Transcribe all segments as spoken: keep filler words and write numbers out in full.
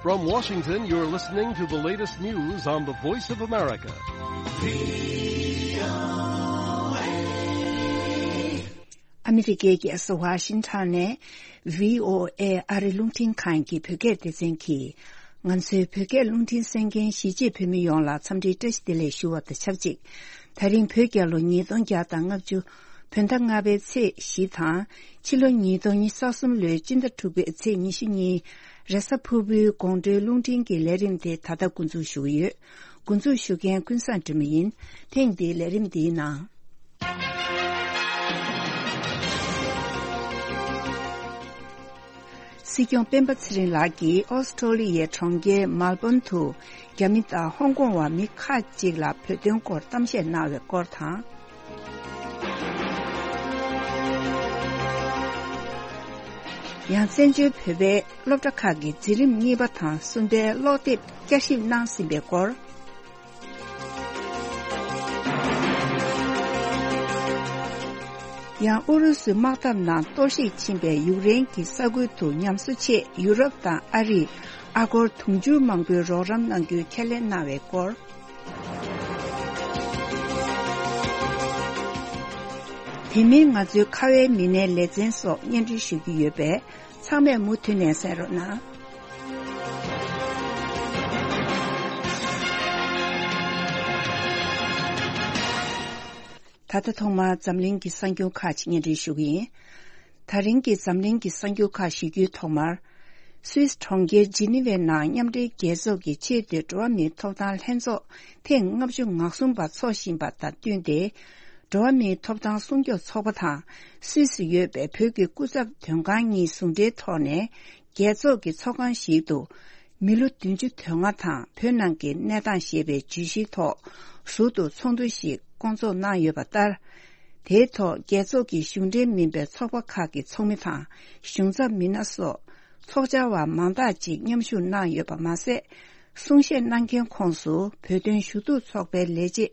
From Washington, you're listening to the latest news on the Voice of America. ཨ་མི་རི་ཀའི་རྒྱལ་ས་ཝ་ཤིང་ཊོན་ནས་བྷི་ཨོ་ཨེ་ཨ་རི་རླུང་འཕྲིན་ཁང་གི་བོད་སྐད་སྡེ་ཚན་གྱིས། ང་ཚོའི་བོད་སྐད་རླུང་འཕྲིན་གསན་མཁན་གཞིས་བྱེས་བོད་མི་ཡོངས་ལ་འཚམས་འདྲིའི་བཀྲ་ཤིས་བདེ་ལེགས་ཞུ་བ་དང་ཆབས་ཅིག། ད་རིང་བོད་རྒྱལ་ལོ་ཉིས་སྟོང་བརྒྱ་དང་ལྔ་བཅུ་བོད་ཟླ་ལྔ་པའི་ཚེས་བཞི་དང་། ཕྱི་ལོ་ཉིས་སྟོང་ཉི་ཤུ་རྩ་གསུམ་ལོའི་སྤྱི་ཟླ་དྲུག་པའི་ཚེས་ཉི་ཤུ་གཉིས། རེས་གཟའ་ཕུར་བུའི་དགོང་དྲོའི་རླུང་འཕྲིན་གྱི་ལས་རིམ་དེ་ད་ལྟ་འགོ་འཛུགས་ཞུ་གི་ཡོད། འགོ་འཛུགས་ཞུ་མཁན་ཀུན་བཟང་སྒྲོལ་མ་ཡིན། ཐེངས་འདིའི་ལས་རིམ་འདིའི་ནང་། སྲིད་སྐྱོང་སྤེན་པ་ཚེ་རིང་ལགས་ཀྱིས་ཨོ་སི་ཀྲོ་ལི་ཡའི་གྲོང་ཁྱེར་མལ་བོན་དུ་རྒྱ་མི་དང་ཧོང་ཀོང་བ་མི་ཁག་ཅིག་ལ་བོད་དོན་སྐོར་གཏམ་བཤད་གནང་བའི་སྐོར་དང་། ཡང་བཙན་བྱོལ་བོད་པའི་སློབ་གྲྭ་ཁག་གི་འཛིན་རིམ་གཉིས་པ་དང་གསུམ་པའི་ཀློག་དེབ་བསྐྱར་ཞིབ་གནང་ཟིན་པའི་སྐོར། ཡང་ཨུ་རུ་སུའི་དམག་འཐབ་ནང་གཏོར་བཤིག་ཕྱིན་པའི་ཡུཀ་རེན་གྱི་ས་ཁུལ་དུ་ཉམས་གསོ་ཆེད་ཡུ་རོབ་དང་ཨ་རིས་ཨ་སྒོར་དུང་ཕྱུར་མང་པོའི་རོགས་རམ་གནང་རྒྱུའི་ཁས་ལེན་གནང་བའི་སྐོར། དེ་མིན་ང་ཚོའི་ཁ་བའི་མི་སྣའི་ལེ་ཚན་སོགས་སྙན་སྒྲོན་ཞུ་རྒྱུ་ཡོད་པས། ཚང་མས་མུ་མཐུད་ནས་གསན་རོགས་གནང་། ད་ལྟ་ཐོག་མར་འཛམ་གླིང་གི་གསར་འགྱུར་ཁག་ཅིག་སྙན་སྒྲོན་ཞུ་གི་ཡིན། ད་རིང་གི་འཛམ་གླིང་གི་གསར་འགྱུར་ཁག་ཞུ་རྒྱུའི་ཐོག་མར། སུད་སི་གྲོང་ཁྱེར་ཇི་ནི་ཝའི་ནང་མཉམ་འབྲེལ་རྒྱལ་ཚོགས་ཀྱི་ཆེས་མཐོའི་འགྲོ་བ་མིའི་ཐོབ་ཐང་ལྷན་ཚོགས་ཐེངས་ལྔ་བཅུ་ང་གསུམ་པ་འཚོགས་བཞིན་པ་དང་བསྟུན་ཏེ། འགྲོ་བ་མིའི་ཐོབ་ཐང་སྲུང་སྐྱོབ་ཚོགས་པ་དང་སུད་སི་ཡོད་པའི་བོད་ཀྱི་སྐུ་ཚབ་དོན་ཁང་གཉིས་ཟུང་འབྲེལ་ཐོག་ནས། རྒྱལ་ཚོགས་ཀྱི་ཚོགས་ཁང་ཞིག་ཏུ། མི་ལོ་བདུན་ཅུ་དོན་ལྔ་དང་བོད་ནང་གི་གནས་སྟངས་ཞེས་པའི་བརྗོད་གཞིའི་ཐོག་ཟུར་དུ་ཚོགས་འདུ་ཞིག་བསྐོང་ཚོགས་གནང་ཡོད་པ་ལྟར། དེའི་ཐོག་རྒྱལ་ཚོགས་ཀྱི་གཞུང་འབྲེལ་མིན་པའི་ཚོགས་པ་ཁག་གི་ཚོགས་མི་དང་གཞུང་ཚབ་མི་སྣ་སོགས་ཚོགས་བཅར་བ་མང་དག་ཅིག་མཉམ་ཞུགས་གནང་ཡོད་པ་མ་ཟད། གསུང་བཤད་གནང་མཁན་ཁོངས་སུ་བོད་དོན་ཞུ་གཏུག་ཚོགས་པའི་ལས་བྱེད་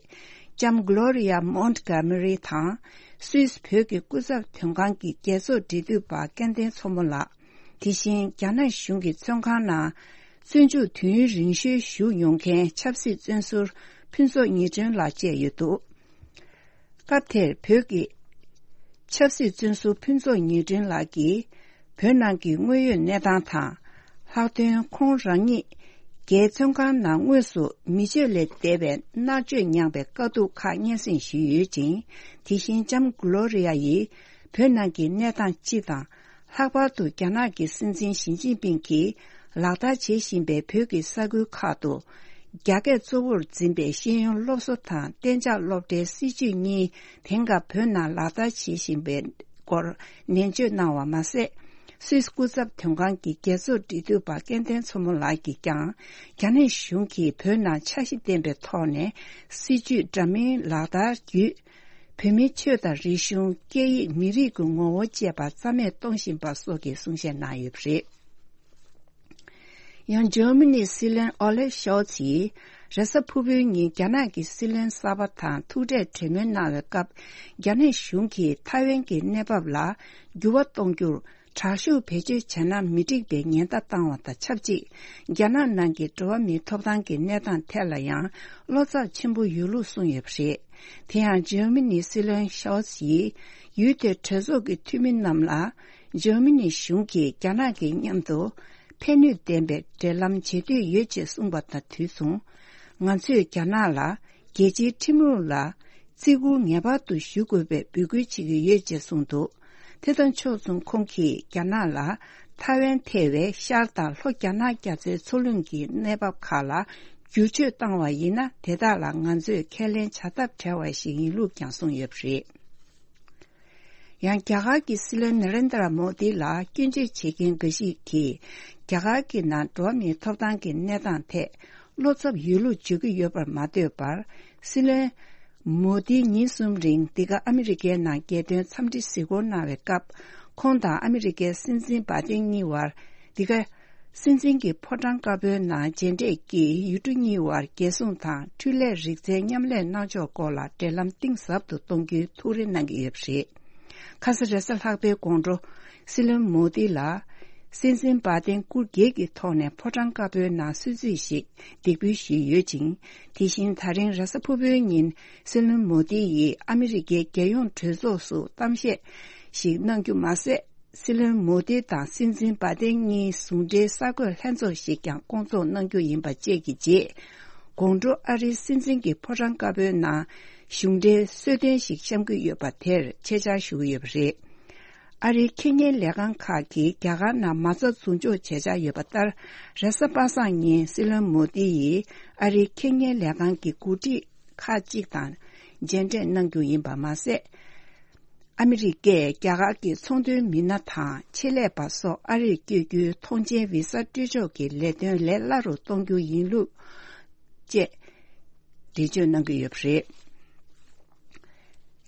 ལྕམ་Gloria Montgomery་དང་སུད་སི་བོད་ཀྱི་སྐུ་ཚབ་དོན་ཁང་གི་རྒྱལ་ཚོགས་འབྲེལ་མཐུད་པ་སྐལ་ལྡན་མཚོ་མོ་ལགས། དེ་བཞིན་རྒྱ་ནག་གཞུང་གི་བཙོན་ཁང་ནང་བཙོན་འཇུག་དུས་ཡུན་རིང་ཤོས་བཞུགས་མྱོང་མཁན་ཆབ་སྲིད་བཙོན་ཟུར་ཕུན་ཚོགས་ཉི་སྒྲོན་ལགས་བཅས་ཡོད་འདུག་སྐབས་དེར་བོད་ཀྱི་ཆབ་སྲིད་བཙོན་ཟུར་ཕུན་ཚོགས་ཉི་སྒྲོན་ལགས་ཀྱིས་བོད་ནང་གི་དངོས་ཡོད་གནས་སྟངས་དང་། ལྷག་དོན་ཁོང་རང་ཉིད་རྒྱའི་བཙོན་ཁང་ནང་དངོས་སུ་མི་སྤྱོད་ལས་འདས་པའི་མནར་གཅོད་མྱངས་པའི་དཀའ་སྡུག་ཁག་སྙན་སེང་ཞུས་ཡོད་ཅིང་། དེ་བཞིན་ལྕམ་Gloria་ཡིས་བོད་ནང་གི་གནས་སྟངས་སྤྱི་དང་། ལྷག་པར་དུ་རྒྱ་ནག་གི་སྲིད་འཛིན་ཞི་ཅིན་ཕིང་གིས་ལག་བསྟར་བྱེད་བཞིན་པའི་བོད་ཀྱི་ས་ཁུལ་ཁག་ཏུ། རྒྱ་སྐད་གཙོ་བོར་འཛིན་པའི་ཤེས་ཡོན་སློབ་གསོ་དང་གཏན་འཇགས་སློབ་གྲྭའི་སྲིད་བྱུས་གཉིས་དེང་སྐབས་བོད་ནང་ལག་བསྟར་བྱེད་བཞིན་པའི་སྐོར་ནན་བརྗོད་གནང་བ་མ་ཟད། སུད་སི་སྐུ་ཚབ་དོན་ཁང་གི་རྒྱལ་ཚོགས་འབྲེལ་མཐུད་པ་སྐལ་ལྡན་མཚོ་མོ་ལགས་ཀྱིས་ཀྱང་། རྒྱ་ནག་གཞུང་གིས་བོད་ནང་འཆར་གཞི་ལྡན་པའི་ཐོག་ནས་སྲིད་བྱུས་འདྲ་མིན་ལག་བསྟར་བརྒྱུད། བོད་མིའི་ཆོས་དང་རིག་གཞུང་། སྐད་ཡིག་མི་རིགས་ཀྱི་ངོ་བོ་བཅས་པ་རྩ་མེད་གཏོང་བཞིན་པ་སོགས་ཀྱི་གསུང་བཤད་གནང་ཡོད་པ་རེད། ཡང་ཇར་མ་ནིའི་སྲིད་བློན་ཨོ་ལེབ་ཤོལ་ཚིས་རེས་གཟའ་ཕུར་བུའི་ཉིན་རྒྱ་ནག་གི་སྲིད་བློན་གསར་པ་དང་ཐུག་འཕྲད་གྲོས་མོལ་གནང་བའི་སྐབས། རྒྱ་ནག་གཞུང་གིས་ཐའེ་ཝན་གྱི་གནས་བབ་ལ་འགྱུར་བ་གཏོང་རྒྱུར། དྲག་ཤུགས་བེད་སྤྱོད་བྱས་ན་མི་འགྲིག་པའི་ཉེན་བརྡ་བཏང་བ་དང་ཆབས་ཅིག་རྒྱ་ནག་ནང་གི་འགྲོ་བ་མིའི་ཐོབ་ཐང་གི་གནས་སྟངས་ཐད་ལ་ཡང་བློ་འཚབ་ཆེན་པོ་ཡོད་ལུགས་གསུངས་ཡོད་པ་རེད། དེ་ཡང་ཇར་མ་ནིའི་སྲིད་བློན་ཤོལ་ཚིས་ཡུལ་དེའི་གྲོས་ཚོགས་ཀྱི་འཐུས་མི་རྣམས་ལ། ཇར་མ་ནི་གཞུང་གིས་རྒྱ་ནག་གི་མཉམ་དུ་ཕན་ནུས་ལྡན་པའི་འབྲེལ་ལམ་བྱེད་འདོད་ཡོད་ཅེས་གསུངས་པ་དང་དུས་མཚུངས། ང་ཚོས་རྒྱ་ནག་ལ་རྒྱལ་སྤྱིའི་ཁྲིམས་ལུགས་ལ་བརྩི་བཀུར་ངེས་པར་དུ་ཞུ་དགོས་པའི་འབོད་སྐུལ་བྱེད་ཀྱི་ཡོད་ཅེས་གསུངས་འདུག་དེ་དང་ཕྱོགས་མཚུངས་ཁོང་གིས་རྒྱ་ནག་ལ་ཐའེ་ཝན་ཐེ་བའི་ཤར་དང་ལྷོ་རྒྱ་ནག་རྒྱ་མཚོའི་མཚོ་གླིང་གི་གནས་བབ་ཁག་ལ་བསྒྱུར་བཅོས་བཏང་བ་ཡིན་ན། དེ་དག་ལ་ང་ཚོས་ཁས་ལེན་བྱ་ཐབས་བྲལ་བ་ཞིག་ཡིན་ལུགས་ཀྱང་གསུངས་ཡོད་པ་རེད། ཡང་རྒྱ་གར་གྱི་སྲིད་བློན་ན་རེན་དྲ་མོ་དི་ལ་སྐྱོན་བརྗོད་བྱེད་མཁན་འགའ་ཞིག་གིས། རྒྱ་གར་གྱི་ནང་འགྲོ་བ་མིའི་ཐོབ་ཐང་གི་གནས་སྟངས་ཐད་བློ་འཚབ་ཡོད་ལུགས་བརྗོད་ཀྱི་ཡོད་པར་མ་ལྟོས་པར། སྲིད་བློན་མོ་དི་ཉིན་གསུམ་རིང་འདི་ག་ཨ་མི་རི་ཀའི་ནང་རྒྱལ་དོན་འཚམས་འདྲི་གཟིགས་སྐོར་གནང་བའི་སྐབས། ཁོང་དང་ཨ་མི་རི་ཀའི་སྲིད་འཛིན་བྷའི་ཏིན་གཉིས་བར་འདི་ག་སྲིད་འཛིན་གྱི་ཕོ་བྲང་དཀར་པོའི་ནང་མཇལ་འཕྲད་ཀྱིས་ཡུལ་གྲུ་གཉིས་བར་རྒྱལ་སྲུང་དང་འཕྲུལ་ལས་རིག་རྩལ་མཉམ་ལས་གནང་ཕྱོགས་སྐོར་ལ་འབྲེལ་ལམ་གཏིང་ཟབ་ཏུ་གཏོང་རྒྱུའི་ཐུགས་རེ་གནང་གི་ཡོད་པ་རེད། ཁ་ས་རེས་གཟའ་ལྷག་པའི་དགོང་དྲོ་སྲིད་བློན་མོ་དི་ལ། སྲིད་འཛིན་བྷའི་ཏན་སྐུ་སྒེར་གྱི་ཐོག་ནས་ཕོ་བྲང་དཀར་པོའི་ནང་གསོལ་ཚིགས་ཤིག་འདེགས་འབུལ་ཞུས་ཡོད་ཅིང་། དེ་བཞིན་ད་རིང་རེས་གཟའ་ཕུར་བུའི་ཉིན་སྲིད་བློན་མོ་དི་ཡིས་ཨ་མི་རི་ཀའི་རྒྱལ་ཡོངས་གྲོས་ཚོགས་སུ་གཏམ་བཤད་ཞིག་གནང་རྒྱུ་མ་ཟད། སྲིད་བློན་མོ་དི་དང་སྲིད་འཛིན་བྷའི་ཏན་གཉིས་ཟུང་འབྲེལ་གསར་འགོད་ལྷན་ཚོགས་ཤིག་ཀྱང་བསྐོང་ཚོགས་གནང་རྒྱུ་ཡིན་པ་བཅས་ཀྱི་རྗེས། དགོང་དྲོ་ཨ་རིའི་སྲིད་འཛིན་གྱི་ཕོ་བྲང་དཀར་པོའི་ནང་གཞུང་འབྲེལ་གསོལ་སྟོན་ཞིག་བཤམས་ཀྱི་ཡོད་པ་དེར་ཆེད་བཅར་ཞུ་གི་ཡོད་པ་རེད། ཨ་རིའི་ཁེ་གཉེར་ལས་ཁང་ཁག་གིས་རྒྱ་གར་ནང་མ་རྩ་འཛུགས་འཇོག་བྱེད་འཆར་ཡོད་པ་ལྟར། རེས་གཟའ་པ་སངས་ཉིན་སྲིད་བློན་མོ་དི་ཡིས་ཨ་རིའི་ཁེ་གཉེར་ལས་ཁང་གི་འགོ་ཁྲིད་ཁག་ཅིག་དང་མཇལ་འཕྲད་གནང་རྒྱུ་ཡིན་པ་མ་ཟད། ཨ་མི་རི་ཀས་རྒྱ་གར་གྱི་ཚོང་དོན་མི་སྣ་དང་ཆེད་ལས་པ་སོགས་ཨ་རིར་བསྐྱོད་རྒྱུའི་ཐོངས་མཆན་བི་ས་སྤྲོད་ཕྱོགས་ཀྱི་ལས་དོན་ལས་སླ་རུ་གཏོང་རྒྱུ་ཡིན་ལུགས་བཅས་འགྲེལ་བརྗོད་གནང་གི་ཡོད་པ་རེད།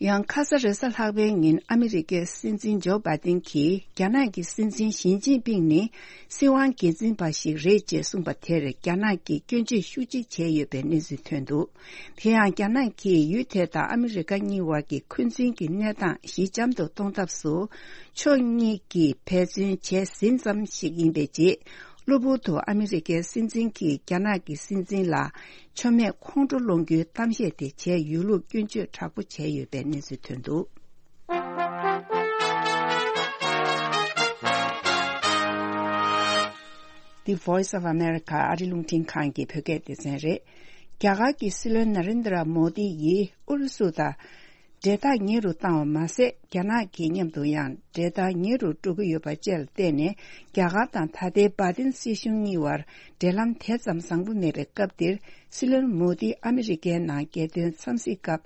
ཡང་ཁ་ས་རེས་གཟའ་ལྷག་པའི་ཉིན་ཨ་མི་རི་ཀའི་སྲིད་འཛིན་ཇོ་བྷའི་ཏིན་གྱིས་རྒྱ་ནག་གི་སྲིད་འཛིན་ཞི་ཅིན་ཕིང་ནི་སྲིད་དབང་སྒེར་འཛིན་པ་ཞིག་རེད་ཅེས་གསུངས་པ་དེར་རྒྱ་ནག་གིས་སྐྱོན་བརྗོད་ཤུགས་ཆེ་བྱས་ཡོད་པའི་གནས་ཚུལ་ཐོན་འདུག་དེ་ཡང་རྒྱ་ནག་གིས་ཡུལ་དེ་དང་ཨ་མི་རི་ཀ་གཉིས་བར་གྱི་འཁོན་འཛིན་གྱི་གནས་སྟངས་ཞི་འཇམ་དུ་གཏོང་ཐབས་སུ་ཕྱོགས་གཉིས་ཀྱིས་འབད་བརྩོན་བྱས་ཟིན་ཙམ་ཞིག་ཡིན་པའི་རྗེས། གློ་བུར་དུ་ཨ་མི་རི་ཀའི་སྲིད་འཛིན་གྱིས་རྒྱ་ནག་གི་སྲིད་འཛིན་ལ་མཆོད་མེ་ཁོང་ཁྲོ་སློང་རྒྱུའི་གཏམ་བཤད་དེ་བྱས་ཡོད་ལུགས་སྐྱོན་བརྗོད་དྲག་པོ་བྱས་ཡོད་པའི་གནས་ཚུལ་ཐོན་འདུག The Voice of America ཨ་རི་རླུང་འཕྲིན་ཁང་གི་བོད་སྐད་སྡེ་ཚན་རེད། རྒྱ་གར་གྱི་སྲིད་བློན་ན་རེན་དྲ་མོ་དི་ཡིས་ཨུ་རུ་སུ་དང་འབྲེལ་ཐག་ཉེ་རུ་བཏང་བ་མ་ཟད། རྒྱ་ནག་གི་མཉམ་དུ་ཡང་འབྲེལ་ཐག་ཉེ་རུ་འགྲོ་གི་ཡོད་པ་བཅས་ལ་བརྟེན་ནས། རྒྱ་གར་དང་ད་ལྟའི་བྷའི་ཏིན་སྲིད་གཞུང་གཉིས་བར་འབྲེལ་ལམ་དེ་ཙམ་བཟང་པོ་མེད་པའི་སྐབས་འདིར། སྲིད་བློན་མོ་དི་ཨ་མི་རི་ཀའི་ནང་རྒྱལ་དོན་འཚམས་གཟིགས་སྐབས།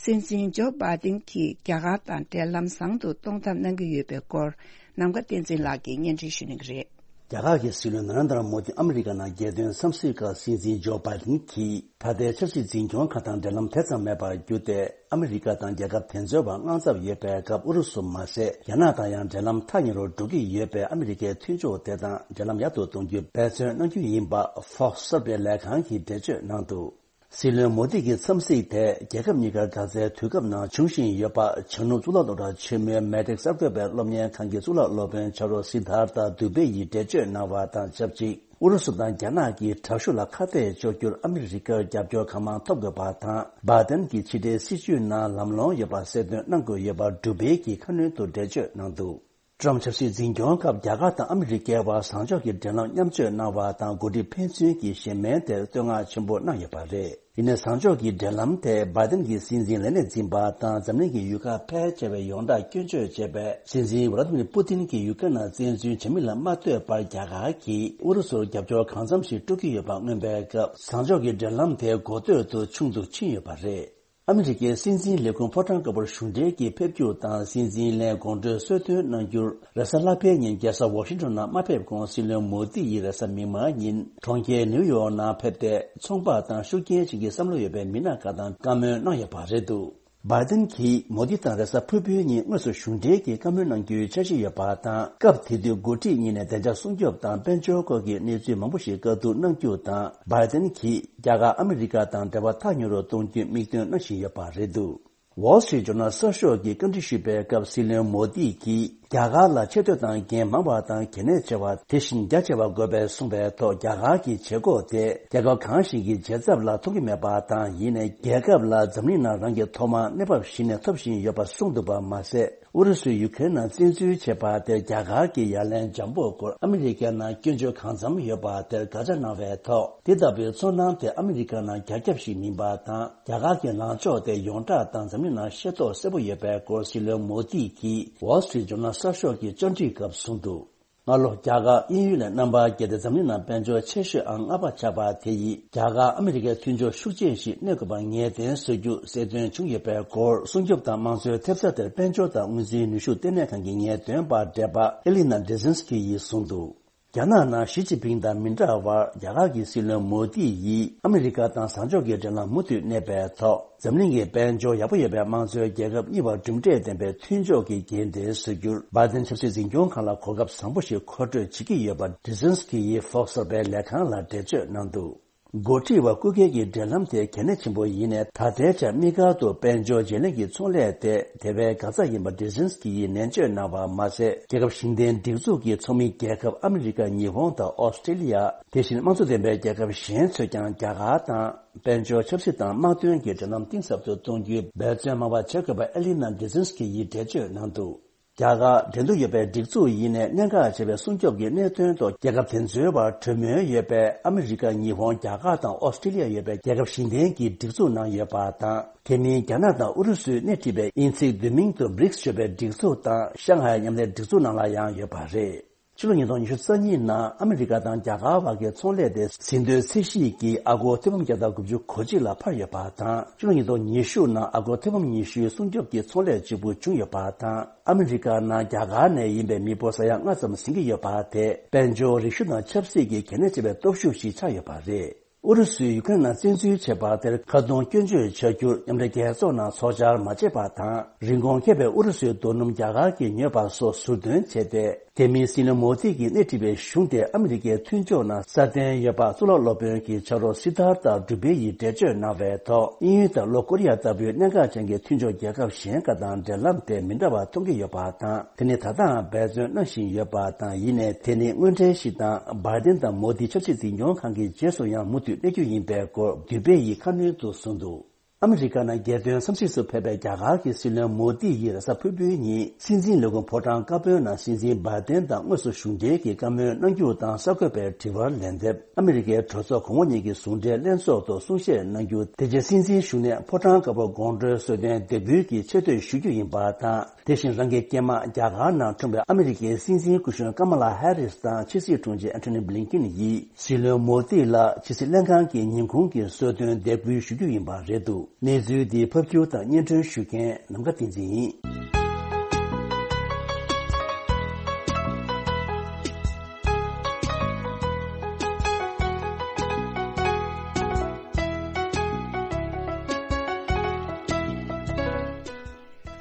སྲིད་འཛིན་ཇོ་བྷའི་ཏིན་གྱིས་རྒྱ་གར་དང་འབྲེལ་ལམ་བཟང་དུ་གཏོང་ཐབས་གནང་གི་ཡོད་པའི་སྐོར། ནམ་མཁའ་བསྟན་འཛིན་ལགས་ཀྱིས་སྙན་སྒྲོན་ཞུ་གནང་གི་རེད། རྒྱ་གར་གྱི་སྲིད་བློན་ན་རེན་དྲ་མོ་དི་ཨ་མི་རི་ཀ་ནང་རྒྱལ་དོན་འཚམས་གཟིགས་སྐབས། སྲིད་འཛིན་ཇོ་བྷའི་ཏིན་གྱིས་ད་ལྟའི་ཆབ་སྲིད་འཛིན་སྐྱོང་ཁག་དང་འབྲེལ་ལམ་དེ་ཙམ་མེད་པར་གྱུར་ཏེ། ཨ་མི་རི་ཀ་དང་རྒྱལ་ཁབ་དེ་ཚོའི་བར་དངངས་འཚབ་ཡོད་པའི་སྐབས། ཨུ་རུ་སུ་མ་ཟད། རྒྱ་ནག་དང་ཡང་འབྲེལ་ལམ་ཐག་ཉེ་རུ་འགྲོ་གི་ཡོད་པས། ཨ་མི་རི་ཀའི་མཐུན་ཕྱོགས་དེ་དང་འབྲེལ་ལམ་ཡག་ཏུ་གཏོང་རྒྱུའི་འབད་བརྩོན་གནང་རྒྱུ་ཡིན་པ། Fox གསར་སྤེལ་ལས་ཁང་གིས་འགྲེལ་བརྗོད་གནང་འདུག་སྲིད་བློན་མོ་དི་གི་འཚམས་གཟིགས་དེ། རྒྱལ་ཁབ་གཉིས་ཀར་ག་ཚད་དུས་སྐབས་ནང་འབྱུང་བཞིན་ཡོད་པ། བྱང་ནུབ་གཙུག་ལག་སློབ་གྲྭ་ཆེན་མོའི་མེ་ཏྲིག་གསར་འགོད་པའི་སློབ་གཉེར་ཁང་གི་གཙུག་ལག་སློབ་དཔོན་ཆ་རོགས་སི་དྷར་ཐ་དུ་བྷེ་ཡིས་འགྲེལ་བརྗོད་གནང་བ་དང་ཆབས་ཅིག་ཨུ་རུ་སུ་དང་རྒྱ་ནག་གི་དྲག་ཤུགས་ལ་ཁ་གཏད་གཅོག་རྒྱུར་ཨ་མི་རི་ཀར་རྒྱབ་སྐྱོར་གང་མང་ཐོབ་དགོས་པ་དང་། བྷའི་ཏན་གྱི་ཕྱི་འབྲེལ་སྲིད་བྱུས་ནང་ལམ་ལྷོང་ཡོད་པ་གསལ་སྟོན་གནང་དགོས་ཡོད་པ། དུ་བྷེ་གིས་ཁ་སྣོན་དུ་འགྲེལ་བརྗོད་གནང་འདུག་ཀྲམ་ཆབ་སྲིད་འཛིན་སྐྱོང་སྐབས། རྒྱ་གར་དང་ཨ་མི་རི་ཀའི་བར་བཟང་ཕྱོགས་ཀྱི་འབྲེལ་ལམ་མཉམ་སྤྱོད་གནང་བ་དང་། འགོ་ཁྲིད་ཕན་ཚུན་གྱི་གཞན་སྨན་དེར་བསྟོད་བསྔགས་ཆེན་པོ་གནང་ཡོད་པ་རེད། ཡིན་ནའི་བཟང་ཕྱོགས་ཀྱི་འབྲེལ་ལམ་དེ། བྷའི་ཏན་གྱི་སྲིད་འཛིན་ལས་གནས་འཛིན་པ་དང་འཛམ་གླིང་གི་ཡུལ་ཁག་ཕལ་ཆེ་བས་ཡོངས་གྲགས་སྐྱོན་བརྗོད་བྱས་པའི། སྲིད་འཛིན་ཝ་ལ་ཏི་མིར་པུ་ཏིན་གྱིས་ཡུ་ཀེ་རན་ལ་བཙན་འཛུལ་བྱེད་མིན་ལ་མ་ལྟོས་པར། རྒྱ་གར་གྱིས་ཨུ་རུ་སུར་རྒྱབ་སྐྱོར་གང་འཚམ་ཞིག་སྤྲོད་ཀྱི་ཡོད་པ་མངོན་པའི་སྐབས། བཟང་ཕྱོགས་ཀྱི་འབྲེལ་ལམ་དེ་འགོ་སྟོད་དུ་ཆུང་དུ་ཕྱིན་ཡོད་པ་རེད། ཨ་མི་རི་ཀའི་སྲིད་འཛིན་ལས་ཁུངས་ཕོ་བྲང་དཀར་པོར་གཞུང་འབྲེལ་གྱིས་ཕེབས་རྒྱུ་དང་། སྲིད་འཛིན་ལས་དགོང་དྲོའི་གསོལ་སྟོན་གནང་རྒྱུར། རེས་གཟའ་ལྷག་པའི་ཉིན་རྒྱལ་ས་ཝ་ཤིང་ཏོན་ནང་མ་ཕེབས་གོང་། སྲིད་བློན་མོ་དི་ཡིས་རེས་གཟའ་མིག་དམར་ཉིན་གྲོང་ཁྱེར་ནིའུ་ཡོག་ནང་ཕེབས་ཏེ། ཚོང་པ་དང་ཤུགས་རྐྱེན་ཅན་གྱི་བསམ་བློ་ཡོད་པའི་མི་སྣ་ཁག་དང་བཀའ་མོལ་གནང་ཡོད་པ་རེད་འདུག་བྷའི་ཏན་གྱིས་མོ་དི་དང་རེས་གཟའ་ཕུར་བུའི་ཉིན་དངོས་སུ་གཞུང་འབྲེལ་གྱིས་བཀའ་མོལ་གནང་རྒྱུའི་འཆར་གཞི་ཡོད་པ་དང་། སྐབས་དེ་དུས་འགོ་ཁྲིད་གཉིས་ནས་བདེ་འཇགས་སྲུང་སྐྱོབ་དང་དཔལ་འབྱོར་སྐོར་གྱི་གནས་ཚུལ་མང་པོ་ཞིག་བཀའ་བསྡུར་གནང་རྒྱུ་དང་། བྷའི་ཏན་གྱིས་རྒྱ་གར་ཨ་མི་རི་ཀ་དང་འབྲེལ་བ་ཐག་ཉེ་རུ་གཏོང་རྒྱུའི་དམིགས་འདུན་གནང་བཞིན་ཡོད་པ་རེད་འདུག Wall Street Journal གསར་ཤོག་གིས་བཀའ་འདྲི་ཞུས་པའི་སྐབས། སྲིད་བློན་མོ་དི་གིས་རྒྱ་གར་ལ་ཆེ་བསྟོད་དང་འགན་མང་བ་དང་གལ་གནད་ཆེ་བ། དེ་བཞིན་རྒྱ་ཆེ་བ་དགོས་པའི་གསུངས་པའི་ཐོག་རྒྱ་གར་གྱི་བྱེད་སྒོ་དེ་རྒྱལ་ཁབ་གང་ཞིག་གི་རྒྱལ་ཚབ་ལ་ཐོབ་ཀྱི་མེད་པ་དང་། ཡིན་ནའི་རྒྱལ་ཁབ་ལ་འཛམ་གླིང་ནང་རང་གི་ཐོག་མར་གནས་བབ་གཞི་ནས་ཐོབ་བཞིན་ཡོད་པ་གསུངས་འདུག་པ་མ་ཟད། ཨུ་རུ་སུས་ཡུ་ཁེ་རེན་ནང་བཙན་འཛུལ་བྱས་པ་དེར་རྒྱ་གར་གྱི་ཡ་ལན་འཇམ་པོའི་སྐོར་ཨ་མི་རི་ཀའི་ནང་སྐྱོན་བརྗོད་གང་འཚམ་ཡོད་པ་དེར་དགག་བྱ་གནང་བའི་ཐོག་དེ་ལྟ་བུའི་ཚོར་སྣང་དེ་ཨ་མི་རི་ཀ་ནང་རྒྱ་ཁྱབ་ཞིག་མིན་པ་དང་། རྒྱ་གར་གྱི་ལངས་ཕྱོགས་དེ་ཡོངས་གྲགས་དང་འཛམ་གླིང་ནང་ཤེས་རྟོགས་གསལ་པོ་ཡོད་པའི་སྐོར་སྲིད་བློན་མོ་དི་གིས་Wall Street Journal གསར་ཤོག་གི་བཅར་འདྲིའི་སྐབས་གསུངས་འདུག་སྔ་ལོ་རྒྱ་གར་དབྱིན་ཡུལ་ནས་རྣམ་པར་རྒྱལ་ཏེ་འཛམ་གླིང་ནང་དཔལ་འབྱོར་ཆེ་ཤོས་ཨང་ལྔ་པ་ཆགས་པ་དེ་ཡིས། རྒྱ་གར་ཨ་མི་རི་ཀའི་མཐུན་ཕྱོགས་ཤུགས་ཆེན་ཞིག་གནས་དགོས་པ་ངེས་གཏན་བཟོ་རྒྱུ་གསལ་སྟོན་བྱུང་ཡོད་པའི་སྐོར། སྲུང་སྐྱོབ་དང་དམངས་གཙོའི་ཐེབས་རྩ་དེར་དཔལ་འབྱོར་དང་དངུལ་རྩིས་ནུས་ཤུགས་ལྟེ་གནས་ཁང་གི་ངེས་སྟོན་པ་བགྲེས་པ་ཨེ་ལི་ན་ཌི་ཟིན་སི་ཀི་ཡིས་གསུངས་འདུག་རྒྱ་ནག་ནང་ཞི་ཅིན་ཕིང་དང་མི་འདྲ་བར། རྒྱ་གར་གྱི་སྲིད་བློན་མོ་དི་ཡིས་ཨ་མི་རི་ཀ་དང་བཟང་ཕྱོགས་ཀྱི་འབྲེལ་ལམ་མུ་མཐུད་གནས་པའི་ཐོག་འཛམ་གླིང་གི་དཔལ་འབྱོར་ཡག་པོ་ཡོད་པའི་དམངས་གཙོའི་རྒྱལ་ཁབ་གཉིས་བར་གྲུབ་འབྲས་ལྡན་པའི་མཐུན་ཕྱོགས་ཀྱི་འགན་དེ་བཟོ་རྒྱུར། བྷའི་ཏན་ཆབ་སྲིད་འཛིན་སྐྱོང་ཁང་ལ་གོ་སྐབས་བཟང་པོ་ཞིག་མཁོ་སྤྲོད་བྱེད་ཀྱི་ཡོད་པ། ཌི་ཟིན་སི་ཀི་ཡིས་Fox གསར་པའི་ལས་ཁང་ལ་འགྲེལ་བརྗོད་གནང་འདུག་འགོ་ཁྲིད་པ་སྐུ་སྒེར་གྱི་འབྲེལ་ལམ་དེ་གལ་གནད་ཆེན་པོ་ཡིན་ནས། ད་ལྟའི་ཆར་དམིགས་བཀར་དུ་དཔལ་འབྱོར་བརྗེ་ལེན་གྱི་ཚོང་ལས་དེ་དེ་བས་འགག་རྩ་ཡིན་པ་བྷི་རི་ཊན་སི་ཀི་ཡིས་ནན་བརྗོད་གནང་བ་མ་ཟད། རྒྱལ་ཁབ་གཞུང་འབྲེལ་སྒྲིག་འཛུགས་ཀྱི་ཚོགས་མི་རྒྱལ་ཁབ་ཨ་མི་རི་ཀ། ཉི་ཧོང་དང་ཨོ་སི་ཀྲི་ལི་ཡ། དེ་བཞིན་དམངས་གཙོ་ལྡན་པའི་རྒྱལ་ཁབ་གཞན་ཚོས་ཀྱང་རྒྱ་གར་དང་དཔལ་འབྱོར། ཆབ་སྲིད་དང་དམག་དོན་གྱི་འབྲེལ་ལམ་གཏིང་ཟབ་ཏུ་གཏོང་རྒྱུའི་འབད་བརྩོན་མང་བ་བྱེད་དགོས་པ་ཨེ་ལི་ན་བྷི་རི་ཊན་སི་ཀི་ཡིས་འགྲེལ་བརྗོད་གནང་འདུག་རྒྱ་གར་འགྲན་བསྡུར་ཡོད་པའི་སྒྲིག་འཛུགས་ཡིན་ནའི། གནད་འགག་ཆེ་བའི་སྲུང་སྐྱོབ་ཀྱི་གནད་དོན་ཐོག་རྒྱལ་ཁབ་དེ་ཚོའི་བར་གྲོས་མོལ་ཡོད་པས། ཨ་མི་རི་ཀ། ཉི་ཧོང་། རྒྱ་གར་དང་ཨོ་སི་ཀྲི་ལི་ཡ་ཡོད་པའི་རྒྱལ་ཁབ་བཞི་ལྡན་གྱི་སྒྲིག་འཛུགས་ནང་ཡོད་པ་དང་། དེ་མིན་རྒྱ་ནག་དང་ཨུ་རུ་སུས་སྣེ་ཁྲིད་པའི་དབྱིན་ཚིག་བསྡུས་མིང་དུ་བྷི་རིགས་ཞེས་པའི་སྒྲིག་འཛུགས་དང་། ཤང་ཧའེ་མཉམ་ལས་སྒྲིག་འཛུགས་ནང་ལ་ཡང་ཡོད་པ་རེད། ཕྱི་ལོ་ཉིས་སྟོང་ཉི་ཤུ་རྩ་གཉིས་ནང་ཨ་མི་རི་ཀ་དང་རྒྱ་གར་བར་གྱི་ཚོང་ལས་དེ་ཟིན་ཐོའི་ཚད་གཞི་གིས་ཨ་སྒོར་ཐེར་འབུམ་བརྒྱ་དང་དགུ་བཅུ་གོ་གཅིག་ལ་འཕར་ཡོད་པ་དང་། ཕྱི་ལོ་ཉིས་སྟོང་ཉི་ཤུ་ནང་ཨ་སྒོར་ཐེར་འབུམ་ཉི་ཤུའི་སྲུང་སྐྱོབ་ཀྱི་ཚོང་ལས་གཅིག་པུ་བྱུང་ཡོད་པ་དང་། ཨ་མི་རི་ཀ་ནང་རྒྱ་གར་ནས་ཡིན་པའི་མི་འབོར་ས་ཡ་ལྔ་ཙམ་ཟིན་གྱི་ཡོད་པ་དེ་དཔལ་འབྱོར། རིག་གཞུང་དང་ཆབ་སྲིད་ཀྱི་གལ་གནད་ཆེ་བའི་སྟོབས་ཤུགས་ཤིག་ཆགས་ཡོད་པ་རེད། ཨུ་རུ་སུས་ཡུ་ཀེ་རེན་ནང་བཙན་འཛུལ་བྱས་པ་དེར་ཁ་རྡུང་སྐྱོན་བརྗོད་བྱ་རྒྱུར་མཉམ་འབྲེལ་རྒྱལ་ཚོགས་ནང་ཚོགས་བཅར་མ་བྱས་པ་དང་། རིན་གོང་ཁེ་བའི་ཨུ་རུ་སུའི་རྡོ་སྣུམ་རྒྱ་གར་གྱིས་ཉོས་པ་སོགས་ཟུར་འདོན་བྱས་ཏེ། དེ་མིན་སྲིད་བློན་མོ་དི་གིས་སྣེ་ཁྲིད་པའི་གཞུང་དེ་ཨ་མི་རི་ཀའི་མཐུན་ཕྱོགས་ནང་སྲ་བརྟན་ཡོད་པ་གཙུག་ལག་སློབ་དཔོན་གྱི་ཕྱག་རོགས་སི་དྷར་ཐ་གྲུ་པེ་ཡིས་འགྲེལ་བརྗོད་གནང་བའི་ཐོག་དབྱིན་ཡུལ་དང་ལྷོ་ཀོ་རི་ཡ་ལྟ་བུའི་གནད་འགག་ཅན་གྱི་མཐུན་ཕྱོགས་རྒྱལ་ཁབ་གཞན་ཁག་དང་འབྲེལ་ལམ་དེ་མི་འདྲ་བ་མཐོང་གི་ཡོད་པ་དང་། དེ་ནི་ད་ལྟའང་འབད་བརྩོན་གནང་བཞིན་ཡོད་པ་དང་། ཡིན་ནའི་དེ་ནི་དངོས་འབྲེལ་ཞིག་དང་། འབར་ཏན་དང་མོ་དི་ཆབ་སྲིད་འཛིན་སྐྱོང་ཁང་གི་རྗེས་སུ་ཡང་མུ་མཐུད་གནས་རྒྱུ་ཡིན་པའི་སྐོར་གྲུ་པེ་ཡིས་ཁ་སྣོན་དུ་གསུངས་འདུག་ཨ་མི་རི་ཀ་ནང་རྒྱལ་དོན་འཚམས་གཟིགས་སུ་ཕེབས་པའི་རྒྱ་གར་གྱི་སྲིད་བློན་མོ་དི་ཡིས་རེས་གཟའ་ཕུར་བུའི་ཉིན་སྲིད་འཛིན་ལས་ཁུངས་ཕོ་བྲང་དཀར་པོའི་ནང་སྲིད་འཛིན་འབར་ཏན་དང་དངོས་སུ་བཞུགས་གྲལ་གྱི་བཀའ་མོལ་གནང་རྒྱུ་དང་། གསར་འགོད་པའི་དྲི་བར་ལན་འདེབས། ཨ་མི་རི་ཀའི་གྲོས་ཚོགས་གོང་འོག་གཉིས་ཀྱི་ཟུང་འབྲེལ་ལྷན་ཚོགས་ཐོག་གསུང་བཤད་གནང་རྒྱུ། དེ་རྗེས་སྲིད་འཛིན་བཞུགས་གནས་ཕོ་བྲང་དཀར་པོ་དགོང་དྲོའི་གསོལ་སྟོན་དེབ་འབུལ་གྱི་ཆེ་བསྟོད་ཞུ་རྒྱུ་ཡིན་པ་དང་། དེ་བཞིན་རང་གི་སྐྱེས་མ་རྒྱ་གར་ནང་འཁྲུངས་པའི་ཨ་མི་རི་ཀའི་སྲིད་འཛིན་སྐུ་གཞོན་ཀ་མ་ལ་ཧེ་རིས་དང་ཕྱི་སྲིད་དྲུང་ཆེ་ཨན་ཐོ་ནི་བྷི་ལིན་ཀིན་ཡིས་སྲིད་བློན་མོ་དི་ལ་ཕྱི་སྲིད་ལྷན་ཁང་གི་ཉིན་གུང་གི་གསོལ་སྟོན་དེབ་འབུལ་ཞུ་རྒྱུ་ཡིན་པ་རེད་འདུག་གནས་ཚུལ་འདི་ཕབ་སྒྱུར་དང་སྙན་སྒྲོན་ཞུ་མཁན་ནམ་མཁའ་བསྟན་འཛིན་ཡིན།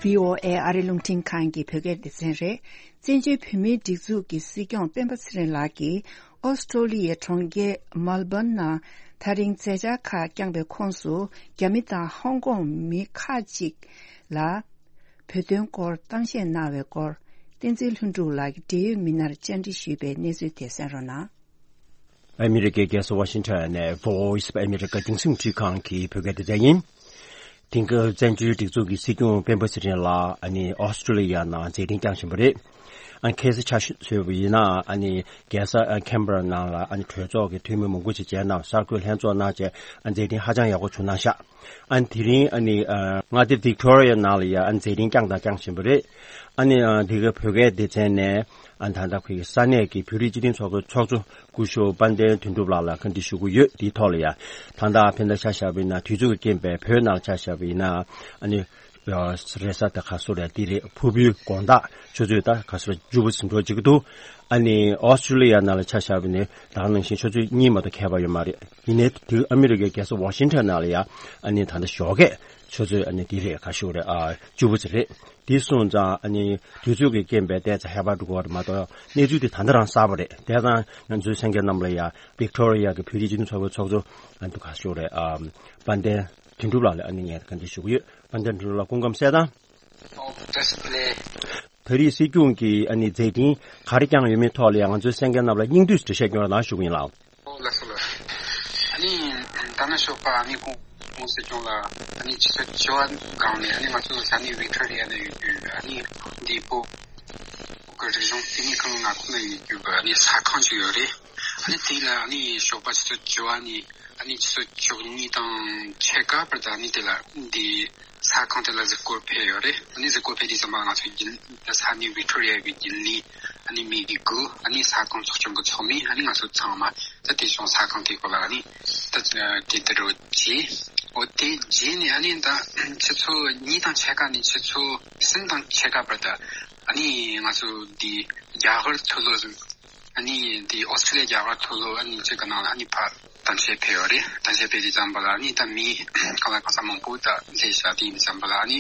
བྷི་ཨོ་ཨེ་ཨ་རི་རླུང་འཕྲིན་ཁང་གི་བོད་སྐད་སྡེ་ཚན་རེད། བཙན་བྱོལ་བོད་མིའི་སྒྲིག་འཛུགས་ཀྱི་སྲིད་སྐྱོང་སྤེན་པ་ཚེ་རིང་ལགས་ཀྱིས་ཨོ་སི་ཀྲོ་ལི་ཡའི་གྲོང་ཁྱེར་མལ་སྦོན་ནང་དེ་རིང་མཛད་འཆར་ཁག་བསྐྱངས་པའི་ཁོངས་སུ། རྒྱ་མི་དང་ཧོང་ཀོང་མི་ཁག་ཅིག་ལ་བོད་དོན་སྐོར་གཏམ་བཤད་གནང་བའི་སྐོར། བསྟན་འཛིན་ལྷུན་གྲུབ་ལགས་ཀྱིས་འབྲེལ་ཡོད་མི་སྣར་བཅར་འདྲི་ཞུས་པའི་གནས་ཚུལ་དེ་གསན་རོགས་གནང་། ཨ་མི་རི་ཀའི་རྒྱལ་ས་ཝ་ཤིང་ཊོན་ནས་Voice of America རྒྱང་སྲིང་རླུང་འཕྲིན་ཁང་གི་བོད་སྐད་སྡེ་ཚན་ཡིན། དེང་སྐབས་བཙན་བྱོལ་སྒྲིག་འཛུགས་ཀྱི་སྲིད་སྐྱོང་སྤེན་པ་ཚེ་རིང་ལགས་ཨ་ནི་ཨོ་སི་ཀྲོ་ལི་ཡ་ནང་མཛད་འཕྲིན་བསྐྱངས་བཞིན་པ་རེད། ཨ་ནི་ཁ་སང་ཆ་བཞག་པ་ཡིན་ན་ཨ་ནི་རྒྱལ་ས་ཨ་ཁེམ་བྷ་ར་ནང་ལ་ཨ་ནི་གྲོས་ཚོགས་ཀྱི་འཐུས་མི་མང་པོ་ཅིག་མཇལ་གནང་། གསར་འགོད་ལྷན་ཚོགས་གནང་བྱས་ཨ་མཛད་འཕྲིན་ཧ་ཅང་ཡག་པོ་བྱུང་གནང་ཤག་ཨ་ནི་དེ་རིང་ཨ་ནི་ཨ་མངའ་སྡེ་ཝིག་ཊོ་རི་ཡ་ནང་ལ་ཡ་ཨ་ནི་མཛད་འཕྲིན་བསྐྱངས་དང་བསྐྱང་བཞིན་པ་རེད། ཨ་ནི་ཨ་འདི་ག་བོད་སྐད་སྡེ་ཚན་ནས་ཨ་ནི་ད་ལྟ་ཁོའི་ས་གནས་ཀྱི་བོད་རིགས་སྤྱི་མཐུན་ཚོགས་པའི་ཚོགས་གཙོ་སྐུ་ཞབས་དཔལ་ལྡན་དོན་གྲུབ་ལགས་ལ་བཀའ་འདྲི་ཞུ་གི་ཡོད། དེའི་ཐོག་ལ་ཡ་ད་ལྟ་ཕན་ཚུན་ཆ་བཞག་པ་ཡིན་ན་དུས་ཚོད་ཀྱི་རྐྱེན་པས་བོད་ནང་ལ་ཆ་བཞག་པ་ཡིན་ན་ཨ་ནི་རེས་གཟའ་ཟླ་ག་སོ་རེད། འདི་རེད། ཕུར་བུའི་དགོང་དག་ཆུ་ཚོད་ད་ག་སོ་རེད། བཅུ་པ་ཟིན་འགྲོ་བྱེད་ཀྱི་འདུག་ཨ་ནི་ཨོ་སི་ཀྲོ་ལི་ཡ་ནང་ལ་ཆ་བཞག་པ་ཡིན་ན་ད་ག་ནང་བཞིན་ཆུ་ཚོད་གཉིས་མ་གཏོགས་ཁྱད་པར་ཡོད་མ་རེད། ཡིན་ནའི་དེ་ཨ་མི་རི་ཀའི་རྒྱལ་ས་ཝ་ཤིང་ཊོན་ནང་ལ་ཡ་ཨ་ནི་ད་ལྟ་ཞོགས་ཀས་ཆུ་ཚོད་ཨ་ནི་འདི་རེད། ག་ཤོག་རེད། ཨ་བཅུ་པ་ཙམ་རེད། དེ་སོང་ཙང་ཨ་ནི་དུས་ཚོད་ཀྱི་རྐྱེན་པས་ཏོག་ཙམ་ཧེ་བག་འགྲོ་གི་ཡོད་རེད་མ་གཏོགས་གནས་ཚུལ་དེ་ད་ལྟ་རང་གསར་པ་རེད། དེ་ཙང་ང་ཚོའི་གསན་མཁན་རྣམས་ལ་ཡ་ཝིག་ཊོ་རི་ཡ་གི་བོད་རིགས་སྤྱི་མཐུན་ཚོགས་པའི་ཚོགས་གཙོ་ཨ་ནི་ག་ཤོག་རེད། ཨ་དཔལ་ལྡན་དོན་གྲུབ་ལགས་ལ་ཨ་ནི་ངས་བཀའ་འདྲི་ཞུ་གི་ཡོད། དཔལ་ལྡན་དོན་གྲུབ་ལགས་སྐུ་ཁམས་བཟང་། ཨོ་བཀྲ་ཤིས་བདེ་ལེགས། བོད་རིགས་སྲིད་སྐྱོང་གིས་ཨ་ནི་མཛད་འཕྲིན་ག་རེ་བསྐྱངས་ཡོད་མེད་ཐོག་ལ་ཡང་ང་ཚོའི་གསན་མཁན་རྣམས་ལ་སྙིང་བསྡུས་འགྲེལ་བཤད་སྐྱོན་རོགས་གནང་ཞུ་གི་ཡིན་ལགས། ཨོ་ལགས་སོ་ལགས། ཨ་ནི་ད་ནི་ཞོགས་པ་ཨ་ནི་གོང་གོང་སྲིད་སྐྱོང་ལ་ཨ་ནི་ཆུ་ཚོད་བཅུ་པ་སྒང་ནས་ཨ་ནི་ང་ཚོ་ས་གནས་ཝིག་ཊོ་རི་ཡ་ནས་ཡོད་རྒྱུ་ཨ་ནི་འདི་བོད་ཀྱི་རིག་གཞུང་བསྟི་གནས་ཁང་ལྔ་ཁོངས་ན་ཡོད་རྒྱུ་ཨ་ནི་ས་ཁང་ཅིག་ཡོད་རེད། ཨ་ནི་དེ་ལ་ཨ་ནི་ཞོགས་པ་ཆུ་ཚོད་བཅུ་པ་ནས་ཨ་ནི་ཆུ་ཚོད་བཅུ་གཉིས་དང་ཕྱེད་ཀ་བར་དུ་ཨ་ནི་དེ་ལ་འདི་ས་ཁང་དེ་ལ་གཟིགས་སྐོར་ཕེབས་ཡོད་རེད། ཨ་ནི་གཟིགས་སྐོར་ཕེབས་དུས་ཙམ་པ་ང་ཚོ་རྒྱུན་ས་གནས་ཝིག་ཊོ་རི་ཡ་གི་རྒྱུན་ལས་ཨ་ནི་མི་དགུ་ཨ་ནི་ས་ཁང་ཚོགས་ཆུང་གི་ཚོགས་མི་ཨ་ནི་ང་ཚོ་ཚང་མ་ད་དེ་བྱུང་ས་ཁང་དེ་སྐོར་ལ་ཨ་ནི་ད་དེ་ལྟར་རོ་བྱས། འོ་དེ་རྗེས་ནས་ཨ་ནི་ད་ཆུ་ཚོད་གཉིས་དང་ཕྱེད་ཀ་ནས་ཆུ་ཚོད་གསུམ་དང་ཕྱེད་ཀ་བར་དུ་ཨ་ནི་ང་ཚོ་འདི་རྒྱ་གར་མཐོ་སློབ་ཨ་ནི་འདི་ཨོ་སི་ཀྲི་ལི་ཡ་རྒྱ་གར་མཐོ་སློབ་ཨ་ནི་གཅིག་གི་ནང་ལ་ཨ་ནི་ཕར་གཏམ་བཤད་ཕེབས་ཡོད་རེད། གཏམ་བཤད་ཕེབས་དུས་ཙམ་པ་ལ་ཨ་ནི་ད་མི་གང་ལ་གང་ས་མང་པོ་ད་སླེབས་ཤག་དེ་ཡིན་དུས་ཙམ་པ་ལ་ཨ་ནི་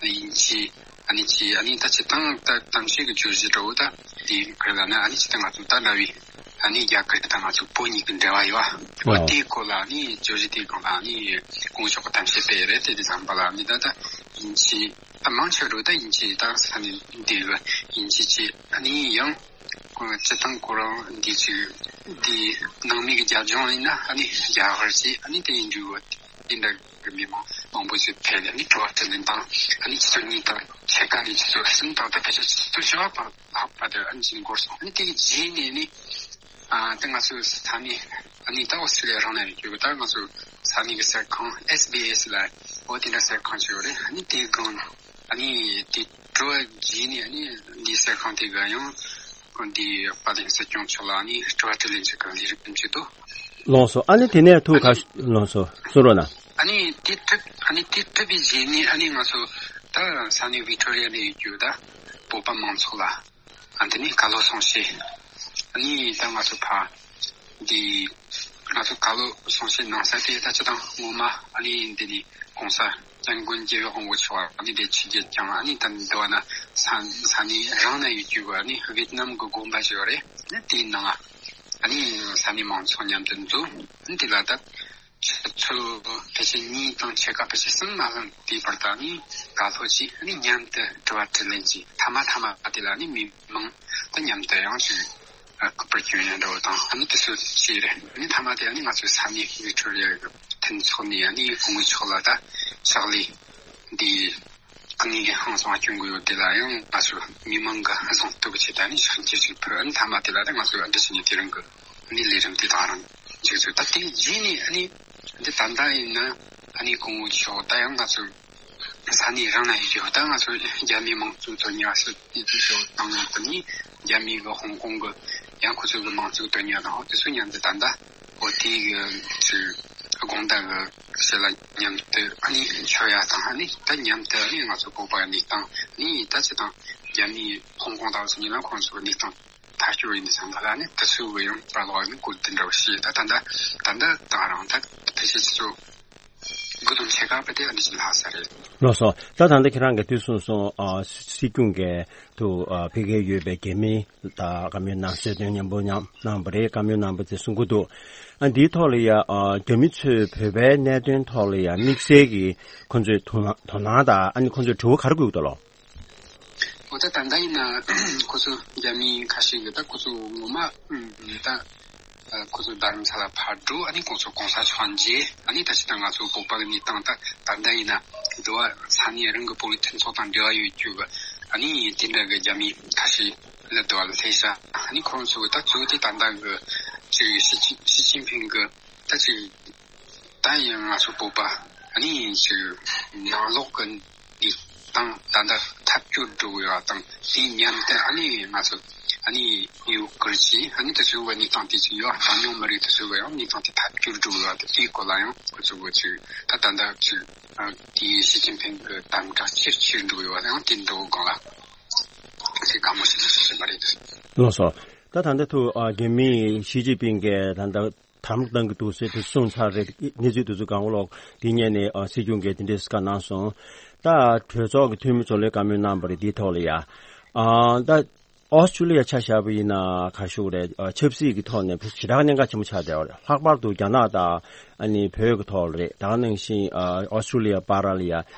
དབྱིན་ཇི་ཨ་ནི་ཅི་ཨ་ནི་ད་སྤྱིར་བཏང་ད་གཏམ་བཤད་ཀྱི་བརྗོད་གཞི་འདྲ་བོ་ད་དེ་ཁུལ་ལ་ནི་ཨ་ནི་སྤྱིར་བཏང་ང་ཚོ་ད་ལབ་ཡིན། ཨ་ནི་རྒྱ་གར་དང་ང་ཚོ་བོད་གཉིས་ཀྱི་འབྲེལ་བ་ཡོད་པ། འོ་དེའི་སྐོར་ལ་ཨ་ནི་བརྗོད་གཞི་དེའི་སྒང་ལ་ཨ་ནི་སྐུ་ངོ་མཆོག་གིས་གཏམ་བཤད་སྤེལ་ཡོད་རེད། དེ་དུས་ཙམ་པ་ལ་ཨ་ནི་ད་ལྟ་དབྱིན་ཇི་ད་མང་ཆེ་བ་ད་དབྱིན་ཇི་ད་ས་གནས་འདི་གི་དབྱིན་ཇི་བྱས། ཨ་ནི་ཡང་སྤྱི་བཏང་ཁོ་རང་འདི་ཅིག་འདི་ནང་མི་གི་རྒྱབ་ལྗོངས་ཡིན་ན་ཨ་ནི་རྒྱ་གར་བྱས། ཨ་ནི་དེ་ཡིན་དུས་དེ་འདྲ་གི་མི་མང་མང་པོ་ཞིག་ཕེབས་ནས་ཨ་ནི་དྲི་བ་དྲིས་ལན་དང་། ཨ་ནི་ཆུ་ཚོད་གཉིས་དང་ཕྱེད་ཀ་ནས་ཆུ་ཚོད་གསུམ་དང་ད་ཕལ་ཆེར་ཆུ་ཚོད་བཞི་པ་བར་ལྷག་པ་དེ་ཨ་ནི་ཅིག་འགོར་སོང་། ཨ་ནི་དེ་གི་རྗེས་ནས་ནི་ཨ་ད་ང་ཚོའི་ས་གནས་ཨ་ནི་ད་ཨོ་སི་ཀྲི་ལི་ཡ་རང་ན་ཡོད་རྒྱུ་ད་ང་ཚོའི་ས་གནས་ཀྱི་གསར་ཁང་ཨེས་བི་ཨེས་ལ་འོ་དེ་འདྲ་གསར་ཁང་ཅིག་ཡོད་རེད། ཨ་ནི་དེའི་སྒང་ཨ་ནི་དེ་དྲི་བ་རྗེས་ནས་ཨ་ནི་འདིའི་གསར་ཁང་དེ་ག་ཡང་འདི་དཔལ་ལྡན་སྲིད་སྐྱོང་མཆོག་ལ་ཨ་ནི་དྲི་བ་དྲིས་ལན་ཅིག་གི་ལས་རིམ་ཅིག་འདུག་ལགས་སོ། ཨ་ནི་དེ་ནས་ཐུགས་ཁ་ལགས་སོ། གསུང་རོགས་གནང་། ཨ་ནི་དེ་གྲུབ་ཨ་ནི་དེ་གྲུབ་པའི་རྗེས་ནས་ཨ་ནི་ང་ཚོ་ད་ས་གནས་ཝི་ཀྲོ་རི་ཡ་ནས་ཡོད་རྒྱུ་ད་བོད་པ་མང་ཚོགས་ལ་ཨ་དེ་ནས་བཀའ་སློབ་གསུང་བཤད། ཨ་ནི་ད་ང་ཚོ་ཕ་འདི་ང་ཚོ་བཀའ་སློབ་གསུང་བཤད་གནང་ས་དེ་ད་སྤྱི་བཏང་ངོ་མ་ཨ་ནི་འདི་ནས་༸གོང་ས་༸སྐྱབས་མགོན་རྒྱལ་བའི་དབང་པོ་མཆོག་ཨ་ནི་འདི་ཆིབས་བསྒྱུར་བསྐྱངས། ཨ་ནི་ད་འདི་བ་ན་ས་ས་གནས་རང་ན་ཡོད་རྒྱུ་ཨ་ནི་ཝེད་ནམ་གི་དགོན་པ་ཞིག་ཡོད་རེད། ཨ་ནི་དེའི་ནང་ཨ་ནི་ས་གནས་མང་ཚོགས་མཉམ་དུ་འཛོམས། ཨ་ནི་དེ་ལ་ད་ཆུ་ཚོད་ཕལ་ཆེར་གཉིས་དང་ཕྱེད་ཀ་ཕལ་ཆེར་གསུམ་མ་ལྷག་དེའི་བར་དུ་ཨ་ནི་བཀའ་སློབ་ཅིག་ཨ་ནི་མཉམ་དུ་དྲི་བ་དྲིས་ལན་ཅིག་མཐའ་མ་མཐའ་མ་དེ་ལ་ཨ་ནི་མི་མང་དང་མཉམ་དུ་ཡང་ཅིག་ཨ་སྐུ་པར་སྐྱོན་ཡ་འདྲ་བོ་དང་ཨ་ནི་དེ་ཚོ་བྱས་རེད། ཨ་ནི་མཐའ་མ་དེ་ཨ་ནི་ང་ཚོའི་ས་གནས་ཝི་ཀྲོ་རི་ཡ་གི་མཐུན་ཚོགས་ནས་ཨ་ནི་སྐུ་ངོ་མཆོག་ལ་ད་ཕྱག་ལས་འདི་དངོས་གནས་ཧང་སང་སྐྱོན་གྱི་ཡོད་དེ་ལ་ཡང་ང་ཚོ་མི་མང་གི་གཟེངས་བསྟོད་ཀྱི་ཆེད་དུ་ཨ་ནི་ཕྱག་འཁྱེར་ཞིག་ཕུལ། ཨ་ནི་མཐའ་མ་དེ་ལ་ད་ང་ཚོ་ཨ་འདྲ་བྱས་ནས་དེ་རིང་གི་ཨ་ནི་ལས་རིམ་དེ་དང་རང་ཅིག་ཚོད་ད་དེ་རྗེས་ནས་ཨ་ནི་འདི་ད་ལྟ་ཡིན་ན་ཨ་ནི་སྐུ་ངོ་མཆོག་ད་ཡང་ང་ཚོ་ས་གནས་རང་ན་ཡོད་རྒྱུ་ད་ང་ཚོ་རྒྱ་མིའི་མང་གཙོའི་དོན་གཉེར་བ་སུ་དེ་ཚོ་དང་ཡང་དུ་ནི་རྒྱ་མི་གི་ཧོང་ཀོང་གི་ཡང་ཁོ་ཚོ་གི་མང་གཙོའི་དོན་གཉེར་དང་དེ་ཚོ་མཉམ་དུ་ད་ལྟ་འོ་དེ་གི་ཚོའི་དགོང་དག་གི་ཞལ་ལག་མཉམ་དུ་ཨ་ནི་མཆོད་ཡ་དང་ཨ་ནི་ད་མཉམ་དུ་ཨ་ནི་ང་ཚོ་བོད་པ་གནས་སྟངས་ཨ་ནི་ད་ཅི་དང་རྒྱ་མིའི་ཧོང་ཀོང་དང་སོ་ཉིན་ལ་ཁོང་ཚོ་གི་གནས་སྟངས་ཐག་གཅོད་ཡིན་དུས་ཙམ་པ་ལ་ནི་དེ་ཚོའི་གི་ཡང་ར་ལོག་ནི་བཀོད་དེ་འདྲ་བ་ཞིག་ད་ད་ད་ད་ད་ད་རང་ད་ཕལ་ཆེར་ཚོ་དགུ་དང་ཕྱེད་ཀ་བ་དེ་ཨ་ནི་ཞིག་ལྷག་ས་རེད། ལགས་སོ། ད་ད་ལྟ་ཁྱེད་རང་གིས་དུས་གསུངས་སོང་། ཨ་སྲིད་སྐྱོང་གིས་དུ་ཨ་ཕ་གིར་ཡོད་པའི་རྒྱ་མི་དང་བཀའ་མོལ་གནང་གསལ་སྟོན་མཉམ་པོ་མཉམ་གནང་བ་རེད། བཀའ་མོལ་གནང་བ་དེ་གསུང་གི་འདུག་ཨ་འདིའི་ཐོག་ལ་ཡ་ཨ་རྒྱ་མི་ཚོས་བོད་པའི་གནད་དོན་ཐོག་ལ་ཡ་དམིགས་བསལ་གྱི་ཁོང་ཚོའི་དོ་སྣང་དོ་སྣང་དང་ཨ་ནི་ཁོང་ཚོས་དྲི་བ་ག་རེ་བཀོད་འདུག་ལོ། འོ་ད་ད་ལྟ་ཡིན་ན་ཁོ་ཚོ་རྒྱ་མི་ཁ་ཤས་ཀྱིས་ད་ཁོ་ཚོ་ངོ་མ་ད་ཁོ་ཚོ་རྡ་རམ་ས་ལ་ཕར་འགྲོ། ཨ་ནི་ཁོང་ཚོ་གོང་ས་མཆོག་མཇལ། ཨ་ནི་ད་ཅི་ད་ང་ཚོ་བོད་པ་གི་གནས་སྟངས་ད་ད་ལྟ་ཡིན་ན་འགྲོ་བ་ས་གནས་རང་གི་བོད་རིགས་མཐུན་ཚོགས་དང་འབྲེལ་བ་ཡོད་རྒྱུ་གི་ཨ་ནི་དེ་འདྲ་གི་རྒྱ་མི་ཁ་ཤས་ལ་འགྲོ་བ་ལ་སླེབས་ཤག་ཨ་ནི་ཁོང་ཚོ་གི་ད་གཙོ་བོ་དེ་ད་ལྟ་གི་ཅིག་ཞི་ཅིན་ཞི་ཅིན་ཕིང་གི་ད་ཅིག་ད་ཡང་ང་ཚོ་བོད་པ་ཨ་ནི་ཅིག་ནང་ལོགས་ཀྱི་འདི་དང་ད་ལྟ་ཐབས་སྐྱོར་འགྲོ་གི་ཡོད་པ་དང་དེའི་མཉམ་དུ་ཨ་ནི་ང་ཚོ་ཨ་ནི་ཡུ་གུར་གྱི་ཨ་ནི་དེ་ཚོའི་གནས་སྟངས་དེ་ཅིག་ཡོད། གྲངས་ཉུང་མི་རིགས་དེ་ཚོའི་ཡང་གནས་སྟངས་དེ་ཐབས་སྐྱོར་འགྲོ་གི་ཡོད་པ་དེ་དེའི་སྐོར་ལ་ཡང་ཁོ་ཚོ་གི་ཅིག་ད་ད་ལྟ་ཅིག་དེའི་ཞི་ཅིན་ཕིང་གི་དམ་དྲག་ཆེར་ཆེར་འགྲོ་གི་ཡོད་པ་ཡང་དེ་འགྲོ་གི་སྒང་ལ་ཅིག་དགའ་མོ་ཞིག་ཞིག་མ་རེད། ལགས་སོ། ད་ད་ལྟ་ཐུག་ཨ་རྒྱ་མིའི་ཞི་ཅིན་ཕིང་གིས་ད་ལྟ་དམ་བློ་བཏང་གི་འདུག་ཟེར་དེ་གསུངས་ཚར་རེད། གནས་ཚུལ་དེ་ཚོ་གང་ལོག་དེ་ཉིད་ནས་ཨ་སྲིད་སྐྱོང་གིས་དེ་འདྲའི་བཀའ་གནང་སོང་། ད་གྲོས་ཚོགས་ཀྱི་འཐུས་མི་ཚོ་ལ་བཀའ་མོལ་གནང་བ་རེད། དེའི་ཐོག་ལ་ཡ་ཨ་ད་ཨོ་སི་ཀྲུ་ལི་ཡ་ཆ་བཞག་པ་ཡིན་ན་ག་ཤུག་རེད། ཨ་ཆབ་སྲིད་ཀྱི་ཐོག་ནས་ཞེ་དྲག་གནད་འགག་ཆེན་པོ་ཆགས་བསྡད་པ་རེད། ལྷག་པར་དུ་རྒྱ་ནག་དང་ཨ་ནི་བོད་ཀྱི་ཐོག་ལ་རེད། ད་ག་ནང་བཞིན་ཨ་ཨོ་སི་ཀྲུ་ལི་ཡ་བར་ལ་ཡ་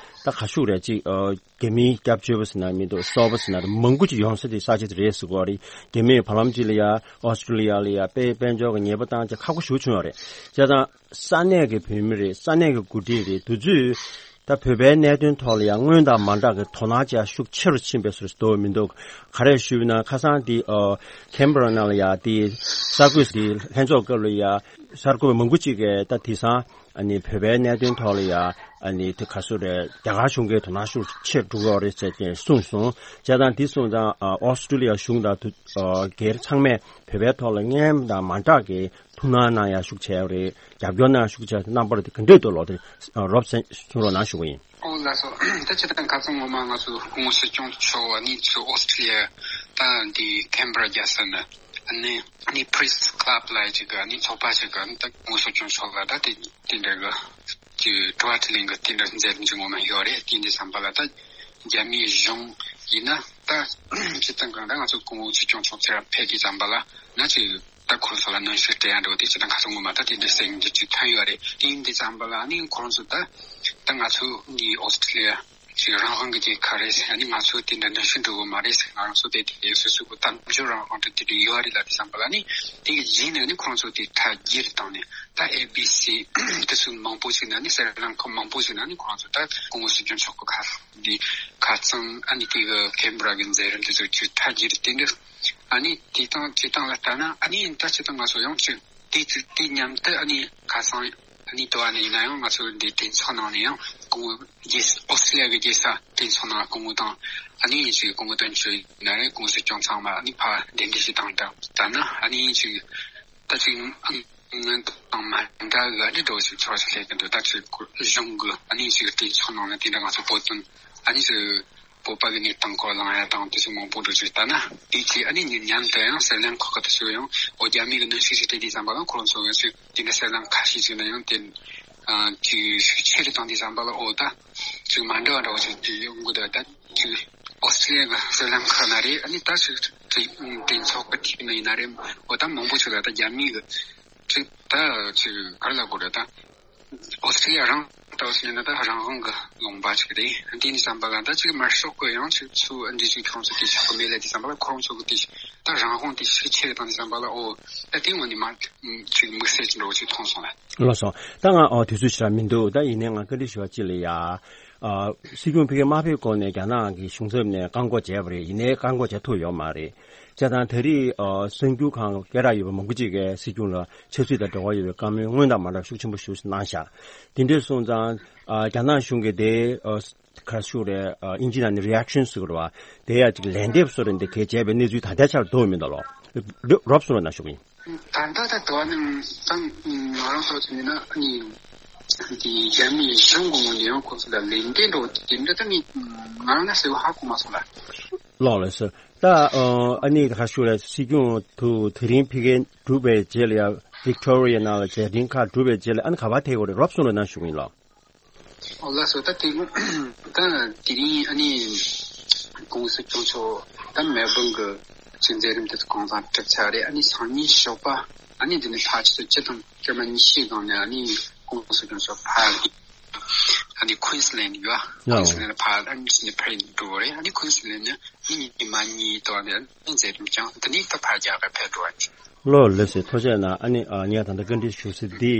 ད་ག་ཤུག་རེད་ཅིག་ཨ། རྒྱ་མིའི་སྐྱབས་བཅོལ་བ་ཟེར་ན་མི་འདུག་གསོ་བ་ཟེར་ན་མང་པོ་ཅིག་ཡོང་ས་དེ་ས་ཆ་དེ་རེད་ཟེར་གོ་རེད། རྒྱ་མིའི་བར་ལམ་ཅིག་ལ་ཡ་ཨོ་སི་ཀྲུ་ལི་ཡ་ལ་ཡ་དཔལ་དཔལ་འབྱོར་གྱི་ཉེས་པ་བཏང་ཅིག་ཁག་པོ་ཞེ་པོ་བྱུང་ཡོད་རེད། བྱས་ཙང་ས་གནས་ཀྱི་བོད་མི་རེད། ས་གནས་ཀྱི་འགོ་ཁྲིད་རེད། དེ་ཚོས་ད་བོད་པའི་གནད་དོན་ཐོག་ལ་ཡ་སྔོན་དང་མ་འདྲ་གི་དོ་སྣང་ཅིག་ཤུགས་ཆེ་རུ་ཕྱིན་པའི་བཟོ་འདྲ་འདུག་མི་འདུག་ག་རེ་ཞུས་ན་ཁ་སང་དེ་ཨ་ཁེམ་བྷ་ར་ནང་ལ་ཡ་དེ་གསར་འགོད་དེ་ལྷན་ཚོགས་སྐབས་ལ་ཡ་གསར་འགོད་པ་མང་པོ་ཅིག་གིས་ད་དེང་སང་ཨ་ནི་བོད་པའི་གནད་དོན་ཐོག་ལ་ཡ་ཨ་ནི་དེ་ག་ཚོད་རེད། རྒྱ་གར་གཞུང་གིས་དོ་སྣང་ཤུགས་ཆེ་འགྲོ་གི་ཡོད་རེད་ཟེར་ཏེ་གསུངས་སོང་། བྱས་ཙང་དེ་སོང་ཙང་ཨ་ཨོ་སི་ཀྲུ་ལི་ཡ་གཞུང་དང་དུ་ཨ་སྒེར་ཚང་མས་བོད་པའི་ཐོག་ལ་སྔོན་དང་མ་འདྲ་གི་ཐུགས་སྣང་གནང་ཡ་ཤུགས་ཆེ་ཡོད་རེད། རྒྱབ་སྐྱོར་གནང་ཡ་ཤུགས་ཆེ་ཡོད་རེད། རྣམ་པར་དེ་ག་འདྲས་འདུག་ལོ། དེ་རོབ་གསུང་རོགས་གནང་ཞུ་གི་ཡིན། ཨོ་ལགས་སོ། ད་ཅི་ད་ཁ་སང་ངོ་མ་ང་ཚོ་སྐུ་ངོ་སྲིད་སྐྱོང་མཆོག་ཨ་ནི་ཚུར་ཨོ་སི་ཀྲུ་ལི་ཡ་ད་འདི་ཁེམ་བྷ་ར་རྒྱལ་ས་ནས་ཨ་ནི་ཨ་ནི་Press Club་ལ་ཅིག་ཨ་ནི་ཚོགས་པ་ཞིག་གི་ཨ་ནི་ད་སྐུ་ངོ་སྲིད་སྐྱོང་མཆོག་ལ་ད་དེ་དེ་འདྲ་གི་ཅིག་དྲི་བ་དྲིས་ལན་གི་དེ་འདྲ་མཛད་རྒྱུ་ངོ་མ་ཡོད་རེད། དེ་འདི་བསམ་པ་ལ་ད་རྒྱ་མིའི་གཞུང་ཡིན་ན་ད་སྤྱི་བཏང་གང་ད་ང་ཚོ་སྐུ་ངོ་སྲིད་སྐྱོང་མཆོག་ཚེ་རབས་ཕེབས་ཀྱི་བསམ་པ་ལ་ན་ཅིག་ད་ཁོང་ཚོ་ལ་གནོན་ཤུགས་སྤྲད་ཡ་འདྲ་བོ་དེ་ཅི་ད་ཁ་སང་ངོ་མ་ད་དེ་འདྲའི་གསལ་རྒྱུ་ཅིག་ཐོན་ཡོད་རེད། དེ་ཡིན་དུས་ཙམ་པ་ལ་ཨ་ནི་ཁོང་ཚོ་ད་ད་ང་ཚོ་འདི་ཨོ་སི་ཀྲི་ལི་ཡ་ཅིག་རང་དབང་གི་རྒྱལ་ཁབ་རེད་ཟེར། ཨ་ནི་ང་ཚོ་དེ་འདྲ་གནོན་ཤུགས་འགྲོ་གི་མ་རེད་ཟེར། ང་རང་ཚོ་དེ་དེ་སོ་སོ་གི་གཏམ་བརྗོད་རང་དབང་དེ་དེ་འདྲ་ཡོད་རེད་ལབ་དུས་ཙམ་པ་ལ་ཨ་ནི་དེ་གི་རྗེས་ནས་ཨ་ནི་ཁོང་ཚོ་དེ་ཁྲལ་བསྒྱུར་བཏང་ནས་ད་ཨེ་བི་སི་དེ་ཚོ་མང་པོ་ཞིག་ནས་ཨ་ནི་སྲིད་བློན་ཁག་མང་པོ་ཞིག་ནས་ཨ་ནི་ཁོང་ཚོ་ད་སྐུ་ངོ་སྲིད་སྐྱོང་མཆོག་གི་ཁ་འདི་ཁ་རྩང་ཨ་ནི་དེ་གི་ཁེན་བྷ་ར་གི་མཛད་རིམ་དེ་ཚོ་ཅིག་ཁྲལ་བསྒྱུར་དེ་འདྲ། ཨ་ནི་དེ་དང་བྱེད་སྟངས་ལ་ལྟ་ན་ཨ་ནི་ད་སྤྱིར་བཏང་ང་ཚོ་ཡང་ཅིག་དེ་ཚོ་དེ་མཉམ་དུ་ཨ་ནི་ཁ་སང་ཨ་ནི་དུ་བ་ནས་ཡིན་ན་ཡང་ང་ཚོ་འདི་གྲོས་ཚོགས་ནང་ནས་ཡང་སྐུ་ངོ་རྒྱལ་ཨོ་སི་ཀྲི་ལི་ཡ་གི་རྒྱལ་ས་གྲོས་ཚོགས་ནང་སྐུ་ངོ་དང་ཨ་ནི་ཅིག་སྐུ་ངོ་དོན་གཅོད་ཡིན་ན་རེད། སྐུ་ངོ་སྲིད་སྐྱོང་ཚང་མ་ཨ་ནི་ཕར་གདན་འདྲེན་ཞིག་བཏང་སྟངས་ལྟ་ན་ཨ་ནི་ཅིག་ད་ཅིག་སྔོན་དང་མ་འདྲ་བའི་ཨ་ནི་འགྲོ་ཞིག་ཚོར་ཞིག་སླེབས་ཀྱི་འདུག་ད་ཅིག་གཞུང་གི་ཨ་ནི་ཅིག་གྲོས་ཚོགས་ནང་ནས་དེ་འདྲ་ང་ཚོ་བོད་དོན་ཨ་ནི་ཅིག་བོད་པ་གི་གནས་སྟངས་སྐོར་གླེང་ཡ་དང་དེ་ཚོ་མང་པོ་འགྲོ་ཅིག་ལྟ་ན་དེ་ཚེ་ཨ་ནི་མཉམ་དུ་ཡང་སྲིད་བློན་ཁག་གི་དེ་ཚོ་ཡང་ཨོ་རྒྱ་མི་གི་གནོན་ཤུགས་ཤིག་སྤྲད་དུས་ཙམ་པ་ལ་ཁོ་རང་ཚོ་གི་ཚོས་དེ་འདྲ་སྲིད་བློན་ཁ་ཤས་ཅིག་ན་ཡང་དེ་ཅིག་ཤུགས་ཆེ་རུ་བཏང་དུས་ཙམ་པ་ལ་ཨོ་ད་ཅིག་མ་འདྲ་བ་འདྲ་བོ་ཅིག་དེ་ཡོང་གི་འདུག་ད་ཅིག་ཨོ་སི་ཀྲི་ལི་ཡ་གི་སྲིད་བློན་ཁག་ན་རེད། ཨ་ནི་ད་ཅིག་གྲོས་ཚོགས་གི་ཐིག་ན་ཡིན་ན་རེད། ཨོ་ད་མང་པོ་ཅིག་ལ་ད་རྒྱ་མི་གི་ཅིག་ད་ཅིག་ག་རེ་ལབ་དགོས་རེད་ད། ཨོ་སི་ཀྲི་ལི་ཡ་རང་ལྟ་བུ་ཟེར་ན་ད་རང་དབང་གི་ལུང་པ་ཞིག་རེད། དེ་ནི་བསམ་པ་ལ་ད་ཅིག་དམར་ཤོག་གི་ཡང་ཅིག་ཚུལ་འདི་ཅིག་ཁོང་ཚོ་དེ་ཆགས་གི་མེད་ལ་དེ་བསམ་པ་ལ་ཁོང་ཚོ་གི་དེ་ད་རང་དབང་དེ་ཤུགས་ཆེ་རེད་དང་དེ་བསམ་པ་ལ་ཨོ་ད་དེ་ངོ་ནས་མ་ཅིག་དམིགས་བསལ་ཅིག་འདྲ་བོ་ཅིག་མཐོང་སོང་ལ། ལགས་སོ། ད་ང་ཨོ་དུས་ཚོད་ཞེ་དྲག་མི་འདུག་ད་ཡིན་ནའི་ང་བཀའ་འདྲི་ཞུ་བ་ཅིག་ལ་ཡ། ཨ་སྲིད་སྐྱོང་ཕ་གིར་མ་ཕེབས་གོང་ནས་རྒྱ་ནག་གི་གཞུང་ཚབ་ནས་བཀག་འགོག་བྱས་པ་རེད། ཡིན་ནའི་བཀག་འགོག་བྱས་ཐུབ་ཡོད་མ་རེད། བྱས་ཙང་ད་རེས་ཨ་གསར་འགྱུར་ཁང་སྐད་གྲགས་ཡོད་པ་མང་པོ་ཅིག་གིས་སྲིད་སྐྱོང་ལ་ཆབ་སྲིད་དང་འབྲེལ་བ་ཡོད་པའི་བཀའ་མོལ་སྔོན་དང་མ་འདྲ་ཤུགས་ཆེན་པོ་ཞིག་གནང་བཞག་དེ་འདྲ་སོང་ཙང་ཨ་རྒྱ་ནག་གཞུང་གིས་དེ་ཨ་ག་རེ་ཞུ་རེད། ཨ་དབྱིན་ཇི་ནང་ནས་རི་ཨེག་ཤན་ཟེར་གི་རེད་བ། དེ་ཡ་ཅིག་ལན་འདེབས་བཟོ་རེད་འདི་གས་བྱས་པའི་གནས་ཚུལ་ད་ལྟའི་ཆར་ཐོན་མི་འདུག་ལོ། རོབ་སོང་རོགས་གནང་ཞུ་གི་ཡིན། ད་ལྟ་ད་དུ་བ་ནི་ད་ང་རང་ཚོ་ཚོ་ཡིན་ན་ནི་འདི་རྒྱ་མིའི་གཞུང་གི་ངོས་ནས་ཡང་ཁོ་ཚོ་ལ་ལན་འདེབས་འགྲོ་དེ་འདྲ་ད་ནི་ང་རང་ལ་གསལ་པོ་ཧ་གོ་མ་སོང་ལ། ལགས་ལགས་སོ། ད་ཨ་ནི་ག་ཞུ་ལ་སྲིད་སྐྱོང་དུ་དེ་རིང་ཕ་གིར་གྲུབ་པའི་རྗེས་ལ་ཡ་ཝིག་ཊོ་རི་ཡ་ནང་ལ་མཇལ་འཕྲད་ཁག་གྲུབ་པའི་རྗེས་ལ་ཨ་ནི་ག་པར་ཐད་དགོས་རེད། རོབ་སོང་རོགས་གནང་ཞུ་གི་ཡིན་ལགས། ཨོ་ལགས་སོ། ད་དེ་ད་དེ་རིང་ཨ་ནི་༸གོང་ས་༸སྐྱོང་མཆོག་ད་མེལ་བྷོན་གི་ཅིག་མཛད་རིམ་དེ་ཚོ་གང་ཚང་གྲུབ་ཚར་རེད། ཨ་ནི་སང་ཉིན་ཞོགས་པ་ཨ་ནི་དེ་ནས་ཕར་ཆུ་ཚོད་བཅུ་དང་སྐར་མ་ཉི་ཤུའི་སྒང་ནས་ཨ་ནི་༸གོང་ས་༸སྐྱོང་མཆོག་ཕར་ཨ་ནི་ཀུན་སི་ལེན་ཡོད། ཡ། ཀུན་སི་ལེན་ཕར་ཨ་ནི་ཕར་འགྲོ་རེད། ཨ་ནི་ཀུན་སི་ལེན་ནས་ཨ་ནི་ཉི་མ་གཉིས་ཐོག་ནས་ཨ་ནི་མཛད་རིམ་བསྐྱངས། དེ་ནས་ད་ཕར་རྒྱ་གར་ཕེབས་འགྲོ་བ་ཡིན། ལགས་ལགས་སེ། ཐུགས་རྗེ་གནང་། ཨ་ནི་ཨ་ངས་ད་ལྟ་བཀའ་འདྲི་ཞུ་ས་འདི་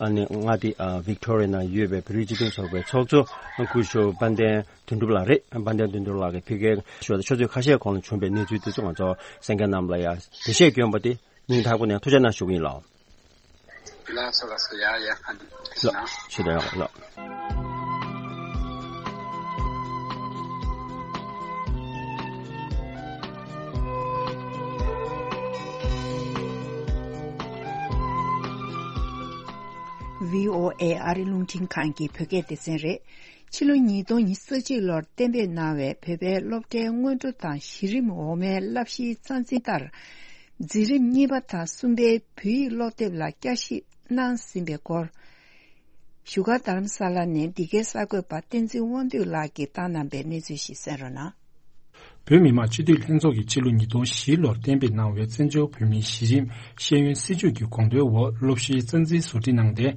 ཨ་ནི་མངའ་སྡེ་ཨ་ཝིག་ཊོ་རི་ཡ་ནང་ཡོད་པའི་བོད་རིགས་སྤྱི་མཐུན་ཚོགས་པའི་ཚོགས་གཙོ་སྐུ་ཞབས་དཔལ་ལྡན་དོན་གྲུབ་ལགས་རེད། དཔལ་ལྡན་དོན་གྲུབ་ལགས་ཀྱིས་ཕ་གིར་ཞུ་བ་དང་ཆུ་ཚོད་ཁ་ཤས་གོང་ལ་བྱུང་བའི་གནས་ཚུལ་དེ་ཚོ་ང་ཚོ་གསན་མཁན་རྣམས་ལ་ཡང་འགྲེལ་བཤད་བསྐྱོན་པ་དེ་སྙིང་ཐག་པ་ནས་ཐུགས་རྗེ་གནང་ཞུ་གི་ཡིན་ལགས། ལགས་སོ་ལགས་སོ། ཡ་ཡ། ཨ་ནི་ཐུགས་རྗེ་གནང་། ལགས་ཞུ་དང་ལགས། ཝི་ཨོ་ཨེ་ཨ་རི་རླུང་འཕྲིན་ཁང་གི་བོད་སྐད་སྡེ་ཚན་རེད། ཕྱི་ལོ་ཉིས་སྟོང་ཉི་ཤུ་རྩ་གཅིག་ལོར་གཏན་འབེབས་གནང་བའི་བོད་པའི་སློབ་གྲྭའི་སྔོན་འགྲོ་དང་གཞི་རིམ་འོག་མའི་བསླབ་གཞིའི་རྩ་འཛིན་ལྟར། འཛིན་རིམ་གཉིས་པ་དང་གསུམ་པའི་བོད་ཡིག་སློབ་དེབ་ལ་བསྐྱར་ཞིབ་གནང་ཟིན་པའི་སྐོར། བཞུགས་སྒར་རྡ་རམ་ས་ལ་ནས་འདི་གའི་གསར་འགོད་པ་བསྟན་འཛིན་དབང་འདུས་ལགས་ཀྱིས་བཏང་གནང་པའི་གནས་ཚུལ་ཞིག་གསན་རོགས་གནང་། བོད་མི་མང་སྤྱི་འཐུས་ལྷན་ཚོགས་ཀྱིས་ཕྱི་ལོ་ཉིས་སྟོང་བཞི་ལོར་གཏན་འབེབས་གནང་བའི་བཙན་བྱོལ་བོད་མིའི་གཞི་རིམ་ཤེས་ཡོན་སྲིད་བྱུས་ཀྱི་དགོངས་དོན་འོག་སློབ་གཞིའི་རྩ་འཛིན་བཟོ་སྒྲིག་གནང་སྟེ།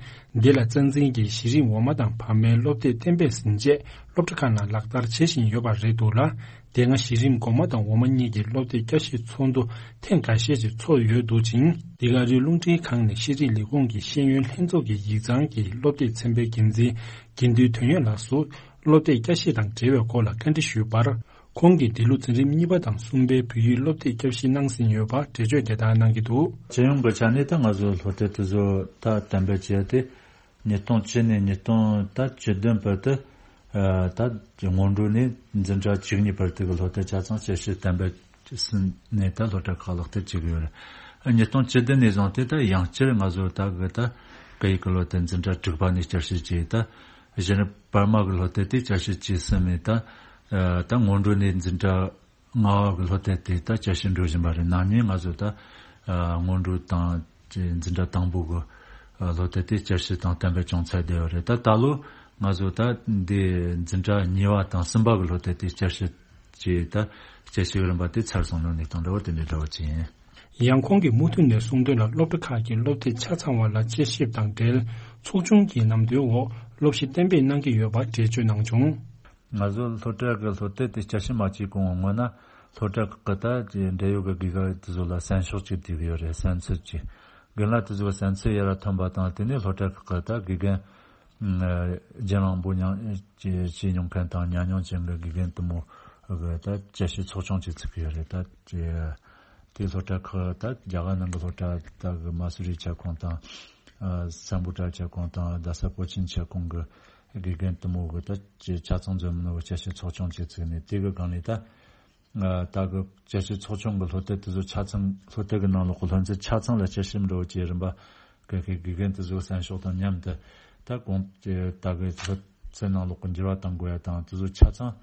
འདི་ལ་རྩ་འཛིན་གྱིས་གཞི་རིམ་འོག་མ་དང་བར་མའི་སློབ་དེབ་གཏན་འབེབས་ཟིན་རྗེས་སློབ་གྲྭ་ཁག་ནང་ལག་བསྟར་བྱེད་བཞིན་ཡོད་པ་རེད་འདུག་ལ། དེ་སྔ་གཞི་རིམ་འགོ་མ་དང་འོག་མ་གཉིས་ཀྱི་སློབ་དེབ་བསྐྱར་ཞིབ་ཚོགས་འདུ་ཐེངས་འགའ་ཤས་ཀྱིས་ཚོགས་ཡོད་འདུག་ཅིང་། འདི་ག་རེའི་རླུང་འཕྲིན་ཁང་ནས་ཤེས་རིག་ལས་ཁུངས་ཀྱི་ཤེས་ཡོན་ལྷན་ཚོགས་ཀྱི་ཡིག་ཚང་གི་སློབ་དེབ་ཚན་པའི་འགན་འཛིན་དགེ་འདུན་དོན་ཡོད་ལགས་སུ་སློབ་དེབ་བསྐྱར་ཞིབ་དང་འབྲེལ་བའི་སྐོར་ལ་བཀའ་འདྲི་ཞུས་པར། ཁོང་གིས་འདི་ལོ་འཛིན་རིམ་གཉིས་པ་དང་གསུམ་པའི་བོད་ཡིག་སློབ་དེབ་བསྐྱར་ཞིབ་གནང་ཟིན་ཡོད་པ་འགྲེལ་བརྗོད་དེ་ལྟར་གནང་གི་འདུག། སྤྱི་ཡོངས་ཀྱི་ཆ་ནས་ད་ང་ཚོ་སློབ་དེབ་དེ་ཚོ་ད་གཏན་འབེབས་བྱས་ཏེ། ཉིས་སྟོང་བཅུ་ནས་ཉིས་སྟོང་ད་བཅུ་བདུན་བར་དུ། ཨ་ད་སྔོན་འགྲོ་ནས་འཛིན་གྲྭ་བཅུ་གཉིས་བར་དུ་གི་སློབ་དེབ་ཆ་ཚང་བསྐྱར་ཞིབ་གཏན་འབེབས་ཟིན་ནས་ད་སློབ་གྲྭ་ཁག་ལག་བསྟར་བྱེད་ཀྱི་ཡོད་རེད། ཨ་ཉིས་སྟོང་བཅུ་བདུན་ནས་བཟུང་སྟེ་ད་ཡང་བསྐྱར་ང་ཚོ་ད་གི་ད་སྐད་ཡིག་གི་སློབ་དེབ་འཛིན་གྲྭ་དྲུག་པ་ནས་བསྐྱར་ཞིབ་བྱས། ད་གཞི་རིམ་བར་མ་གི་སློབ་དེབ་དེ་བསྐྱར་ཞིབ་བྱས་ཟིན་ནས་ད་ཨ་ད་སྔོན་འགྲོ་ནས་འཛིན་གྲྭ་ལྔ་པ་གི་སློབ་དེབ་དེ་ད་བསྐྱར་ཞིབ་འགྲོ་བཞིན་པ་རེད། ནམ་ཉིན་ང་ཚོ་ད་ཨ་སྔོན་འགྲོ་དང་འཛིན་གྲྭ་དང་པོ་གི་ཨ་སློབ་དེབ་དེ་བསྐྱར་ཞིབ་དང་གཏན་འབེབས་བྱུང་ཚར་བསྡད་ཡོད་རེད། ད་ད་ལོ་ང་ཚོ་ད་འདི་འཛིན་གྲྭ་གཉིས་པ་དང་གསུམ་པ་གི་སློབ་དེབ་དེ་བསྐྱར་ཞིབ་བྱས། ད་བསྐྱར་ཞིབ་རིམ་པ་དེ་ཚར་སོང་ནོ་ནས་དང་འདྲ་བོ་དེ་འདྲའི་འདྲ་བོ་ཅིག་ཡིན། ཡང་ཁོང་གིས་མུ་མཐུད་ནས་གསུངས་དོན་ལ། སློབ་གྲྭ་ཁག་གི་སློབ་དེབ་ཆ་ཚང་བ་ལ་དཔྱད་ཞིབ་དང་འབྲེལ། ཚོགས་ཆུང་གི་ནམ་དུས་འོག་སློབ་གཞི་གཏན་འབེབས་གནང་གི་ཡོད་པ་འགྲེལ་བརྗོད་གནང་བྱུང་། ང་ཚོ་སློབ་གྲྭ་གི་སློབ་དེབ་དེ་དཔྱད་ཞིབ་མ་བྱས་གོང་སྔོན་ན་སློབ་གྲྭ་ཁག་གི་ད་འབྲེལ་ཡོད་ཀྱི་དགེ་རྒན་དེ་ཚོ་ལ་གསན་ཤོག་ཅིག་བསྡུས་ཀྱི་ཡོད་རེད། གསན་ཚུལ་ཅིག་རྒན་ལགས་དེ་ཚོ་གསན་ཚུལ་ཡར་ཐོན་པ་དང་། དེ་ནས་སློབ་གྲྭ་ཁག་གི་ད་དགེ་རྒན་རྒྱུན་རིང་པོ་མྱང་བྱས་མྱོང་མཁན་དང་ཉམས་མྱོང་ཅན་གྱི་དགེ་རྒན་དེ་མོ་གི་ད་དཔྱད་ཞིབ་ཚོགས་ཆུང་ཅིག་བཙུགས་ཀྱི་ཡོད་རེད། ད་དེ་སློབ་གྲྭ་ཁག་ད་རྒྱ་གར་ནང་གི་སློབ་གྲྭ་ད་གི་མ་སུ་རི་ཁྱབ་ཁོངས་དང་། ཨ་སམ་བྷོ་ཊ་ཁྱབ་ཁོངས་དང་རྡ་ས་པོ་ཆིན་ཁྱབ་ཁོངས་ཀྱི་དགེ་རྒན་དེ་མོ་གི་ད་ཆ་ཚང་འཛོམས་ནོ་དཔྱད་ཞིབ་ཚོགས་ཆུང་ཅིག་བཙུགས་ནས། དེ་གི་སྒང་ནས་ད་ཨ་ད་གི་དཔྱད་ཞིབ་ཚོགས་ཆུང་གི་སློབ་དེབ་དེ་ཚོ་ཆ་ཚང་། སློབ་དེབ་ཀྱི་ནང་ལོགས་ཀྱི་སློབ་ཚན་ཆ་ཚང་ལ་དཔྱད་ཞིབ་འདྲ་བོ་བྱེད་རིམ་པ་གི་གི་དགེ་རྒན་དེ་ཚོ་གསན་ཤོག་དང་མཉམ་དུ། ད་གོང་ད་གི་སློབ་ཚན་ནང་ལོགས་ཀྱི་འགྱུར་བ་གཏང་དགོས་ཡ་དང་དེ་ཚོ་ཆ་ཚང་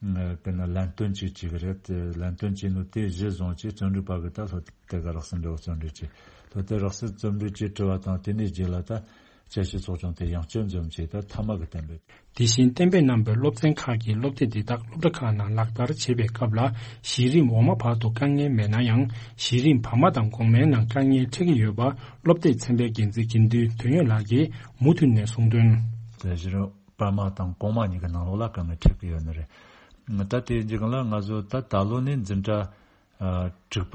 ཨ་གི་ནི་ལན་སྟོན་ཅིག་བྱེད་ཀྱི་རེད། དེ་ལན་སྟོན་བྱས་ནོ་དེ་གཞི་བཟུང་བྱས་རྩོམ་སྒྲིག་པ་གི་ད་སློབ་དེབ་གི་རགས་ཟིན་འདྲ་བོ་རྩོམ་སྒྲིག་བྱས། སློབ་དེབ་རགས་ཟིན་རྩོམ་སྒྲིག་བྱས་བྲིས་པ་དང་། དེ་ནས་རྗེས་ལ་ད་དཔྱད་ཞིབ་ཚོགས་ཆུང་དེ་ཡང་བསྐྱར་འཛོམས་བྱས། ད་མཐའ་མ་གི་གཏན་འབེབས། དེ་བཞིན་གཏན་འབེབས་གནང་པའི་སློབ་ཚན་ཁག་གི་སློབ་དེབ་འདི་དག་སློབ་གྲྭ་ཁག་ནང་ལག་བསྟར་བྱེད་པའི་སྐབས་ལ། གཞི་རིམ་འོག་མ་བར་དུ་དཀའ་ངལ་མེད་ན་ཡང་། གཞི་རིམ་བར་མ་དང་གོང་མའི་ནང་དཀའ་ངལ་འཕྲད་ཀྱི་ཡོད་པ་སློབ་དེབ་ཚན་པའི་འགན་འཛིན་དགེ་འདུན་དོན་ཡོད་ལགས་ཀྱིས་མུ་མཐུད་ནས་གསུངས་དོན། དེ་གཞི་རིམ་བར་མ་དང་གོང་མ་གཉིས་ཀྱི་ནང་ལོགས་ལ་དཀའ་ངལ་འཕྲད་ཀྱི་ཡོད་ནི་རེད། ད་དེ་རྗེས་ལ་ང་ཚོ་ད་ད་ལོ་ནས་འཛིན་གྲྭ་ཨ་དྲུག་པ་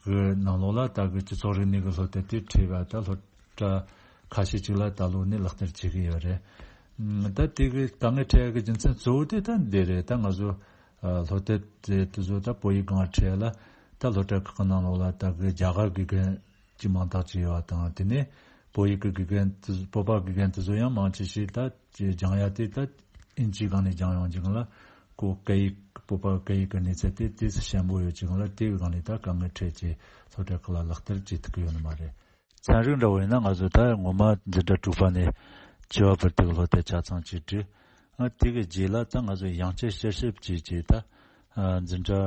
གི་ནང་ལོགས་ལ་ད་གི་སྤྱི་ཚོགས་རིག་གནས་ཀྱི་སློབ་དེབ་དེ་ཁྲིད་པ་ད་སློབ་གྲྭ་ཁ་ཤས་ཅིག་ལ་ད་ལོ་ནས་ལག་བསྟར་བྱེད་ཀྱི་ཡོད་རེད། ད་དེ་གི་དཀའ་ངལ་འཕྲད་ཡ་གི་རྒྱུ་མཚན་གཙོ་བོ་དེ་ད་འདི་རེད། ད་ང་ཚོ་ཨ་སློབ་དེབ་དེ་དེ་ཚོ་ད་བོད་ཡིག་སྒང་ཁྲིད་ཡ་ལ། ད་སློབ་གྲྭ་ཁག་གི་ནང་ལོགས་ལ་ད་གི་རྒྱ་གར་དགེ་རྒན་གྱི་མང་དག་ཅིག་ཡོད་པ་དང་། དེ་ནས་བོད་ཡིག་གི་དགེ་རྒན་དེ་བོད་པ་དགེ་རྒན་དེ་ཚོ་ཡང་མང་ཆེ་ཞིག་ད་སྦྱང་ཡ་དེ་ད་ཨིན་ཇིའི་སྒང་ནས་སྦྱངས་ཡོང་ཅིག་ལ། ཁོ་སྐད་ཡིག་བོད་པ་སྐད་ཡིག་གི་གནས་ཚད་དེ་ཏོག་ཙམ་ཞན་པོ་ཡོད་ཅིག་ལ། དེ་གི་སྒང་ནས་ད་དཀའ་ངལ་འཕྲད་ཅིག་སློབ་གྲྭ་ཁག་ལ་ལག་བསྟར་བྱེད་ཐུབ་ཀྱི་ཡོད་ནི་མ་རེད། ཚན་རིག་འདྲ་བོ་ཡིན་ན་ང་ཚོ་ད་ངོ་མ་འཛིན་གྲྭ་དྲུག་པ་ནས་བཅུ་པ་བར་དུ་གི་སློབ་དེབ་ཆ་ཚང་ཅིག་བྲིས། ཨ་དེ་གི་རྗེས་ལ་ད་ང་ཚོ་ཡང་བསྐྱར་དཔྱད་ཞིབ་བྱས་བྱས། ད་ཨ་འཛིན་གྲྭ་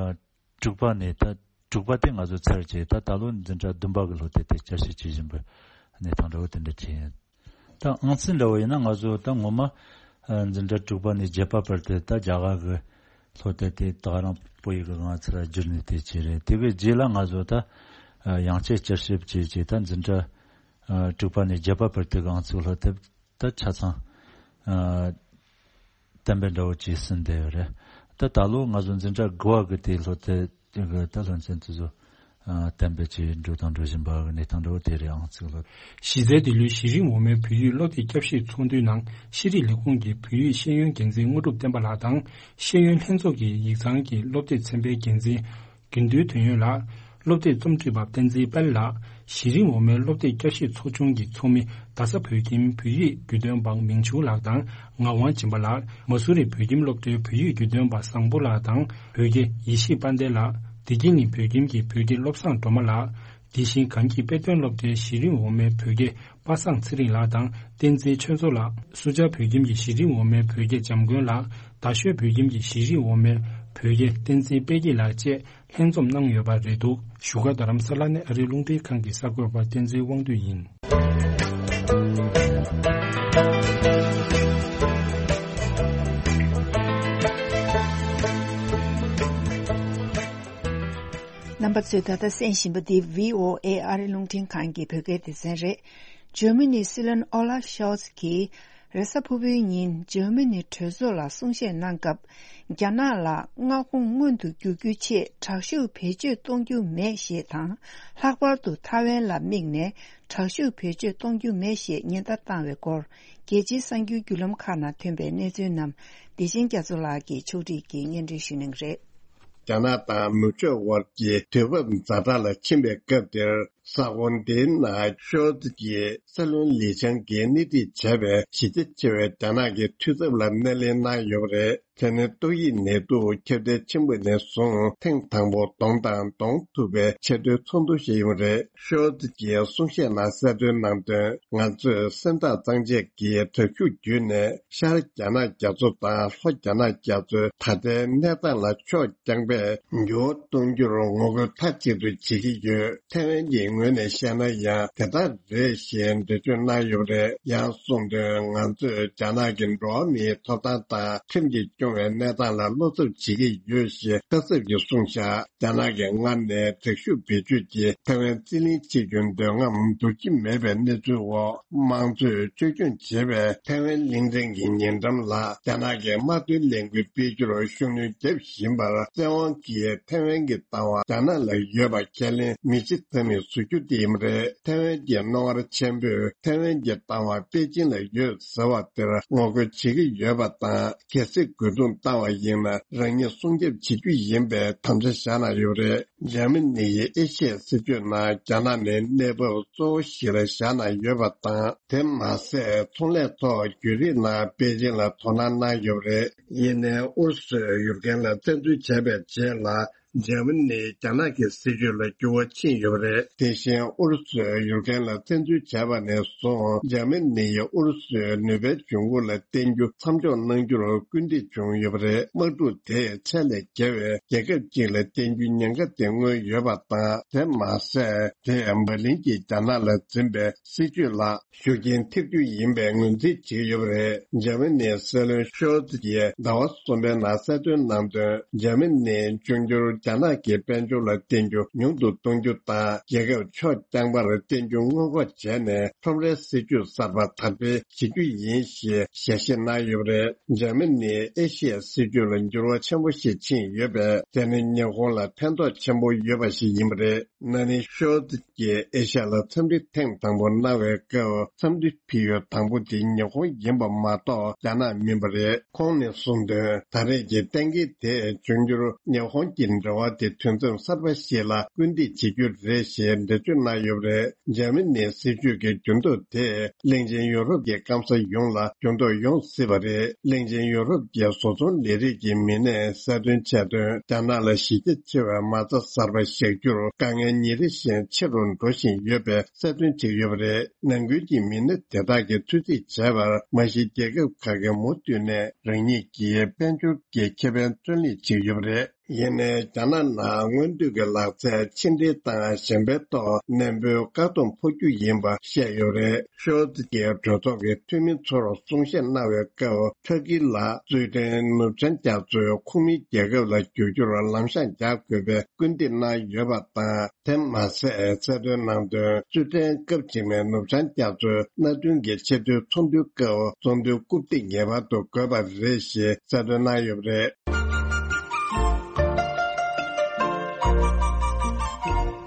དྲུག་པ་ནས་ད་དྲུག་པ་དེ་ང་ཚོ་ཚར་བྱས། ད་ད་ལོ་འཛིན་གྲྭ་བདུན་པ་གི་སློབ་དེབ་དེ་དཔྱད་ཞིབ་བྱེད་བཞིན་པའི་གནས་སྟངས་འདྲ་བོ་དེ་འདྲ་ཅིག་ཡིན། ད་ཨང་རྩིས་འདྲ་བོ་ཡིན་ན་ང་ཚོ་ད་ངོ་མ་ཨ་འཛིན་གྲྭ་དྲུག་པ་ནས་བརྒྱད་པ་བར་དུ་ད་རྒྱ་གར་གི་སློབ་དེབ་དེ་ད་ག་རང་བོད་ཡིག་གི་སྒང་ཚུར་བསྒྱུར་ནས་དེ་བྱས་རེད། དེ་གི་རྗེས་ལ་ང་ཚོ་ད་ཨ་ཡང་བསྐྱར་དཔྱད་ཞིབ་བྱས་བྱས། ད་འཛིན་གྲྭ་ཨ་དྲུག་པ་ནས་བརྒྱད་པ་བར་དུ་གི་ཨང་རྩིས་སློབ་དེབ་ད་ཆ་ཚང་ཨ་གཏན་འབེབས་འདྲ་བོ་བྱས་ཟིན་བསྡད་ཡོད་རེད། ད་ད་ལོ་ང་ཚོ་འཛིན་གྲྭ་དགུ་པ་གི་དེ་སློབ་དེབ་དེ་གི་ད་སློབ་ཚན་དེ་ཚོ་ཨ་གཏན་འབེབས་བྱས་འགྲོ་དང་འགྲོ་བཞིན་པ་གི་གནས་སྟངས་འདྲ་བོ་དེ་རེད། ཨང་རྩིས་སློབ། གཞི་རྩའི་འདི་ལོའི་གཞི་རིམ་འོག་མའི་བོད་ཡིག་སློབ་དེབ་བསྐྱར་ཞིབ་ཚོགས་འདུའི་ནང་། ཤེས་རིག་ལས་ཁུངས་ཀྱི་བོད་ཡིག་ཤེས་ཡོན་འགན་འཛིན་དངོས་གྲུབ་བསྟན་པ་ལགས་དང་། ཤེས་ཡོན་ལྷན་ཚོགས་ཀྱི་ཡིག་ཚང་གི་སློབ་དེབ་ཚན་པའི་འགན་འཛིན་དགེ་འདུན་དོན་ཡོད་ལགས། སློབ་དེབ་རྩོམ་སྒྲིག་པ་བསྟན་འཛིན་དཔལ་ལགས། གཞི་རིམ་འོག་མའི་སློབ་དེབ་བསྐྱར་ཞིབ་ཚོགས་ཆུང་གི་ཚོགས་མི་རྡ་ས་བོད་ཁྱིམ་བོད་ཡིག་བརྒྱུད་འདོན་པ་མིང་ཆུང་ལགས་དང་ངག་དབང་སྦྱིན་པ་ལགས། མ་སུ་རི་བོད་ཁྱིམ་སློབ་གྲྭའི་བོད་ཡིག་བརྒྱུད་འདོན་པ་བཟང་པོ་ལགས་དང་། བོད་དགེ་ཡེ་ཤེས་དཔལ་ལྡན་ལགས། བདེ་སྐྱིད་གླིང་བོད་ཁྱིམ་གྱི་བོད་དགེ་བློ་བཟང་སྒྲོལ་མ་ལགས། དེ་བཞིན་གངས་སྐྱིད་དཔེ་སྟོན་སློབ་གྲྭའི་གཞི་རིམ་འོག་མའི་བོད་དགེ་པ་སངས་ཚེ་རིང་ལགས་དང་། བསྟན་འཛིན་ཆོས་མཚོ་ལགས། སུ་ཇཱ་བོད་ཁྱིམ་གྱི་གཞི་རིམ་འོག་མའི་བོད་དགེ་འཇམ་མགོན་ལགས། རྡ་ཤོད་བོད་ཁྱིམ་གྱི་གཞི་རིམ་འོག་མའི་བོད་དགེ་བསྟན་འཛིན་དཔལ་སྐྱིད་ལགས་བཅས་ལྷན་འཛོམས་གནང་ཡོད་པ་རེད་འདུག་བཞུགས་སྒར་རྡ་རམ་ས་ལ་ནས་ཨ་རིའི་རླུང་འཕྲིན་ཁང་གི་གསར་འགོད་པ་བསྟན་འཛིན་དབང་འདུས་ཡིན། རྣམ་པ་ཚོས་ད་ལྟ་གསན་བཞིན་པ་འདི་བྷི་ཨོ་ཨེ་ཨ་རིའི་རླུང་འཕྲིན་ཁང་གི་བོད་སྐད་སྡེ་ཚན་རེད། འཇར་མ་ནིའི་སྲིད་བློན་ཨོ་ལཱབ་ཤོལ་ཚ་གིས་རེས་གཟའ་ཕུར་བུའི་ཉིན་འཇར་མ་ནི་གྲོས་ཚོགས་ལ་གསུང་བཤད་གནང་སྐབས། རྒྱ་ནག་ལ་མངའ་ཁོངས་མངོན་དུ་འགྱུར་རྒྱུའི་ཆེད་དྲག་ཤུགས་བེད་སྤྱོད་གཏོང་རྒྱུ་མེད་ཞེས་དང་། ལྷག་པར་དུ་ཐའེ་ཝན་ལ་དམིགས་ནས་དྲག་ཤུགས་བེད་སྤྱོད་གཏོང་རྒྱུ་མེད་ཞེས་ཉེན་བརྡ་བཏང་བའི་སྐོར། རྒྱལ་སྤྱིའི་གསར་འགྱུར་བརྒྱུད་ལམ་ཁག་ནང་ཐོན་པའི་གནས་ཚུལ་རྣམས། བདེ་ཆེན་རྒྱ་མཚོ་ལགས་ཀྱིས་ཕྱོགས་སྒྲིག་གིས་སྙན་སྒྲོན་ཞུ་གནང་གི་རེད། རྒྱ་ནག་དང་ནུབ་ཕྱོགས་དབར་གྱི་དུས་བབ་ཛ་དྲག་ལ་ཕྱིན་པའི་སྐབས་དེར། ས་ཁོངས་དེའི་ནང་ཤོལ་ཚ་གྱིས་སྲིད་བློན་ལི་ཆང་གིས་སྣེ་ཁྲིད་བྱས་པའི་གཞི་རྒྱ་ཆེ་བའི་རྒྱ་ནག་གི་འཐུས་ཚབ་ལ་སྣེ་ལེན་གནང་ཡོད་པ་རེད། དེ་ནི་ཏོག་དབྱིབས་ནད་དུག་ཁྱབ་གདལ་ཆེན་པོ་ནས་བཟུང་ཐེངས་དང་པོ་གདོང་དང་གདོང་ཐུག་པའི་ཆེས་མཐོའི་ཚོགས་འདུ་ཞིག་ཡིན་པ་རེད། ཤོལ་ཚ་གྱིས་གསུང་བཤད་ནང་གསལ་སྟོན་གནང་དོན། ང་ཚོས་སེམས་ཐག་གཙང་བཅད་ཀྱིས་དྲག་ཤུགས་བརྒྱུད་ནས་ཤར་རྒྱ་ནག་རྒྱ་མཚོ་དང་ལྷོ་རྒྱ་ནག་རྒྱ་མཚོའི་ད་ལྟའི་གནས་སྟངས་ལ་ཕྱོགས་རྐྱང་པས་འགྱུར་བ་གཏོང་རྒྱུར་ངོ་རྒོལ་མཐའ་གཅིག་ཏུ་བྱེད་ཀྱི་ཡོད། ཐའེ་ཝན་གྱི་ ངོས་ནས་བཤད་ན་ཡང་དེ་ལྟར་རེད་ཞེས་འགྲེལ་བརྗོད་གནང་ཡོད་པ་རེད། ཡང་གསུངས་དོན། ང་ཚོས་རྒྱ་ནག་གི་འགྲོ་བ་མིའི་ཐོབ་ཐང་དང་ཁྲིམས་ཀྱིས་སྐྱོང་བའི་གནས་སྟངས་ལ་བློ་འཚབ་བྱེད་ཀྱི་ཡོད་ཞེས་ཁ་གསབ་ཀྱིས་གསུངས་བཞག་རྒྱ་ནག་གིས་སྔར་ནས་དྲག་ཤུགས་བེད་སྤྱོད་ཀྱིས་ཐའེ་ཝན་རྩིས་ལེན་བྱེད་རྒྱུའི་འདོད་རྔམ་བསྡུར་གྱི་མེད་པའི་གནས་ཚུལ་འོག་དམངས་གཙོས་བཅོས་སྐྱོང་བྱེད་པའི་ཐའེ་ཝན་གླིང་ཕྲན་གྱི་ཉེ་འགྲམ་ལ་རྒྱ་ནག་གིས་དམག་དོན་ལས་འགུལ་སྤེལ་རྒྱུར་ཤུགས་སྣོན་བརྒྱབ་བཞིན་པར། བཙན་དབང་གིས་ཐའེ་ཝན་གྱི་ལྟ་བ་རྒྱ་ནག་ལ་ཡོད་པ་ཁས་ལེན་མི་བྱེད་ཐབས་མེད་བཟོ་རྒྱུ་དེ་ཡིན་པ་རེད། ཐའེ་ཝན་གྱི་རྣོ་ངར་ཆེན་པོས་ཐའེ་ཝན་གྱི་ལྟ་བ་པེ་ཅིན་ལ་ཡོད་ཟེར་བ་དེར་ངོ་རྒོལ་བྱེད་ཀྱི་ཡོད་པ་དང་། གལ་སྲིད་རྒོལ་རྡུང་བཏང་བ་ཡིན་ན་རང་ཉིད་སྲུང་སྐྱོབ་བྱེད་རྒྱུ་ཡིན་པའི་དམ་བཅའ་བཞག་གནང་ཡོད་པ་རེད། འཇར་མ་ནི་ཡིས་ཨེ་ཤི་ཡའི་སྲིད་ཇུས་ནང་རྒྱ་ནག་ནི་གནས་བབ་གཙོ་བོ་ཞིག་ལ་བཞག་གནང་ཡོད་པ་དང་། དེ་མ་ཟད་ཚོང་ལས་ཐོག་བརྒྱུད་རིམ་ནང་པེ་ཅིན་ལ་དོ་སྣང་གནང་ཡོད་པ་རེད། ཡིན་ནའི་ཨུ་རུ་སུས་ཡུཀ་རེན་ལ་བཙན་འཛུལ་བྱས་པའི་རྗེས་ལ། འཇར་མ་ནིས་རྒྱ་ནག་གི་སྲིད་ཇུས་ལ་འགྱུར་བ་ཕྱིན་ཡོད་པ་རེད། དེ་བཞིན་ཨུ་རུ་སུས་ཡུཀ་རེན་ལ་བཙན་འཛུལ་བྱས་པ་ནས་བཟུང་འཇར་མ་ནི་ཡིས་ཨུ་རུ་སུའི་ནུས་པའི་འབྱུང་ཁུངས་ལ་བརྟེན་རྒྱུ་མཚམས་འཇོག་གནང་རྒྱུར་སྐུལ་འདེད་བྱུང་ཡོད་པ་རེད། དམག་འཁྲུག་དེས་ཚད་ལས་བརྒལ་བའི་རྒྱལ་ཁབ་ཅིག་ལ་བརྟེན་རྒྱུའི་ཉེན་ཁ་དེ་མངོན་ཡོད་པ་དང་། དེ་མ་ཟད། དེས་འབར་ལིན་གྱིས་རྒྱ་ནག་ལ་འཛིན་པའི་སྲིད་ཇུས་ལ་ཤུགས་རྐྱེན་ཐེབས་རྒྱུ་ཡིན་པའི་ངོས་འཛིན་བྱེད་ཀྱི་ཡོད་པ་རེད། འཇར་མ་ནིའི་སྲིད་བློན་ཤོལ་ཙི་ཡིས་ཟླ་བ་གསུམ་པའི་ནང་གསལ་སྟོན་གནང་དོན། འཇར་མ་ནིས་འབྱུང་འགྱུར་རྒྱ་ནག་གི་དཔལ་འབྱོར་ལ་བརྟེན་རྒྱུ་ཉུང་དུ་གཏོང་རྒྱུ་དང་། རྒྱལ་ཁབ་ཕྱོགས་རྐྱང་པར་བརྟེན་རྒྱུ་སྔོན་འགོག་བྱས་ནས། ཁྲོམ་རའི་སྲིད་ཇུས་གསར་པ་དར་སྤེལ་བྱེད་རྒྱུ་ཡིན་ཞེས་ཞལ་བཞེས་གནང་ཡོད་པ་རེད། འཇར་མ་ནིའི་ཨེ་ཤི་ཡའི་སྲིད་ཇུས་ལ་འགྱུར་བ་ཆེན་པོ་ཞིག་ཕྱིན་ཡོད་པས། དེ་ནི་ཉི་ཧོང་ལ་ཕན་ཐོགས་ཆེན་པོ་ཡོད་པ་ཞིག་ཡིན་པ་རེད། ན་ནིང་ཤོལ་ཙི་ཀྱིས་ཨེ་ཤ་ཡ་ལ་འཚམས་འདྲི་ཐེངས་དང་པོ་གནང་བའི་སྐབས། འཚམས་འདྲི་ཕུལ་ཡུལ་དང་པོ་དེ་ཉི་ཧོང་ཡིན་པ་མ་གཏོགས་རྒྱ་ནག་མིན་པ་རེད། ཁོང་ནས་གསུངས་དོན། ད་རེས་ཀྱི་གཏན་འཁེལ་དེས་འབྱུང་འགྱུར་ཉི་ཧོང་གི་འབྲེལ་བ་དེ་དུས་མཚམས་གསར་པ་ཞིག་ལ་སྐུལ་འདེད་བྱེད་རྒྱུ་རེད་ཞེས་འགྲེལ་བརྗོད་གནང་ཡོད་པ་རེད། འཇར་མ་ནིའི་སྲིད་ཇུས་ཀྱི་འགྱུར་ལྡོག་དེས་གླིང་ཆེན་ཡུ་རོབ་ཀྱི་སྐམ་ས་ཡོངས་ལ་འགྱུར་ལྡོག་ཡོང་སྲིད་པ་རེད། གླིང་ཆེན་ཡུ་རོབ་ཀྱི་བཟོ་ཚོང་ལས་རིགས་ཀྱི་མི་སྣས་གསལ་སྟོན་བྱས་དོན། རྒྱ་ནག་ལ་གཞི་རྒྱ་ཆེ་བའི་མ་རྩ་གསར་པ་བཞག་རྒྱུར་དཀའ་ངལ་ཉིན་རེ་བཞིན་ཆེ་རུ་འགྲོ་བཞིན་ཡོད་པའི་གསལ་སྟོན་བྱས་ཡོད་པ་རེད། ནང་ཁུལ་གྱི་མི་སྣ་དེ་དག་གིས་ཐུགས་རྗེ་བྱས་པར། མ་གཞི་རྒྱལ་ཁབ་ཁག་གིས་མུ་མཐུད་ནས་རང་ཉིད་ཀྱི་དཔལ་འབྱོར་གྱི་ཁེ་ཕན་བརྩོན་ལེན་བྱས་ཡོད་པ་རེད། ཡིན་ནའི་རྒྱ་ནག་ནང་སྔོན་དུས་ཀྱི་ལག་རྩལ་ཕྱི་འབྲེལ་དང་གཞན་པའི་ཐོག་ནན་པོའི་བཀག་སྡོམ་ཕོག་རྒྱུ་ཡིན་པ་བཤད་ཡོད་རེད། ཤོལ་ཙི་ཀྱིས་གྲོས་ཚོགས་ཀྱི་འཐུས་མི་ཚོར་གསུང་བཤད་གནང་བའི་སྐབས། ཁྲ་ཀི་ལ་རྩེད་འགྲན་ནུབ་བྱང་རྒྱ་མཚོའི་ཁོངས་མིའི་རྒྱལ་ཁབ་ལ་བསྒྱུར་རྒྱུར་ལམ་ཤང་རྒྱག་དགོས་པའི་སྐུལ་འདེད་གནང་ཡོད་པ་དང་། དེ་མ་ཟད། གསལ་སྟོན་གནང་དོན། རྩེད་འགྲན་སྐབས་རྗེས་མའི་ནུབ་བྱང་རྒྱ་མཚོའི་མནའ་མཐུན་གྱི་ཆེས་མཐོའི་ཚོགས་འདུའི་སྐབས། ཚོགས་འདུའི་རྐུབ་སྟེགས་ངེས་པར་དུ་དགོས་པ་རེད་ཞེས་གསལ་སྟོན་གནང་ཡོད་པ་རེད།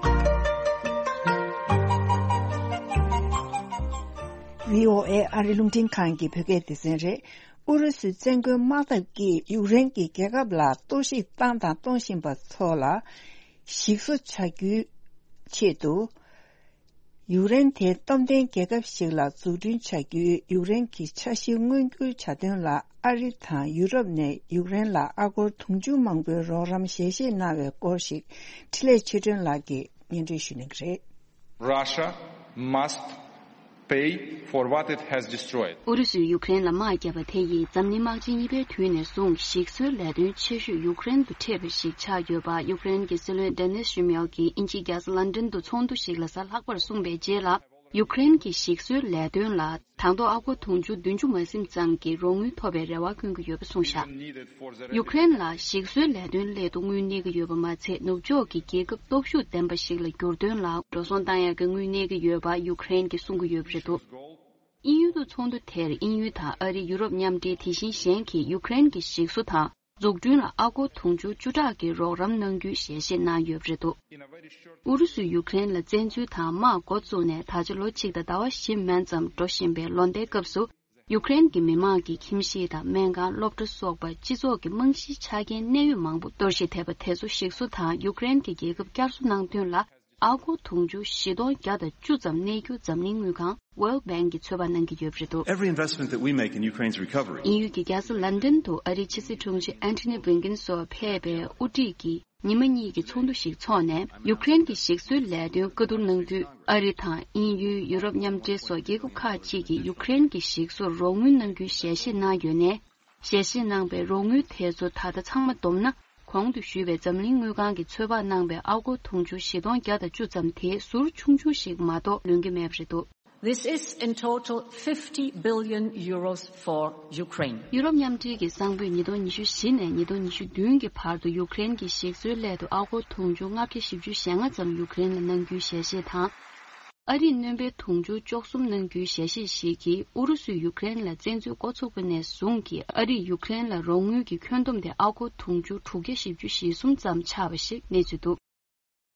ཝི་ཨོ་ཨེ་ཨ་རི་རླུང་འཕྲིན་ཁང་གི་བོད་སྐད་སྡེ་ཚན་རེད། ཨུ་རུ་སུའི་བཙན་རྒོལ་དམག་འཐབ་ཀྱིས་ཡུཀ་རེན་གྱི་རྒྱལ་ཁབ་ལ་གཏོར་བཤིག་བཏང་དང་གཏོང་བཞིན་པ་ཚོ་ལ་ཞིག་གསོ་བྱ་རྒྱུའི་ཆེད་དུ། ཡུཀ་རེན་དེ་སྟོབས་ལྡན་རྒྱལ་ཁབ་ཞིག་ལ་འཛུགས་སྐྲུན་བྱ་རྒྱུའི་ཡུཀ་རེན་གྱི་འཆར་གཞི་མངོན་འགྱུར་བྱ་དོན་ལ། ཨ་རི་དང་ཡུ་རོབ་ནས་ཡུཀ་རེན་ལ་ཨ་སྒོར་དུང་ཕྱུར་མང་པོའི་རོགས་རམ་ཞལ་བཞེས་གནང་བའི་སྐོར་ཞིག་འཕྲིན་ལས་ཆོས་སྒྲོན་ལགས་ཀྱིས་སྙན་སྒྲོན་ཞུ་གནང་གི་རེད། Russia must pay for what it has destroyed. ཨུ་རུ་སུས་ཡུཀ་རེན་ལ་དམག་བརྒྱབ་པ་དེ་ཡིས་འཛམ་གླིང་དམག་ཆེན་གཉིས་པའི་དུས་ནས་བཟུང་ཞིག་གསོའི་ལས་དོན་ཆེ་ཤོས་ཡུཀ་རེན་དུ་འཕྲད་པ་ཞིག་ཆགས་ཡོད་པ། ཡུཀ་རེན་གྱི་སྲིད་བློན་ཌེ་ནིས་ཤུ་མེལ་གྱིས་དབྱིན་ཇིའི་རྒྱལ་ས་ལན་ཌན་དུ་ཚོགས་འདུ་ཞིག་ལ་གཟའ་ལྷག་པར་གསུངས་པའི་རྗེས་ལ། ཡུཀ་རེན་གྱི་ཞིག་གསོའི་ལས་དོན་ལ་དང་ཐོག་ཨ་སྒོར་དུང་ཕྱུར་བདུན་ཅུ་མ་ཟིན་ཙམ་གྱི་རོགས་དངུལ་ཐོབ་པའི་རེ་བ་བསྐྱོན་གྱི་ཡོད་པ་གསུངས་བཞག་ཡུཀ་རེན་ལ་ཞིག་གསོའི་ལས་དོན་སླད་དུ་དངུལ་གནས་ཀྱི་ཡོད་པ་མ་ཚད། ནུབ་ཕྱོགས་ཀྱི་རྒྱལ་ཁབ་སྟོབས་ཤུགས་ལྡན་པ་ཞིག་ལ་འགྱུར་དོན་ལ་འགྲོ་སོང་བཏང་ཡག་གི་དངུལ་གནས་ཀྱི་ཡོད་པ་ཡུཀ་རེན་གྱིས་གསུང་གི་ཡོད་པ་རེད་འདུག་དབྱིན་ཡུལ་དུ་ཚོགས་འདུ་དེར་དབྱིན་ཡུལ་དང་ཨ་རི། ཡུ་རོབ་མཉམ་འབྲེལ། དེ་བཞིན་གཞན་གྱིས་ཡུཀ་རེན་གྱི་ཞིག་གསོ་དང་འཛུགས་སྐྲུན་ལ་ཨ་སྒོར་དུང་ཕྱུར་བཅུ་ཕྲག་གི་རོགས་རམ་གནང་རྒྱུའི་ཞལ་བཞེས་གནང་ཡོད་པ་རེད་འདུག་ཨུ་རུ་སུས་ཡུཀ་རེན་ལ་བཙན་འཛུལ་དང་དམག་འགོ་བཙུགས་ནས་ད་ཆ་ལོ་གཅིག་དང་ཟླ་བ་བཞི་མན་ཙམ་འགྲོ་བཞིན་པའི་ལོ་ཟླའི་སྐབས་སུ། ཡུཀ་རེན་གྱི་མི་དམངས་ཀྱི་ཁྱིམ་གཞིས་དང་སྨན་ཁང་། སློབ་གྲྭ་སོགས་པ་སྤྱི་ཚོགས་ཀྱི་རྨང་གཞིའི་ཆ་རྐྱེན་གནད་ཡོད་མང་པོ་གཏོར་བཤིག་ཐེབས་པ་དེ་ཚོ་ཞིག་གསོ་དང་ཡུཀ་རེན་གྱི་རྒྱལ་ཁབ་བསྐྱར་གསོ་གནང་དོན་ལ། ཨ་སྒོར་དུང་ཕྱུར་བཞི་སྟོང་བརྒྱ་དང་བཅུ་ཙམ་གནས་རྒྱུ་འཛམ་གླིང་དངུལ་ཁང་World Bank གིས་ཚོད་དཔག་གནང་གི་ཡོད་པ་རེད་འདུག Every investment that we make in Ukraine's recovery དབྱིན་ཡུལ་གྱི་རྒྱལ་ས་ལན་ཌན་དུ་ཨ་རིའི་ཕྱི་སྲིད་དྲུང་ཆེ་Antony Blinken སོགས་ཕེབས་པའི་དབུ་ཁྲིད་ཀྱི་ཉི་མ་གཉིས་ཀྱི་ཚོགས་འདུ་ཞིག་འཚོགས་ནས། ཡུཀ་རེན་གྱི་ཞིག་གསོའི་ལས་དོན་བཀའ་བསྡུར་གནང་དུས། ཨ་རི་དང་དབྱིན་ཡུལ། ཡུ་རོབ་མཉམ་འབྲེལ་སོགས་རྒྱལ་ཁབ་ཁག་ཅིག་གིས་ཡུཀ་རེན་གྱི་ཞིག་གསོར་རོགས་དངུལ་གནང་རྒྱུའི་ཞལ་བཞེས་གནང་ཡོད་ནས། ཞལ་བཞེས་གནང་པའི་རོགས་དངུལ་དེ་ཚོ་ད་ལྟ་ཚང་མ་བསྡོམས་ན། གོང་དུ་ཞུས་པའི་འཛམ་གླིང་དངུལ་ཁང་གིས་ཚོད་དཔག་གནང་པའི་ཨ་སྒོར་དུང་ཕྱུར་བཞི་སྟོང་བརྒྱ་དང་བཅུ་ཙམ་དེ་ཟུར་ཆུང་ཆུང་ཞིག་མ་གཏོགས་ལོན་གྱི་མེད་པ་རེད་འདུག། This is in total fifty billion euros for Ukraine. ཡུ་རོབ་མཉམ་འབྲེལ་གྱི་གསང་ཕོད་ཉིས་སྟོང་ཉི་ཤུ་བཞི་ནས་ཉིས་སྟོང་ཉི་ཤུ་བདུན་གྱི་བར་དུ་ཡུཀ་རེན་གྱི་ཞིག་གསོའི་སླད་དུ་ཨ་སྒོར་དུང་ཕྱུར་ལྔ་བརྒྱ་བཞི་བཅུ་ཞེ་ལྔ་ཙམ་ཡུཀ་རེན་ལ་གནང་རྒྱུའི་ཞལ་བཞེས་དང་། ཨ་རིས་སྣོན་པའི་དུང་ཕྱུར་བཅུ་གསུམ་གནང་རྒྱུའི་ཞལ་བཞེས་ཤིག་གིས་ཨུ་རུ་སུས་ཡུཀ་རེན་ལ་བཙན་འཛུལ་འགོ་ཚུགས་པ་ནས་བཟུང་གི་ཨ་རིས་ཡུཀ་རེན་ལ་རོགས་དངུལ་གྱི་ཁྱོན་བསྡོམས་དེ་ཨ་སྒོར་དུང་ཕྱུར་དྲུག་བརྒྱ་བཞི་བཅུ་ཞེ་གསུམ་ཙམ་ཆགས་པ་ཞིག་གནས་ཚུལ་འདུག།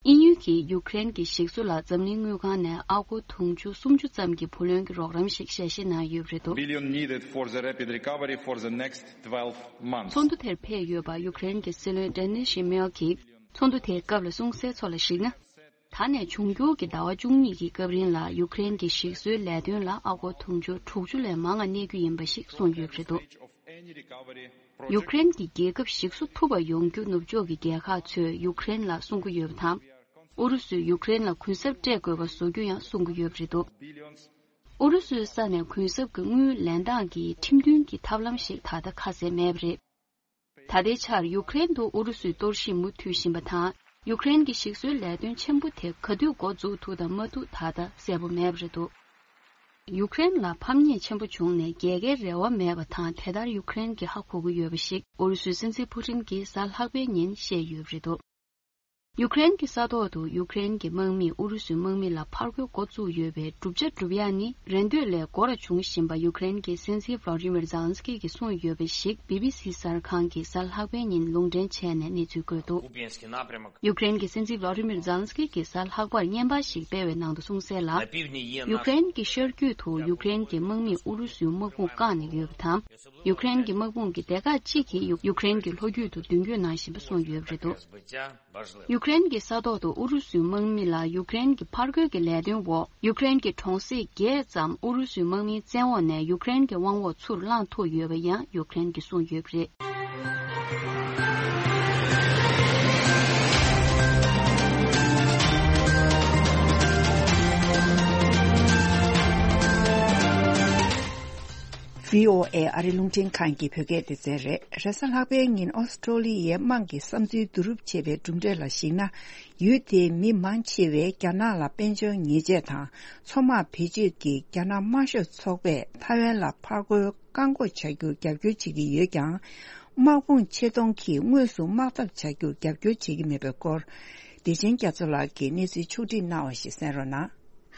དབྱིན་ཡུལ་གྱིས་ཡུཀ་རེན་གྱི་ཞིག་གསོ་ལ་འཛམ་གླིང་དངུལ་ཁང་ནས་ཨ་སྒོར་དུང་ཕྱུར་སུམ་ཅུ་ཙམ་གྱི་བུ་ལོན་གྱི་རོགས་རམ་ཞིག་ཞལ་བཞེས་གནང་ཡོད་པ་རེད་འདུག། Billion needed for the rapid recovery for the next twelve months. ཚོགས་འདུ་དེར་ཕེབས་ཡོད་པ་ཡུཀ་རེན་གྱི་སྲིད་བློན་ཌེ་ནི་ཤི་མེལ་གྱིས་ཚོགས་འདུ་དེའི་སྐབས་ལ་གསུངས་གསལ་ཚོགས་ལ་གཞིགས་ན། ད་ནས་འབྱུང་འགྱུར་གྱི་ཟླ་བ་བཅུ་གཉིས་ཀྱི་སྐབས་རིང་ལ་ཡུཀ་རེན་གྱི་ཞིག་གསོའི་ལས་དོན་ལ་ཨ་སྒོར་དུང་ཕྱུར་དྲུག་ཅུ་ལས་མང་བ་གནས་རྒྱུ་ཡིན་པ་ཞིག་གསུངས་ཡོད་པ་རེད་འདུག། ཡུཀ་རེན་གྱི་རྒྱལ་ཁབ་ཞིག་གསོ་ཐུབ་པ་ཡོང་རྒྱུ་ནུབ་ཕྱོགས་ཀྱི་རྒྱལ་ཁག་ཚོས་ཡུཀ་རེན་ལ་གསུང་གི་ཡོད་པ་དང་། ཨུ་རུ་སུས་ཡུཀ་རེན་ལ་གུན་གསབ་སྤྲད་དགོས་པ་བཟོ་རྒྱུ་ཡང་གསུང་གི་ཡོད་པ་རེད་འདུག། ཨུ་རུ་སུའི་ས་ནས་གུན་གསབ་ཀྱི་དངུལ་ལེན་སྟངས་ཀྱི་ཁྲིམས་མཐུན་གྱི་ཐབས་ལམ་ཞིག་ད་ལྟ་ཁ་གསལ་མེད་པ་རེད། ད་ལྟའི་ཆར་ཡུཀ་རེན་དུ་ཨུ་རུ་སུའི་གཏོར་བཤིག་མུ་མཐུད་བཞིན་པ་དང་། ཡུཀ་རེན་གྱི་ཞིག་གསོའི་ལས་དོན་ཆེན་པོ་དེ་ག་དུས་འགོ་འཛུགས་ཐུབ་དང་མ་ཐུབ་ད་ལྟ་གསལ་པོ་མེད་པ་རེད་འདུག། ཡུཀ་རེན་ལ་ཕམ་ཉེས་ཆེན་པོ་བྱུང་ནས་རྒྱལ་ཁའི་རེ་བ་མེད་པ་དང་། དེ་ལྟར་ཡུཀ་རེན་གྱིས་ཧ་གོ་གི་ཡོད་པ་ཞིག་ཨུ་རུ་སུའི་སྲིད་འཛིན་ཕུ་ཏིན་གྱིས་གཟའ་ལྷག་པའི་ཉིན་བཤད་ཡོད་པ་རེད་འདུག། ཡུཀ་རེན་གྱི་ས་ཐོག་ཏུ་ཡུཀ་རེན་གྱི་དམག་མིས་ཨུ་རུ་སུའི་དམག་མི་ལ་ཕར་རྒོལ་འགོ་བཙུགས་ཡོད་པའི་གྲུབ་ཆ་སྒྲུབ་ཡག་ནི་རེ་འདོད་ལས་འགོར་བྱུང་བཞིན་པ་ཡུཀ་རེན་གྱི་སྲིད་འཛིན་ཝ་ལོ་ཌི་མིར་ཛེ་ལན་སི་ཀི་གིས་གསུངས་ཡོད་པ་ཞིག་བི་བི་སི་གསར་ཁང་གིས་གཟའ་ལྷག་པའི་ཉིན་ལུང་འདྲེན་བྱས་ནས་གནས་ཚུལ་བཀོད་འདུག། ཡུཀ་རེན་གྱི་སྲིད་འཛིན་ཝ་ལོ་ཌི་མིར་ཛེ་ལན་སི་ཀི་གིས་གཟའ་ལྷག་པར་བརྙན་པར་ཞིག་སྤེལ་བའི་ནང་དུ་གསུངས་གསལ་ལ། ཡུཀ་རེན་གྱི་ཤར་རྒྱུད་དུ་ཡུཀ་རེན་གྱི་དམག་མིས་ཨུ་རུ་སུའི་དམག་དཔུང་བཀག་ནས་ཡོད་པ་དང་། ཡུཀ་རེན་གྱི་དམག་དཔུང་གི་སྡེ་ཁག་གཅིག་གིས་ཡུ- ཡུཀ་རེན་གྱི་ལྷོ་རྒྱུད་དུ་མདུན་སྐྱོད་གནང་བཞིན་པ་གསུངས་ཡོད་པ་རེད་འདུག། ཡུཀ་རེན་གྱི་ས་ཐོག་ཏུ་ཨུ་རུ་སུའི་དམག་མི་ལ་ཡུཀ་རེན་གྱི་ཕར་རྒོལ་གྱི་ལས་དོན་འོག་ཡུཀ་རེན་གྱི་གྲོང་གསེབ་བརྒྱད་ཙམ་ཨུ་རུ་སུའི་དམག་མིའི་བཙན་འོག་ནས་ཡུཀ་རེན་གྱི་དབང་འོག་ཚུར་བླངས་ཐུབ་ཡོད་པ་ཡང་ཡུཀ་རེན་གྱིས་གསུངས་ཡོད་པ་རེད། བྷི་ཨོ་ཨེ་ཨ་རི་རླུང་འཕྲིན་ཁང་གི་བོད་སྐད་སྡེ་ཚན་རེད། རེས་གཟའ་ལྷག་པའི་ཉིན་ཨོ་སི་ཀྲོ་ལི་ཡའི་དམངས་ཀྱི་བསམ་ཚུལ་བསྡུ་རུབ་བྱས་པའི་གྲུབ་འབྲས་ལ་གཞིགས་ན། ཡུལ་དེའི་མི་མང་ཆེ་བས་རྒྱ་ནག་ལ་དཔལ་འབྱོར་ཉེས་ཆད་དང་མཚོ་དམག་བེད་སྤྱོད་ཀྱིས་རྒྱ་ནག་དམར་ཤོག་ཚོགས་པས་ཐའེ་ཝན་ལ་ཕར་རྒོལ་བཀག་འགོག་བྱ་རྒྱུར་རྒྱབ་སྐྱོར་བྱེད་ཀྱི་ཡོད་ཀྱང་། དམག་དཔུང་ཆེད་གཏོང་གིས་དངོས་སུ་དམག་འཐབ་བྱ་རྒྱུར་རྒྱབ་སྐྱོར་བྱེད་ཀྱི་མེད་པའི་སྐོར། བདེ་ཆེན་རྒྱ་མཚོ་ལགས་ཀྱིས་གནས་ཚུལ་ཕྱོགས་བསྒྲིགས་གནང་བ་ཞིག་གསན་རོགས་གནང་།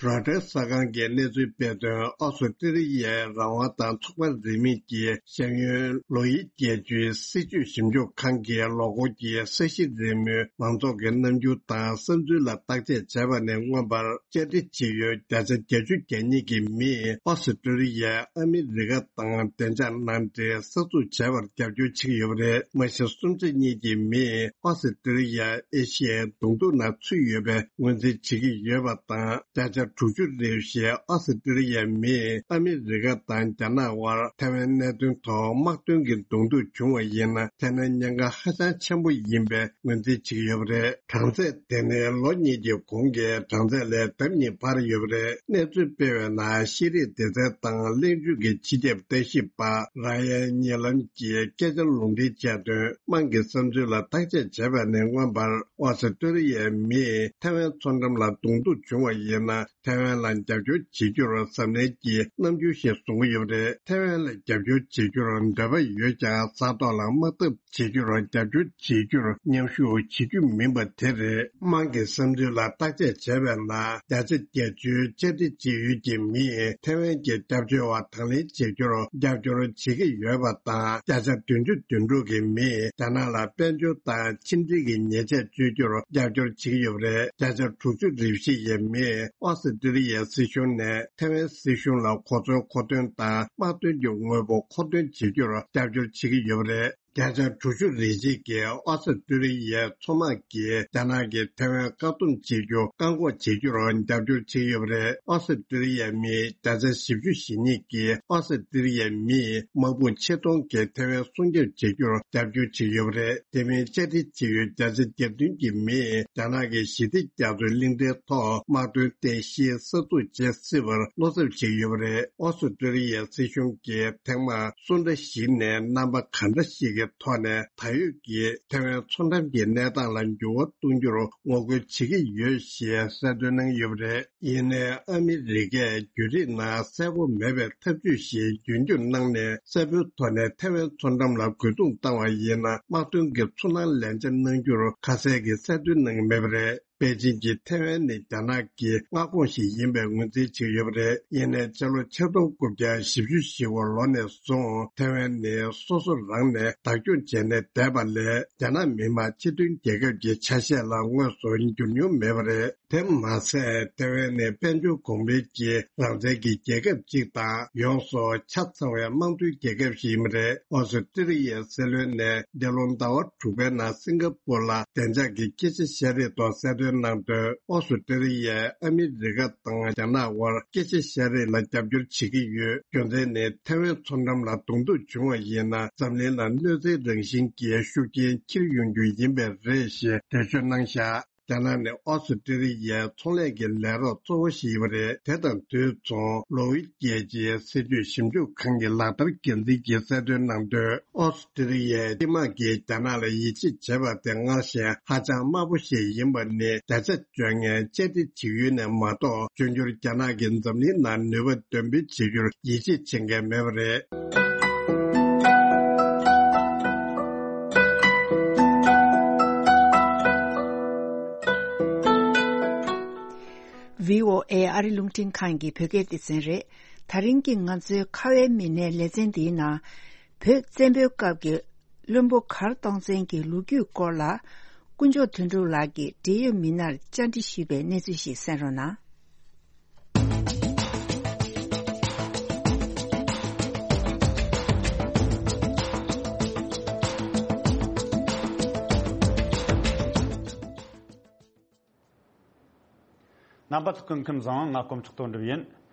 རོའི་ཊར་གསར་ཁང་གིས་གནས་ཚུལ་སྤེལ་དོན། ཨོ་སི་ཀྲི་ལི་ཡའི་རང་དབང་དང་ཚོགས་པ་རིས་མེད་ཀྱི་ཤེས་ཡོན་ལོ་ཡི་བརྒྱད་ཅུའི་སྲིད་བྱུས་ཞིབ་འཇུག་ཁང་གིས་ལོ་འཁོར་གྱི་ས་གཞི་རིལ་མོའི་མང་ཚོགས་ཀྱི་རྣམ་འགྱུར་དང་བསམ་ཚུལ་ལ་བརྟག་དཔྱད་བྱས་པ་ནས་མངོན་པར། བཅའ་སྒྲིག་བྱེད་ཡུལ་བརྒྱ་ཆ་བརྒྱད་ཅུ་གྱ་གཉིས་ཀྱི་མིས་ཨོ་སི་ཀྲི་ལི་ཡ། ཨ་མི་རི་ཀ་དང་བདེ་འཇགས་ནང་འདྲེན་གསར་འཛུགས་བྱས་པར་རྒྱབ་སྐྱོར་བྱེད་ཀྱི་ཡོད་པ་རེད། མ་གཞི་སུམ་ཆ་གཉིས་ཀྱི་མིས་ཨོ་སི་ཀྲི་ལི་ཡ་ཨེ་ཤི་ཡའི་གདོང་ཐུག་ནང་ཚུད་ཡོད་པའི་ངོས་འཛིན་བྱེད་ཀྱི་ཡོད་པ་དང་། བརྒྱ་ཆ་དྲུག་ཅུ་རེ་བཞི་ཨོ་སི་ཀྲི་ལི་ཡའི་མིས་ཨ་མི་རི་ཀ་དང་རྒྱ་ནག་དབར་ཐའེ་ཝན་གནད་དོན་ཐོག་དམག་དོན་གྱི་གདོང་ཐུག་བྱུང་བ་ཡིན་ན། དེ་ནི་ཉེན་ཁ་ཧ་ཅང་ཆེན་པོ་ཡིན་པའི་ངོས་འཛིན་བྱེད་ཀྱི་ཡོད་པ་རེད། གྲངས་ཚད་དེ་ནི་ལོ་གཉིས་ཀྱི་གོང་གི་གྲངས་ཚད་ལས་ལྡབ་གཉིས་འཕར་ཡོད་པ་རེད། གནས་ཚུལ་སྤེལ་བའི་ནང་ཤེས་རིག་སྡེ་ཚན་དང་གླེང་བརྗོད་ཀྱི་སྤྱི་ཁྱབ་ལྟ་ཞིབ་པ་ར་ཡན་ཉེ་ལམ་གྱིས་སྐད་ཆ་ལུང་འདྲེན་བྱས་དོན། དམངས་ཀྱི་བསམ་ཚུལ་ལ་བརྟག་དཔྱད་བྱས་པ་ནས་མངོན་པར། ཨོ་སི་ཀྲི་ལི་ཡའི་མིས་ཐའེ་ཝན་མཚོ་འགྲམ་ལ་གདོང་ཐུག་བྱུང་བ་ཡིན་ན། ཐའེ་ཝན་ལ་རྒྱབ་སྐྱོར་བྱེད་རྒྱུར་གཟབ་ནན་གྱི་རྣམ་འགྱུར་ཞིག་བཟུང་གི་ཡོད་པ་རེད། ཐའེ་ཝན་ལ་རྒྱབ་སྐྱོར་བྱེད་རྒྱུར་འདོད་པ་ཡོད་ཀྱང་། ས་ཐོག་ལ་དམག་འཐབ་བྱེད་རྒྱུར་རྒྱབ་སྐྱོར་བྱེད་རྒྱུར་མཉམ་ཞུགས་བྱེད་རྒྱུ་མིན་པ་དེ་རེད། དམངས་ཀྱི་བསམ་ཚུལ་ལ་བརྟག་དཔྱད་བྱས་པའི་ནང་། བརྒྱ་ཆ་བརྒྱད་ཅུའི་བཅའ་སྒྲིག་བྱེད་ཡུལ་གྱི་མིས་ཐའེ་ཝན་གྱི་སྐྱབས་བཅོལ་བ་དང་ལེན་བྱེད་རྒྱུར་རྒྱབ་སྐྱོར་བྱེད་ཀྱི་ཡོད་པ་དང་། བརྒྱ་ཆ་བདུན་ཅུ་དོན་དྲུག་གི་མིས་རྒྱ་ནག་ལ་དཔལ་འབྱོར་དང་ཕྱི་འབྲེལ་གྱི་ཉེས་ཆད་གཅོད་རྒྱུར་རྒྱབ་སྐྱོར་བྱེད་ཀྱི་ཡོད་པ་རེད། བརྒྱ་ཆ་དྲུག་ཅུ་རེ་བཞི་ཡི་མིས་ཨོ་སི་ཀྲི་ལི་ཡའི་སྲིད་གཞུང་ནས་ཐའེ་ཝན་སྲིད་གཞུང་ལ་གོ་མཚོན་མཁོ་འདོན་དང་དམག་དོན་གྱི་དངོས་པོ་མཁོ་འདོན་བྱེད་རྒྱུར་རྒྱབ་སྐྱོར་བྱེད་ཀྱི་ཡོད་པ་རེད། བརྒྱ་ཆ་དྲུག་ཅུ་རེ་གཅིག་གིས་ཨོ་སི་ཀྲི་ལི་ཡའི་མཚོ་དམག་གིས་རྒྱ་ནག་གིས་ཐའེ་ཝན་བཀག་སྡོམ་བྱེད་རྒྱུ་བཀག་འགོག་བྱེད་རྒྱུར་རྒྱབ་སྐྱོར་བྱེད་ཀྱི་ཡོད་པ་རེད། ཨོ་སི་ཀྲི་ལི་ཡའི་མིའི་བརྒྱ་ཆ་བཞི་བཅུ་ཞེ་གཉིས་ཀྱིས་ཨོ་སི་ཀྲི་ལི་ཡའི་མིས་དམག་དཔུང་ཆེད་གཏོང་གིས་ཐའེ་ཝན་སྲུང་སྐྱོབ་བྱེད་རྒྱུར་རྒྱབ་སྐྱོར་བྱེད་ཀྱི་ཡོད་པ་རེད། དེ་མིན་བཅའ་སྒྲིག་བྱེད་ཡུལ་བརྒྱ་ཆ་གྱ་བདུན་གྱི་མིས་རྒྱ་ནག་གི་ཞི་བདེ་རྒྱ་མཚོའི་གླིང་ཕྲན་ཐོག་དམག་དོན་རྟེན་གཞི་གསར་འཛུགས་བྱེད་སྲིད་པར་བློ་འཚབ་བྱེད་ཀྱི་ཡོད་པ་རེད། ཨོ་སི་ཀྲི་ལི་ཡའི་སྲིད་གཞུང་གིས་ཐེངས་མང་སུ་འདྲ་ཞིག་ནས་རྣམ་པ་ག་འདྲ་ཞིག་གི་ཐོག་ནས་ད་ཡོད་ཀྱི་ཐེ་ཝན་མཚོ་འགྲམ་གྱི་གནས་སྟངས་ལ་འགྱུར་བ་གཏོང་རྒྱུར་ངོ་རྒོལ་བྱེད་ཀྱི་ཡོད་ཞེས་གསལ་སྟོན་གནང་ཡོད་པ་རེད། ཡིན་ནའི་ཨ་མི་རི་ཀས་བརྒྱུད་རིམ་ནང་གསལ་པོ་མེད་པའི་ཐབས་ཇུས་ཤིག་རྒྱུན་སྐྱོང་གནང་ནས། གསལ་པོའི་ཐོག་ནས་ཐེ་ཝན་མཚོ་འགྲམ་ལ་རྒོལ་རྡུང་བཏང་བ་ཡིན་ན། དམག་དོན་གྱི་ཚོར་སྣང་ལན་ཆ་གནང་རྒྱུར་ཁ་གསལ་གྱིས་གསལ་སྟོན་གནང་མེད་པ་རེད། པེ་ཅིན་གྱིས་ཐེ་ཝན་ནི་རྒྱ་ནག་གི་མངའ་ཁོངས་ཤིག་ཡིན་པའི་ངོས་འཛིན་བྱེད་ཀྱི་ཡོད་པ་རེད། ཡིན་ནའི་ཕྱི་ལོ་ཆིག་སྟོང་དགུ་བརྒྱ་བཞི་བཅུ་ཞེ་དགུ་ལོ་ནས་བཟུང་ཐེ་ཝན་ནི་སོ་སོ་རང་ནས་བདག་སྐྱོང་བྱས་ནས་བསྡད་པ་ལས། རྒྱ་ནག་མི་དམངས་སྤྱི་མཐུན་རྒྱལ་ཁབ་ཀྱི་ཆ་ཤས་ལ་དངོས་སུ་འགྱུར་མྱོང་མེད་པ་རེད། དེ་མ་ཟད། ཐེ་ཝན་ནི་དཔལ་འབྱོར་གོང་འཕེལ་གྱི་རང་བཙན་གྱི་རྒྱལ་ཁབ་ཅིག་དང་། ཡོངས་སུ་ཆ་ཚང་བའི་དམངས་གཙོའི་རྒྱལ་ཁབ་ཞིག་ཡིན་པ་རེད། ཨོ་སི་ཀྲི་ལི་ཡའི་སྲིད་བློན་ནས་འདི་ལོ་ཟླ་བ་དྲུག་པའི་ནང་སིང་ག་པུར་ལ་བདེ་འཇགས་ཀྱི་སྐད་ཆ་བཤད་རེས་ཐོག་གསལ་སྟོན་གནང་དོན། ཨོ་སི་ཀྲི་ལི་ཡས་ཨ་མི་རི་ཀ་དང་རྒྱ་ནག་དབར་སྐད་ཆ་བཤད་རེས་ལ་རྒྱབ་སྐྱོར་བྱེད་ཀྱི་ཡོད། རྒྱུ་མཚན་ནི་ཐེ་ཝན་མཚོ་འགྲམ་ལ་གདོང་ཐུག་བྱུང་བ་ཡིན་ན། འཛམ་གླིང་ལ་གནོད་འཚེའི་རང་བཞིན་གྱི་ཤུགས་རྐྱེན་འཁྱེར་ཡོང་རྒྱུ་ཡིན་པས་རེད་ཞེས་འགྲེལ་བརྗོད་གནང་བཞག་རྒྱ་ནག་ནི་ཨོ་སི་ཀྲི་ལི་ཡའི་ཚོང་ལས་ཀྱི་ལས་རོགས་གཙོ་བོ་ཞིག་ཡིན་པ་རེད། དེ་དང་དུས་མཚུངས་ལོ་ཝི་རྒྱལ་སྤྱིའི་སྲིད་ཇུས་ཞིབ་འཇུག་ཁང་གི་ལག་བསྟར་འགན་འཛིན་གྱིས་གསལ་སྟོན་གནང་དོན། ཨོ་སི་ཀྲི་ལི་ཡའི་སྤྱི་དམངས་ཀྱིས་རྒྱ་ནག་ལ་ཡིད་ཆེས་བྱེད་པ་དེ་སྔར་བཞིན་ཧ་ཅང་དམའ་པོ་ཞིག་ཡིན་པ་ནི་བརྒྱ་ཆ་བཅོ་ལྔ་བཅའ་སྒྲིག་བྱེད་ཡུལ་ནས་མ་གཏོགས། འབྱུང་འགྱུར་རྒྱ་ནག་གིས་འཛམ་གླིང་ནང་ནུས་པ་འདོན་སྤེལ་བྱེད་རྒྱུར་ཡིད་ཆེས་བྱེད་མཁན་མེད་པ་རེད། ཝི་ཨོ་ཨེ་ཨ་རི་རླུང་འཕྲིན་ཁང་གི་བོད་སྐད་སྡེ་ཚན་རེད། ད་རིང་གི་ང་ཚོའི་ཁ་བའི་མི་སྣའི་ལེ་ཚན་འདིའི་ནང་། བོད་བཙན་པོའི་སྐབས་ཀྱི་བློན་པོ་མགར་སྟོང་བཙན་གྱི་ལོ་རྒྱུས་སྐོར་ལ། དཀོན་མཆོག་དོན་གྲུབ་ལགས་ཀྱིས་འབྲེལ་ཡོད་མི་སྣར་བཅར་འདྲི་ཞུས་པའི་གནས་ཚུལ་ཞིག་གསན་རོགས་གནང་། རྣམ་པ་ཚོ་སྐུ་ཁམས་བཟང་། ང་དཀོན་མཆོག་དོན་གྲུབ་ཡིན།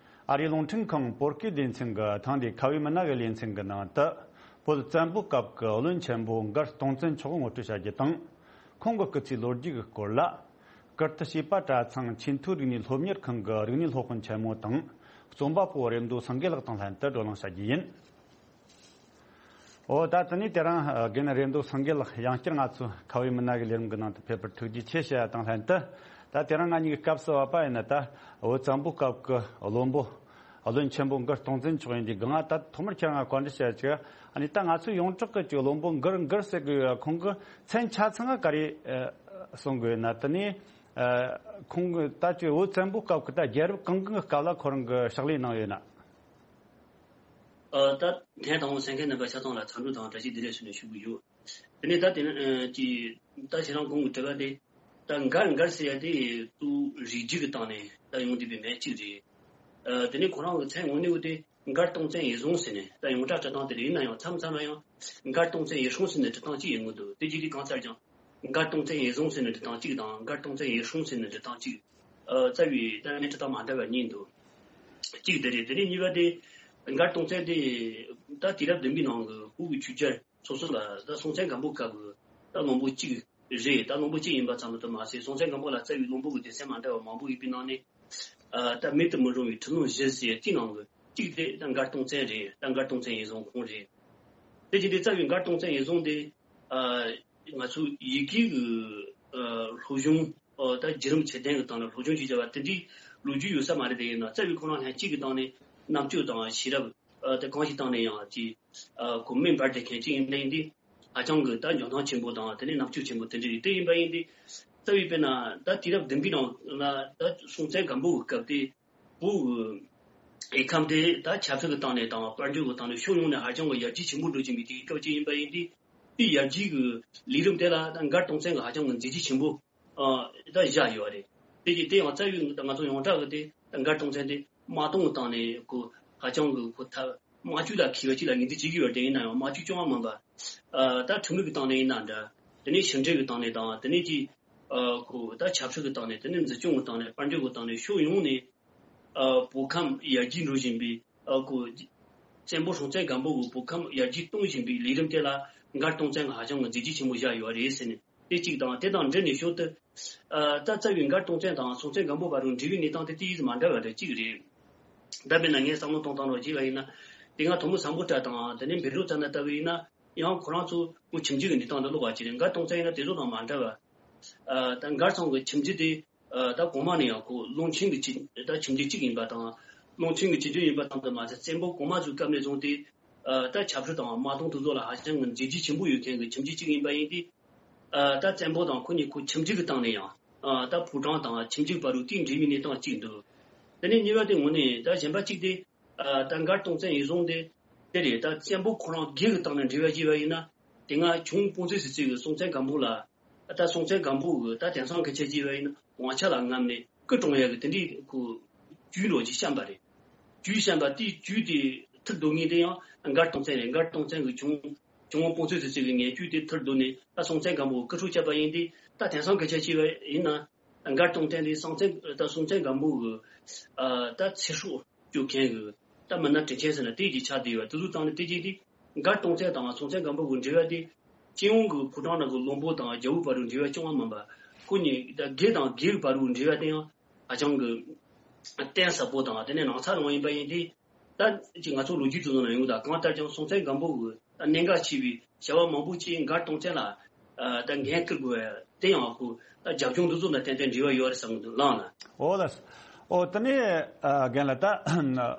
ཨ་རིའི་རླུང་འཕྲིན་ཁང་བོད་སྐད་སྡེ་ཚན་གྱི་ཐེངས་འདིའི་ཁ་བའི་མི་སྣ་གི་ལེ་ཚན་གྱི་ནང་དུ། བོད་བཙན་པོའི་སྐབས་ཀྱི་བློན་ཆེན་པོ་མགར་སྟོང་བཙན་མཆོག་ངོ་སྤྲོད་བྱ་རྒྱུ་དང་། ཁོང་གི་སྐུ་ཚེའི་ལོ་རྒྱུས་ཀྱི་སྐོར་ལ། ཀིརྟི་བྱིས་པ་གྲྭ་ཚང་ཆེས་མཐོའི་རིག་གནས་སློབ་གཉེར་ཁང་གི་རིག་གནས་སློབ་དཔོན་ཆེན་མོ་དང་། རྩོམ་པ་པོ་རེ་མདོ་སེང་གེ་ལགས་དང་ལྷན་དུ་བགྲོ་གླེང་བྱ་རྒྱུ་ཡིན། ཨོ། ད་དེ་ནས་དེ་རིང་རྒན་རེ་མདོ་སེང་གེ་ལགས་ཡང་བསྐྱར་ང་ཚོའི་ཁ་བའི་མི་སྣ་གི་ལས་རིམ་གྱི་ནང་དུ་ཕེབས་པར་ཐུགས་རྗེ་ཆེ་ཞུ་ཡ་དང་ལྷན་དུ། ད་དེ་རིང་ང་གཉིས་ཀྱི་སྐབས་སུ་བབས་པ་ཡིན་ན། ད་བོད་བཙན་པོའི་སྐབས་ཀྱི་བློན་པོ། བློན་ཆེན་པོ་མགར་སྟོང་བཙན་མཆོག་ཡིན་དུས་སྒང་། ད་ཐོག་མར་ཁྱེད་རང་ང་བཀའ་འདྲི་བྱ་ཡ་ཅིག་ཨ་ནི་ད་ང་ཚོའི་ཡོངས་གྲགས་ཀྱི་ཅིག་བློན་པོ་མགར་མགར་ཟེར་གི་ཡོད། ཁོང་གི་མཚན་ཆ་ཚང་ང་ག་རེ་ཨ་གསུང་གི་ཡོད་ན། དེ་ནས་ཨ་ཁོང་གི་ད་ཅིག་བོད་བཙན་པོའི་སྐབས་ཀྱི་ད་རྒྱལ་རབས་གང་གང་གི་སྐབས་ལ་ཁོ་རང་གི་ཕྱག་ལས་གནང་ཡོད་ན། ཨ། ད་ཐེངས་དང་པོ་གསན་མཁན་རྣམ་པ་ཆ་ཚང་ལ་འཚམས་འདྲི་དང་བཀྲ་ཤིས་བདེ་ལེགས་ཞུ་ནས་ཞུ་གི་ཡོད། དེ་ནས་ད་དེ་ནས་ཨ་ཅི། ད་ཁྱེད་རང་གོང་གི་དྲི་བ་དེ། ད་མགར་མགར་ཟེར་ཡ་དེ་ཏུ་རིགས་རྒྱུད་ཀྱི་སྟེང་ནས་ད་ཡོང་བསྡད་པའི་མི་གཅིག་རེད། ཨ། དེ་ནས་ཁོ་རང་གི་མཚན་དངོས་གནས་བོ་དེ་མགར་སྟོང་བཙན་ཡེ་བཟུང་ཟེར་ནས། ད་ཡོངས་གྲགས་འབྲི་སྟངས་དེ་རེད། ཡིན་ན་ཡང་མཚམས་མཚམས་ལ་ཡང་མགར་སྟོང་བཙན་ཡེ་སྲུང་ཟེར་ནས་འབྲི་སྟངས་གཅིག་ཡོང་གི་འདུག་དེ་རྗེས་དེ་གང་ལྟར་ཀྱང་། མགར་སྟོང་བཙན་ཡེ་བཟུང་ཟེར་ནས་འབྲི་སྟངས་གཅིག་དང་། མགར་སྟོང་བཙན་ཡེ་སྲུང་ཟེར་ནས་འབྲི་སྟངས་གཅིག་ཨ། རྩ་བའི་ད་ངས་འབྲི་སྟངས་མ་འདྲ་བ་གཉིས་འདུག་གཅིག་དེ་རེད། དེ་ནས་གཉིས་པ་དེ། མགར་སྟོང་བཙན་དེ་ད་དུས་རབས་བདུན་པའི་ནང་གི་བོད་ཀྱི་ཆོས་རྒྱལ་སོ་སོ་ལ་ད་སྲོང་བཙན་སྒམ་པོའི་སྐབས་ཀྱི་ད་བློན་པོ་གཅིག་རེད། ད་བློན་པོ་གཅིག་ཡིན་པ་ཙམ་དུ་མ་ཟད། སྲོང་བཙན་སྒམ་པོ་ལ་རྩ་བའི་བློན་པོ་གི་སྡེ་ཚན་མ་འདྲ་བ་མང་པོ་ཡོད་པའི་ནང་ནས། ཨ། ད་མེད་དུ་མི་རུང་བའི་ཁྲི་ལོང་བཞི་ཟེར་གཅིག་ནང་གི་གཅིག་དེ་ད་མགར་སྟོང་བཙན་རེད། ད་མགར་སྟོང་བཙན་ཡེ་བཟུང་ཁོང་རེད། དེ་བཞིན་དུ་རྩ་བའི་མགར་སྟོང་བཙན་ཡེ་བཟུང་དེ། ཨ། ང་ཚོ་ཡི་གེ་གི་ཨ་སློབ་སྦྱོང་ཨ་ད་བརྒྱུད་རིམ་ཆེ་ལྡན་གྱི་སྟེང་ནས་སློབ་སྦྱོང་བྱེད་བྱ་བ་དེ་འདྲའི་ལོ་རྒྱུས་ཡོད་ས་མ་རེད། དེ་ཡིན་ན་རྩ་བའི་ཁོ་རང་ལྷན་གཅིག་གི་སྟེང་ནས་རྣམ་དཔྱོད་དང་ཤེས་རབ་ཨ་ད་གང་ཞིག་སྟེང་ནས་ཡང་ཅིག་ཨ་ཁོ་མེ་འབར་བསྡད་མཁན་གཅིག་ཡིན་ན་ཡིན་ཏེ། ཧ་ཅང་གི་ད་འཇོན་ཐང་ཆེན་པོ་དང་། དེ་ནས་རྣམ་དཔྱོད་ཆེན་པོ་དེ་འདྲ་རེད། དེ་ཡིན་པ་ཡིན་ཏེ། རྩ་བའི་དཔེར་ན་ད་དུས་རབས་བདུན་པའི་ནང་ལ་ད་སྲོང་བཙན་སྒམ་པོ་གི་སྐབས་དེ། བོད་ཀྱི་ཡུལ་ཁམས་དེ་ད་ཆབ་སྲིད་ཀྱི་སྟེང་ནས་དང་། དཔལ་འབྱོར་གྱི་སྟེང་ནས་ཕྱོགས་ཡོངས་ནས་ཧ་ཅང་གི་ཡར་རྒྱས་ཆེན་པོ་འགྲོ་བཞིན་པའི་དུས་སྐབས་ཅིག་ཡིན་པ་ཡིན་ཏེ། དེའི་ཡར་རྒྱས་ཀྱི་ལས་རིམ་དེ་ལ་ད་མགར་སྟོང་བཙན་གྱིས་ཧ་ཅང་གི་མཛད་རྗེས་ཆེན་པོ་ཨ་ད་བཞག་ཡོད་རེད། དེ་ཡིན་དེ་ཡང་རྩ་བའི་ད་ང་ཚོ་ཡོངས་གྲགས་ཀྱི་དེ་ད་མགར་སྟོང་བཙན་དེ་དམག་དོན་གྱི་སྟེང་ནས་ཁོ་ཧ་ཅང་གི་ཁོ་ཐབས་དམག་ཇུས་ལ་མཁས་པ་ཅིག་ལ་ངོས་འཛིན་བྱེད་ཀྱི་ཡོད་རེད། ཡིན་ན་ཡང་དམག་ཇུས་ཅུང་མ་མང་པ། ཨ་ད་ཁྲིམས་ལུགས་ཀྱི་སྟེང་ནས་ཡིན་ན་འདྲ། དེ་ནས་ཕྱི་འབྲེལ་གྱི་སྟེང་ནས་དང་། དེ་ནས་ཀྱི་ཨ་ཁོ་ད་ཆབ་སྲིད་ཀྱི་སྟེང་ནས། དེ་ནས་འཛིན་སྐྱོང་གི་སྟེང་ནས། དཔལ་འབྱོར་གྱི་སྟེང་ནས། ཕྱོགས་ཡོངས་ནས་ཨ་བོད་ཁམས་ཡར་རྒྱས་འགྲོ་བཞིན་པའི་ཨ་ཁོ་བཙན་པོ་སྲོང་བཙན་སྒམ་པོ་གིས་བོད་ཁམས་ཡར་རྒྱས་གཏོང་བཞིན་པའི་ལས་རིམ་དེ་ལ་མགར་སྟོང་བཙན་གྱིས་ཧ་ཅང་གི་མཛད་རྗེས་ཆེན་པོ་བཞག་ཡོད་རེད་ཟེར་ནས། དེ་གཅིག་དང་། དེ་དང་འབྲེལ་ནས་ཞོར་དུ་ཨ་ད་རྩ་བའི་མགར་སྟོང་བཙན་དང་སྲོང་བཙན་སྒམ་པོ་བར་དུ་འབྲེལ་བའི་གནས་སྟངས་དེ་ཏོག་ཙམ་མ་འདྲ་བ་འདྲ་གཅིག་རེད། ད་དཔེར་ན་ངས་བསམ་བློ་གཏོང་སྟངས་རོགས་བྱས་པ་ཡིན་ན། དེ་སྔ་ཐོན་མི་སམ་བྷོ་ཊ་དང་། དེ་ནས་བཻ་རོ་ཙ་ན་ལྟ་བུ་ཡིན་ན། ཡང་ཁོ་རང་ཚོ་ཁོ་ཁྱིམ་རྒྱུད་ཀྱི་གནས་སྟངས་དེ་ལོག་པ་ཅིག་རེད། མགར་སྟོང་བཙན་ཡིན་ན་དེ་ཚོ་དང་མ་འདྲ་བ། ཨ་ད་མགར་ཚང་གི་ཁྱིམ་རྒྱུད་དེ་ཨ་ད་གོང་མ་ནས་ཡང་ཁོ་ཀློང་ཆེན་གྱི་ཁྱིམ་ད་ཁྱིམ་རྒྱུད་གཅིག་ཡིན་པ་དང་། ཀློང་ཆེན་གྱི་ཁྱིམ་རྒྱུད་ཡིན་པ་དང་དུ་མ་ཟད་བཙན་པོ་གོང་མ་ཚོའི་སྐབས་ནས་བཟུང་སྟེ་ཨ་ད་ཆབ་སྲིད་དང་དམག་དོན་དེ་ཚོ་ལ་ཧ་ཅང་གི་མཛད་རྗེས་ཆེན་པོ་ཡོད་མཁན་གྱི་ཁྱིམ་རྒྱུད་གཅིག་ཡིན་པ་ཡིན་དུས། ཨ་ད་བཙན་པོ་དང་ཁོ་གཉིས་ཁོ་ཁྱིམ་རྒྱུད་ཀྱི་སྟེང་ནས་ཡང་ཨ་ད་ཕོ་བྲང་དང་ཁྱིམ་རྒྱུད་བར་དུ་དེའི་འབྲེལ་བའི་གནས་སྟངས་གཅིག་འདུག་དེ་ནས་གཉིས་པ་དེ་ངོས་ནས་ད་གཞན་པ་གཅིག་དེ་ཨ་ད་མགར་སྟོང་བཙན་ཡིན་སོང་དེ་དེ་རེད། ད་བཙན་པོ་ཁོ་རང་སྒེར་གྱི་སྟེང་ནས་འབྲེལ་བ་བྱས་པ་ཡིན་ན། དེ་སྔ་ཆུང་དཔོན་ཚོས་སྲིད་ཚོད་ཀྱི་སྲོང་བཙན་སྒམ་པོ་ལ་ད་སྲོང་བཙན་སྒམ་པོ་གི་ད་དེང་སང་སྐད་ཆ་བྱས་པ་ཡིན་ན་དབང་ཆ་ལ་རྔམ་ནས་སྐུ་གྲོངས་ཡག་གི་དེ་འདྲའི་ཁོ་རྒྱུ་འདྲ་ཅིག་བཤམས་པ་རེད། རྒྱུ་བཤམས་པ་དེའི་རྒྱུ་དེ་ཐུར་རྡོ་ངེས་དེ་ཡང་མགར་སྟོང་བཙན་རེད། མགར་སྟོང་བཙན་གྱི་ཆུང་ཆུང་དབང་དཔོན་ཚོས་ཟེར་ཚོད་ཀྱི་ངན་རྒྱུ་དེ་ཐུར་རྡོ་ནས་ད་སྲོང་བཙན་སྒམ་པོ་སྐུ་འཁྲུངས་བྱས་པ་ཡིན་དུས། ད་དེང་སང་སྐད་ཆ་བྱས་པ་ཡིན་ན་མགར་སྟོང་བཙན་དེ་སྲོང་བཙན་ད་སྲོང་བཙན་སྒམ་པོ་གི་ཨ་ད་ཚེ་སྲོག་སྐྱོབ་མཁན་གྱི་ད་མི་སྣ་དྲིན་ཆེན་ཟེར་ན་དེ་གྱི་ཆགས་བསྡད་ཡོད་པ་དེ་ཚོ་བཏང་ནས། དེ་གྱིས་དེ་མགར་སྟོང་བཙན་དང་སྲོང་བཙན་སྒམ་པོ་གི་འབྲེལ་བ་དེ་སྤྱི་ཡོངས་ཀྱི་ཕོ་བྲང་ནང་གི་བློན་པོ་དང་རྒྱལ་པོའི་བར་དུ་འབྲེལ་བ་རྐྱང་པ་མིན་པ། ཁོ་གཉིས་ད་སྒེར་དང་སྒེར་གྱི་བར་དུ་འབྲེལ་བ་དེ་ཡང་ཧ་ཅང་གི་གཏིང་ཟབ་པོ་དང་། དེ་ནས་ནང་ཚགས་ནང་ཡིན་པ་ཡིན་དུས། ད་ཅིག་ང་ཚོ་ལོ་རྒྱུས་དེ་ཚོ་ནང་ཡོང་དང་གང་ལྟར་ཀྱང་སྲོང་བཙན་སྒམ་པོ་གི་ད་གནད་འགག་ཆེ་བའི་བྱ་བ་མང་པོ་ཅིག་མགར་སྟོང་བཙན་ལ་ཨ་ད་འགན་བསྐུར་དགོས་པ་དེ་ཡང་ཁོ་ད་རྒྱབ་ལྗོངས་འདི་ཚོ་དང་ཏན་ཏན་འབྲེལ་བ་ཡོད་རེད་བསམ་གི་འདུག་ལགས་ན། འོ་ལགས། འོ་དེ་ནས་ཨ་རྒན་ལགས། ད་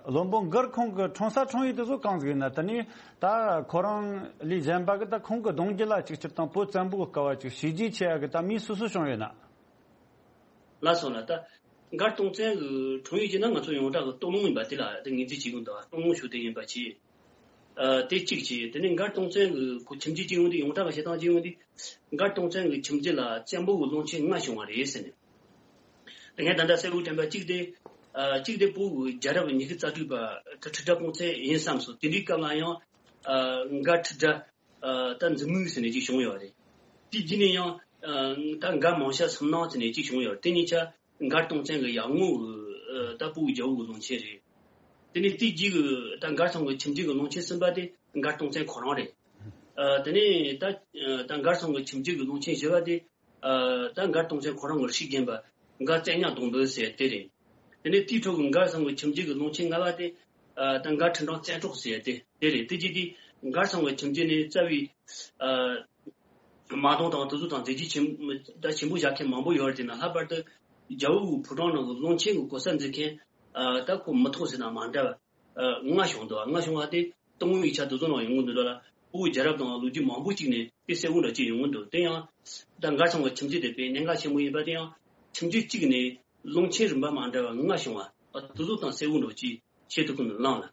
བློན་པོ་མགར་ཁོང་གི་འཁྲུངས་ས་འཁྲུངས་ཡུལ་དེ་ཚོ་གང་ཟིག་ཡིན་ན། དེ་ནས་ད་ཁོ་རང་ལས་གཞན་པ་གི་ད་ཁོང་གི་གདུང་རྒྱུད་ལ་ཅིག་སྤྱིར་བཏང་བོད་བཙན་པོའི་སྐབས་ཅིག་བྱས་རྗེས་ཆེ་ཡག་གི་ད་མི་སུ་སུ་བྱུང་ཡོད་ན། ལགས་སོ་ལགས། ད་མགར་སྟོང་བཙན་གྱི་འཁྲུངས་ཡུལ་གྱི་ནང་ང་ཚོ་ཡོངས་གྲགས་ཀྱི་སྟོད་ལུང་ཡིན་པ་དེ་ལ་དེ་ངོས་འཛིན་བྱེད་ཀྱི་འདུག་སྟོད་ལུང་ཞོལ་དེ་ཡིན་པ་བྱས། ཨ་དེ་གཅིག་བྱས། དེ་ནས་མགར་སྟོང་བཙན་གྱི་ཁོ་ཁྱིམ་རྒྱུད་ཅིག་ཡོང་དུས། ཡོངས་གྲགས་ཀྱི་བཤད་སྟངས་ཅིག་ཡོང་དུས། མགར་སྟོང་བཙན་གྱི་ཁྱིམ་རྒྱུད་ལ་བཙན་པོ་གི་བློན་ཆེན་ལྔ་བྱུང་བ་རེད་ཟེར་ནས། དེ་ངས་ད་ལྟ་གསལ་བོ་དྲན་པ་གཅིག་དེ། ཨ་གཅིག་དེ་བོད་ཀྱི་རྒྱལ་རབས་ཉི་ཤུ་རྩ་དྲུག་པ་ཁྲི་ཁྲི་སྒྲ་སྤུངས་ཚེ་ཡིན་བསམ་སོང་། དེ་འདྲའི་སྐབས་ལ་ཡང་ཨ་མགར་ཁྲི་སྒྲ་ཨ་ད་འཛིན་མུས་ཟེར་ནས་ཅིག་བྱུང་ཡོད་རེད། དེ་རྗེས་ནས་ཡང་ཨ་ད་མགར་མང་ཤ་སུམ་སྣང་ཟེར་ནས་ཅིག་བྱུང་ཡོད་རེད། དེ་གཉིས་ཆ་མགར་སྟོང་བཙན་གྱི་ཡར་ངོ་གི་ཨ་ད་བོད་ཀྱི་རྒྱལ་པོ་གི་བློན་ཆེན་རེད། དེ་ནས་དེའི་རྗེས་ཀྱི་ད་མགར་ཚང་གི་ཁྱིམ་རྒྱུད་ཀྱི་བློན་ཆེན་གསུམ་པ་དེ་མགར་སྟོང་བཙན་ཁོ་རང་རེད། ཨ་དེ་ནས་ད་ཨ་ད་མགར་ཚང་གི་ཁྱིམ་རྒྱུད་ཀྱི་བློན་ཆེན་བཞི་པ་དེ་ཨ་ད་མགར་སྟོང་བཙན་ཁོ་རང་གི་སྲས་རྒན་པ་མགར་བཙན་ཉག་སྡོང་པོ་ཟེར་དེ་རེད། དེ་ནས་དེའི་འཕྲོ་གི་མགར་ཚང་གི་ཁྱིམ་རྒྱུད་ཀྱི་བློན་ཆེན་ལྔ་པ་དེ་ཨ་ད་མགར་ཁྲི་འབྲང་བཙན་སྲོག་ཟེར་དེ་དེ་རེད། དེ་རྗེས་དེ་མགར་ཚང་གི་ཁྱིམ་རྒྱུད་ནས་རྩ་བའི་ཨ་དམག་དོན་དང་དེ་ཚོ་དང་མཛད་རྗེས་ཆེན་ད་ཆེན་པོ་བཞག་མཁན་མང་པོ་ཡོད་རེད། དེ་ན་ལྷག་པར་དུ་རྒྱལ་པོ་གི་ཕོ་བྲང་ནང་གི་བློན་ཆེན་གྱི་གོ་ས་འཛིན་མཁན་ཨ་ད་ཁོ་མི་ཐོག་ཟེར་ན་མ་འདྲ་བ་ཨ་ལྔ་བྱུང་འདུག་ལྔ་བྱུང་བ་དེ་སྟོད་ལུང་ཡིག་ཆ་དེ་ཚོ་ནང་ཡོང་གི་འདུག་ལ། བོད་རྒྱལ་རབས་དང་ལོ་རྒྱུས་མང་པོ་ཅིག་ནས་དེ་གསལ་བོ་འདྲ་ཅིག་ཡོང་གི་འདུག་དེ་ཡང་ད་མགར་ཚང་གི་ཁྱིམ་རྒྱུད་དེ་དཔེ་གནད་འགག་ཆེན་པོ་ཡིན་པ་དེ་ཡང་ཁྱིམ་རྒྱུད་གཅིག་ནས་བློན་ཆེན་རིམ་པ་མ་འདྲ་བ་ལྔ་བྱུང་བ་ཨ་དེ་ཚོ་དང་གསལ་བོ་འདྲ་ཅིག་བྱེད་ཐུབ་ཀྱི་འདུག་ལགས་ན།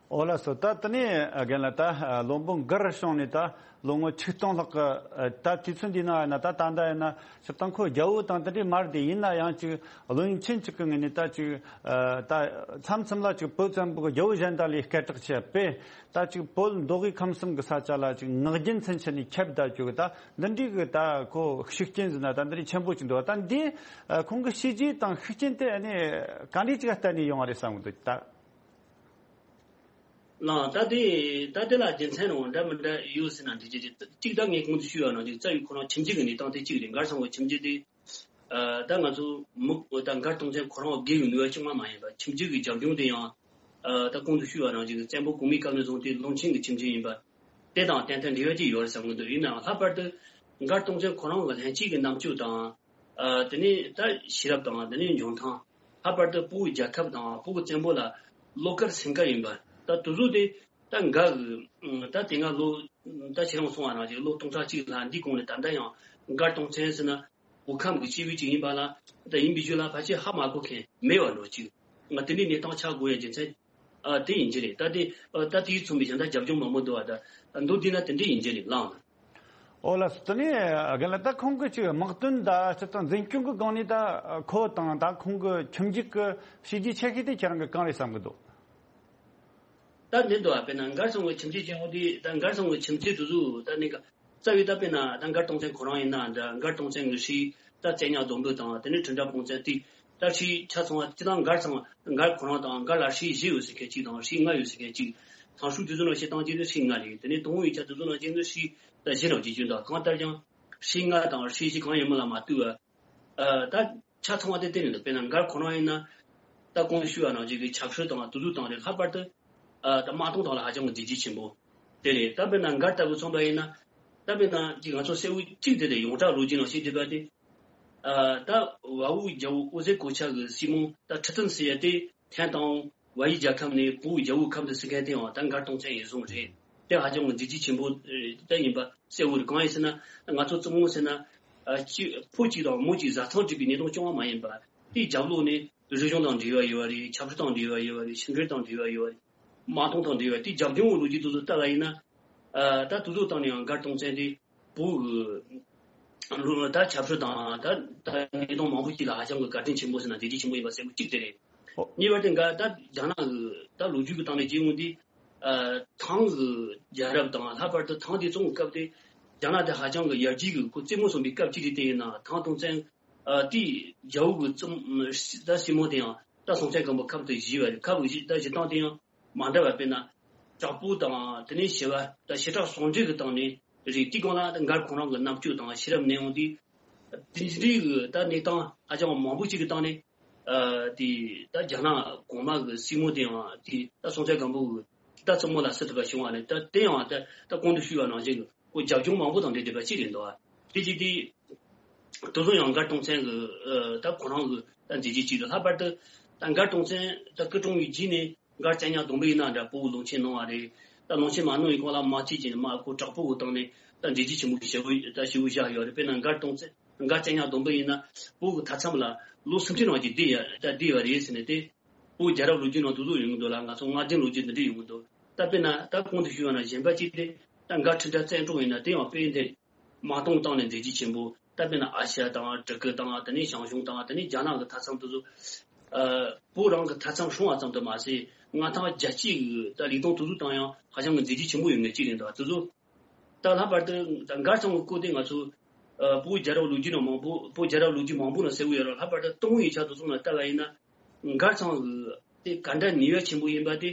འོ་ལགས་སོ། ད་དེ་ནས་རྒན་ལགས། ད་བློན་པོ་མགར་བྱུང་ནས་ད་ལོ་ངོ་ཆིག་སྟོང་ལྷག་གི་ད་དུས་ཚོད་འདི་ན་ཡིན་ན། ད་ད་ལྟ་ཡིན་ན་སྤྱིར་བཏང་ཁོ་རྒྱལ་པོ་དང་དེ་འདྲའི་མ་རེད་དེ། ཡིན་ན་ཡང་ཅིག་བློན་ཆེན་ཅིག་གི་ངོས་ནས་ད་ཅིག་ད་མཚམས་མཚམས་ལ་ཅིག་བོད་བཙན་པོ་གི་རྒྱལ་པོ་གཞན་དག་ལས་སྐད་གྲགས་ཆེ་བས། ད་ཅིག་བོད་མདོ་དབུས་ཁམས་གསུམ་གི་ས་ཆ་ལ་ཅིག་ངག་རྒྱུན་ཚུན་ཆད་ནས་ཁྱབ་བསྡད་རྒྱུ་གི་ད་འདི་འདྲའི་གི་ད་ཁོ་ཤུགས་རྐྱེན་ཟེར་ན་ད་འདི་འདྲའི་ཆེན་པོ་ཅིག་འདུག་ད་འདི་ཁོང་གི་བྱས་རྗེས་དང་ཤུགས་རྐྱེན་དེ་ཨ་ནི་ག་འདྲའི་ཅིག་བརྟེན་ནས་ཡོང་བ་རེད་བསམ་གི་འདུག་ད། ལགས། ད་དེ་ད་དེ་ལ་རྒྱུ་མཚན་རང་འདྲ་མི་འདྲ་ཡོད་ཟེར་ན་འགྲིག་གི་རེད། གཅིག་ད་ངས་གོང་དུ་ཞུས་པ་ནང་བཞིན་རྩ་བའི་ཁོ་རང་ཁྱིམ་རྒྱུད་ཀྱི་གནས་སྟངས་དེ་གཅིག་རེད། མགར་ཚང་གི་ཁྱིམ་རྒྱུད་དེ་ཨ་ད་ང་ཚོ་མི་ད་མགར་སྟོང་བཙན་ཁོ་རང་སྒེར་གྱི་ནུས་པ་ཅང་མ་མ་ཡིན་པ། ཁྱིམ་རྒྱུད་ཀྱི་རྒྱབ་ལྗོངས་དེ་ཡང་ཨ་ད་གོང་དུ་ཞུས་པ་ནང་བཞིན་བཙན་པོ་གོང་མའི་སྐབས་ནས་བཟུང་སྟེ་བློན་ཆེན་གྱི་ཁྱིམ་རྒྱུད་ཡིན་པ་དེ་དང་ཏན་ཏན་འབྲེལ་བ་ཅིག་ཡོད་རེད་བསམ་གྱི་འདུག་ཡིན་ནའང་ལྷག་པར་དུ་མགར་སྟོང་བཙན་ཁོ་རང་གི་ལྷན་སྐྱེས་ཀྱི་རྣམ་དཔྱོད་དང་། ཨ་དེ་ནས་ད་ཤེས་རབ་དང་། དེ་ནས་འཇོན་ཐང་། ལྷག་པར་དུ་བོད་རྒྱལ་ཁབ་དང་བོད་ཀྱི་བཙན་པོ་ལ་བློ་དཀར་སེམས་དཀར་ཡིན་པ། ད་དེ་ཚོ་དེ་ད་མགར་གྱི་ད་དེ་སྔ་ལོ་ད་ཁྱེད་རང་གསུངས་པ་ནང་བཞིན་ལོ་སྟོང་ཕྲག་གཅིག་ལྷག་འདིའི་གོང་ནས་ད་ལྟ་ཡང་མགར་སྟོང་བཙན་ཟེར་ན་བོད་ཁམས་ཀྱི་སྐྱེས་བུ་ཅིག་ཡིན་པ་ལ། ད་ཡིན་པའི་རྒྱུ་ལ་ཕལ་ཆེར་ཧ་མ་གོ་མཁན་མེད་པ་འདྲ་ཅིག་ང་དེ་འདྲའི་གནས་སྟངས་ཆགས་དགོས་ཡ་རྒྱུ་མཚན་ཨ་དེ་ཡིན་གྱི་རེད། ད་དེ་ཨ་ད་དེས་མཚོན་པའི་གཞན་དག་རྒྱབ་ལྗོངས་མང་པོ་འདུག་བ། ད་མདོར་བསྡུས་ན་དེ་འདྲ་ཡིན་གྱི་རེད་ལགས། འོ་ལགས་སོ། དེ་ནས་རྒན་ལགས། ད་ཁོང་གི་ཅིག་དམག་དོན་དང་སྤྱིར་བཏང་འཛིན་སྐྱོང་གི་སྒང་ནས་ད་ཁོ་དང་ད་ཁོང་གི་ཁྱིམ་རྒྱུད་ཀྱི་བྱས་རྗེས་ཆེ་ཤོས་དེ་ཁྱེད་རང་གིས་གང་རེད་བསམ་གྱི་འདུག་ད་འདི་འདུག་ཨ། དཔེར་ན་མགར་ཚང་གི་ཁྱིམ་རྒྱུད་ཅན་འོ་དེ། ད་མགར་ཚང་གི་ཁྱིམ་མཚེས་དེ་ཚོ་ད་ནི་རྩ་བའི་ད་དཔེར་ན་ད་མགར་སྟོང་བཙན་ཁོ་རང་ཡིན་ན་འདྲ། མགར་སྟོང་བཙན་གྱི་སྲས་ད་བཙན་ཉག་སྡོང་པོ་དང་། དེ་ནས་ཁྲི་འབྲང་སྤུངས་བཙན་དེ། ད་སྲས་ཆ་ཚང་བ་སྤྱིར་བཏང་མགར་ཚང་མགར་ཁོ་རང་དང་མགར་ལ་སྲས་བཞི་ཡོད་ཟེར་མཁན་གཅིག་དང་སྲས་ལྔ་ཡོད་ཟེར་མཁན་གཅིག་ཐང་ཧྲུའུ་དེ་ཚོ་ནང་བཤད་སྟངས་ཅན་དུ་སྲས་ལྔ་རེད། དེ་ནས་ཏུན་ཧོང་ཡིག་ཆ་དེ་ཚོ་ནང་བཞིན་དུ་སྲས་ད་བཞི་རང་བརྗེ་རྒྱུ་འདུག་གང་ལྟར་ཀྱང་སྲས་ལྔ་དང་སྲས་བཞི་གང་ཡིན་མིན་ལ་མ་ལྟོས་པར། ཨ་ད་ཆ་ཚང་བ་དེ་གཏན་ནས་འདུག་དཔེར་ན་མགར་ཁོ་རང་ཡིན་ན། ད་གོང་ཞུས་པ་ནང་བཞིན་གྱི་ཆབ་སྲིད་དང་དེ་ཚོའི་སྟེང་རེད། ལྷག་པར་དུ་ཨ་ད་དམག་དོན་ཐོག་ལ་ཧ་ཅང་གི་མཛད་རྗེས་ཆེན་པོ། དེ་རེད། ད་དཔེར་ན་མགར་ལྟ་བུ་མཚོན་པ་ཡིན་ན། ད་དཔེར་ན་ཅིག་ང་ཚོ་གསལ་བོ་གཅིག་དེ་རེད། ཡོངས་གྲགས་ལོ་རྒྱུས་ནང་བཤད་བསྡད་པ་དེ། ཨ། ད་བལ་པོ་རྒྱལ་པོ་ཨོ་རྩེ་གོ་ཆ་གི་སྲས་མོ་ད་ཁྲི་བཙུན་ཟེར་ཡ་དེ་ཐན་དང་བལ་ཡུལ་རྒྱལ་ཁབ་ནས་བལ་པོའི་རྒྱལ་པོའི་ཁབ་ཏུ་སྲིད་མཁན་དེའང་ད་མགར་སྟོང་བཙན་ཡིན་བཟུང་རེད། དེ་ཧ་ཅང་གི་མཛད་རྗེས་ཆེན་པོ་ད་ཡིན་པ་གསལ་བོ་རེད། གང་ཡིན་ཟེར་ན་ང་ཚོ་བཙུན་མོ་ཟེར་ན། ཨ། གཅིག་ཕོ་གཅིག་དང་མོ་གཅིག་བཟའ་ཚང་བྲིས་པའི་གནས་སྟངས་བྱུང་བ་མ་ཡིན་པ། དེའི་རྒྱབ་ལོགས་ནས་རིག་གཞུང་དང་འབྲེལ་བ་ཡོད་པ་རེད། ཆབ་སྲིད་དང་འབྲེལ་བ་ཡོད་པ་རེད། ཕྱི་འབྲེལ་དང་འབྲེལ་བ་ཡོད་པ་རེད། དམག་དོན་དང་འབྲེལ་བ། དེའི་རྒྱབ་ལྗོངས་ཀྱི་ལོ་རྒྱུས་དེ་ཚོ་ལྟ་བ་ཡིན་ན། ཨ། ད་དེ་ཚོ་སྟེང་ནས་ཡང་མགར་སྟོང་བཙན་དེ་བོད་ཀྱི་ལོ་ད་ཆབ་སྲིད་དང་ད་ད་གནས་སྟངས་མང་པོ་ཞིག་ལ་ཧ་ཅང་གི་བཀའ་དྲིན་ཆེན་པོ་ཟེར་ན་བདེ་སྐྱིད་ཆེན་པོ་ཡིན་པ་གསལ་པོ་གཅིག་དེ་རེད། ཨོ། གཉིས་པ་དེ་འགའ་ད་རྒྱ་ནག་གི་ད་ལོ་རྒྱུས་ཀྱི་སྟེང་ནས་བྱས་ཡོང་དུས། ཨ། ཐང་གི་རྒྱལ་རབས་དང་ལྷག་པར་དུ་ཐང་དེ་བཙོང་བའི་སྐབས་དེ་རྒྱ་ནག་དེ་ཧ་ཅང་གི་ཡར་རྒྱས་ཀྱི་ཁོ་རྩེད་མོ་བཟོ་བའི་སྐབས་གཅིག་རེད། དེ་ཡིན་ན་ཐང་སྟོང་བཙན། ཨ། དེའི་རྒྱལ་པོ་གི་བཙུན་ད་སྲས་མོ་དེ་ཡང་ད་སྲོང་བཙན་སྒམ་པོ་ཁབ་ཏུ་བཞེས་པ་རེད། ཁབ་བཞེས་ད་བཞེས་སྟངས་དེ་ཡང་མ་འདྲ་བ། དཔེར་ན་དྲག་པོ་དང་དེ་ནས་ཞི་བ་ད་ཞི་དྲག་ཟུང་འབྲེལ་གྱི་སྟེང་ནས་རེད། དེའི་སྒང་ལ་ད་མགར་ཁོ་རང་གི་རྣམ་དཔྱོད་དང་ཤེས་རབ་གནས་དབང་དེ་དེ་འདྲའི་གི་ད་གནས་སྟངས་ཧ་ཅང་མང་པོ་ཞིག་གི་སྟེང་ནས། ཨ། དེ་ད་རྒྱ་ནག་གོང་མ་གི་སྲས་མོ་དེའང་དེ་ད་སྲོང་བཙན་སྒམ་པོ་གི་ད་བཙུན་མོ་ལ་བསུ་ཐུབ་པ་བྱུང་བ་རེད། ད་དེ་ཡང་ད་ད་གོང་དུ་ཞུས་པ་ནང་བཞིན་གྱི་ཁོ་རྒྱབ་ལྗོངས་མང་པོ་དང་འབྲེལ་བསྡད་པ་ཅིག་རེད་འདུག་དེ་ཅི་དེ་དེ་ཚོ་ཡང་མགར་སྟོང་བཙན་གྱི་ཨ་ད་ཁོ་རང་གི་ད་མཛད་རྗེས་ཅིག་རེད། ལྷག་པར་དུ་ད་མགར་སྟོང་བཙན་ད་སྐུ་གྲོངས་པའི་རྗེས་ནས་མགར་བཙན་སྙ་སྡོང་པོ་ཡིན་ན་འདྲ་བོད་ལུང་ཆེན་གནང་བ་རེད། ད་ལུང་ཆེན་མ་གནང་བའི་སྐོར་ལ་མ་ཅིག་ཅིག་ནས་མ་ཁོ་དྲག་པོ་གི་སྟེང་ནས་ད་མཛད་རྗེས་ཆེན་པོ་ཞེ་པོ་ད་ཞེ་པོ་བཞག་ཡོད་རེད། དཔེར་ན་མགར་སྟོང་བཙན། མགར་བཙན་སྙ་སྡོང་པོ་ཡིན་ན་བོད་ཀྱི་མཐའ་མཚམས་ལ་ལོ་སུམ་ཅུ་རིང་ཅིག་བསྡད་ཡ་ད་བསྡད་པ་རེད་ཟེར་ནས་དེ། བོད་རྒྱལ་རབས་ལོ་རྒྱུས་ནང་དེ་ཚོ་ཡོང་གི་འདུག་ལ། ང་ཚོ་སྔ་རྗེས་ལོ་རྒྱུས་འདི་འདྲ་ཡོང་གི་འདུག་ད་དཔེར་ན་ད་གོང་དུ་ཞུས་པ་ན་གཞན་པ་གཅིག་དེ་ད་མགར་ཁྲི་ལྡེ་བཙན་སྒྲོགས་ཡིན་ན་དེ་ཡང་དཔེ་འདི་དམག་དོན་སྟེང་ནས་མཛད་རྗེས་ཆེན་པོ། ད་དཔེར་ན་ཨ་ཤ་དང་གྲི་གུ་དང་དེ་ནས་ཞང་ཞུང་དང་དེ་ནས་རྒྱ་ནག་གི་མཐའ་མཚམས་དེ་ཚོ། ཨ། བོད་རང་གི་མཐའ་མཚམས་སྲུང་བ་ཙམ་དུ་མ་ཟད་མངའ་ཐང་རྒྱ་བསྐྱེད་ཀྱི་ད་ལས་དོན་དེ་ཚོ་སྟེང་ཡང་ཧ་ཅང་གི་མཛད་རྗེས་ཆེན་པོ་ཡོད་མཁན་གཅིག་རེད་འདུག་དེ་ཚོ། ད་ལྷག་པར་དུ་ད་མགར་ཚང་གི་སྐོར་དེ་ང་ཚོ་ཨ་བོད་རྒྱལ་རབས་ལོ་རྒྱུས་ནང་མང་པོ། བོད་རྒྱལ་རབས་ལོ་རྒྱུས་མང་པོ་ནང་གསལ་བོ་ཡོད་རེད། ལྷག་པར་དུ་ཏུན་ཧོང་ཡིག་ཆ་དེ་ཚོ་ནང་ལྟ་བ་ཡིན་ན། མགར་ཚང་གི་དེ་ག་འདྲ་ནུས་པ་ཆེན་པོ་ཡིན་པ་དེ།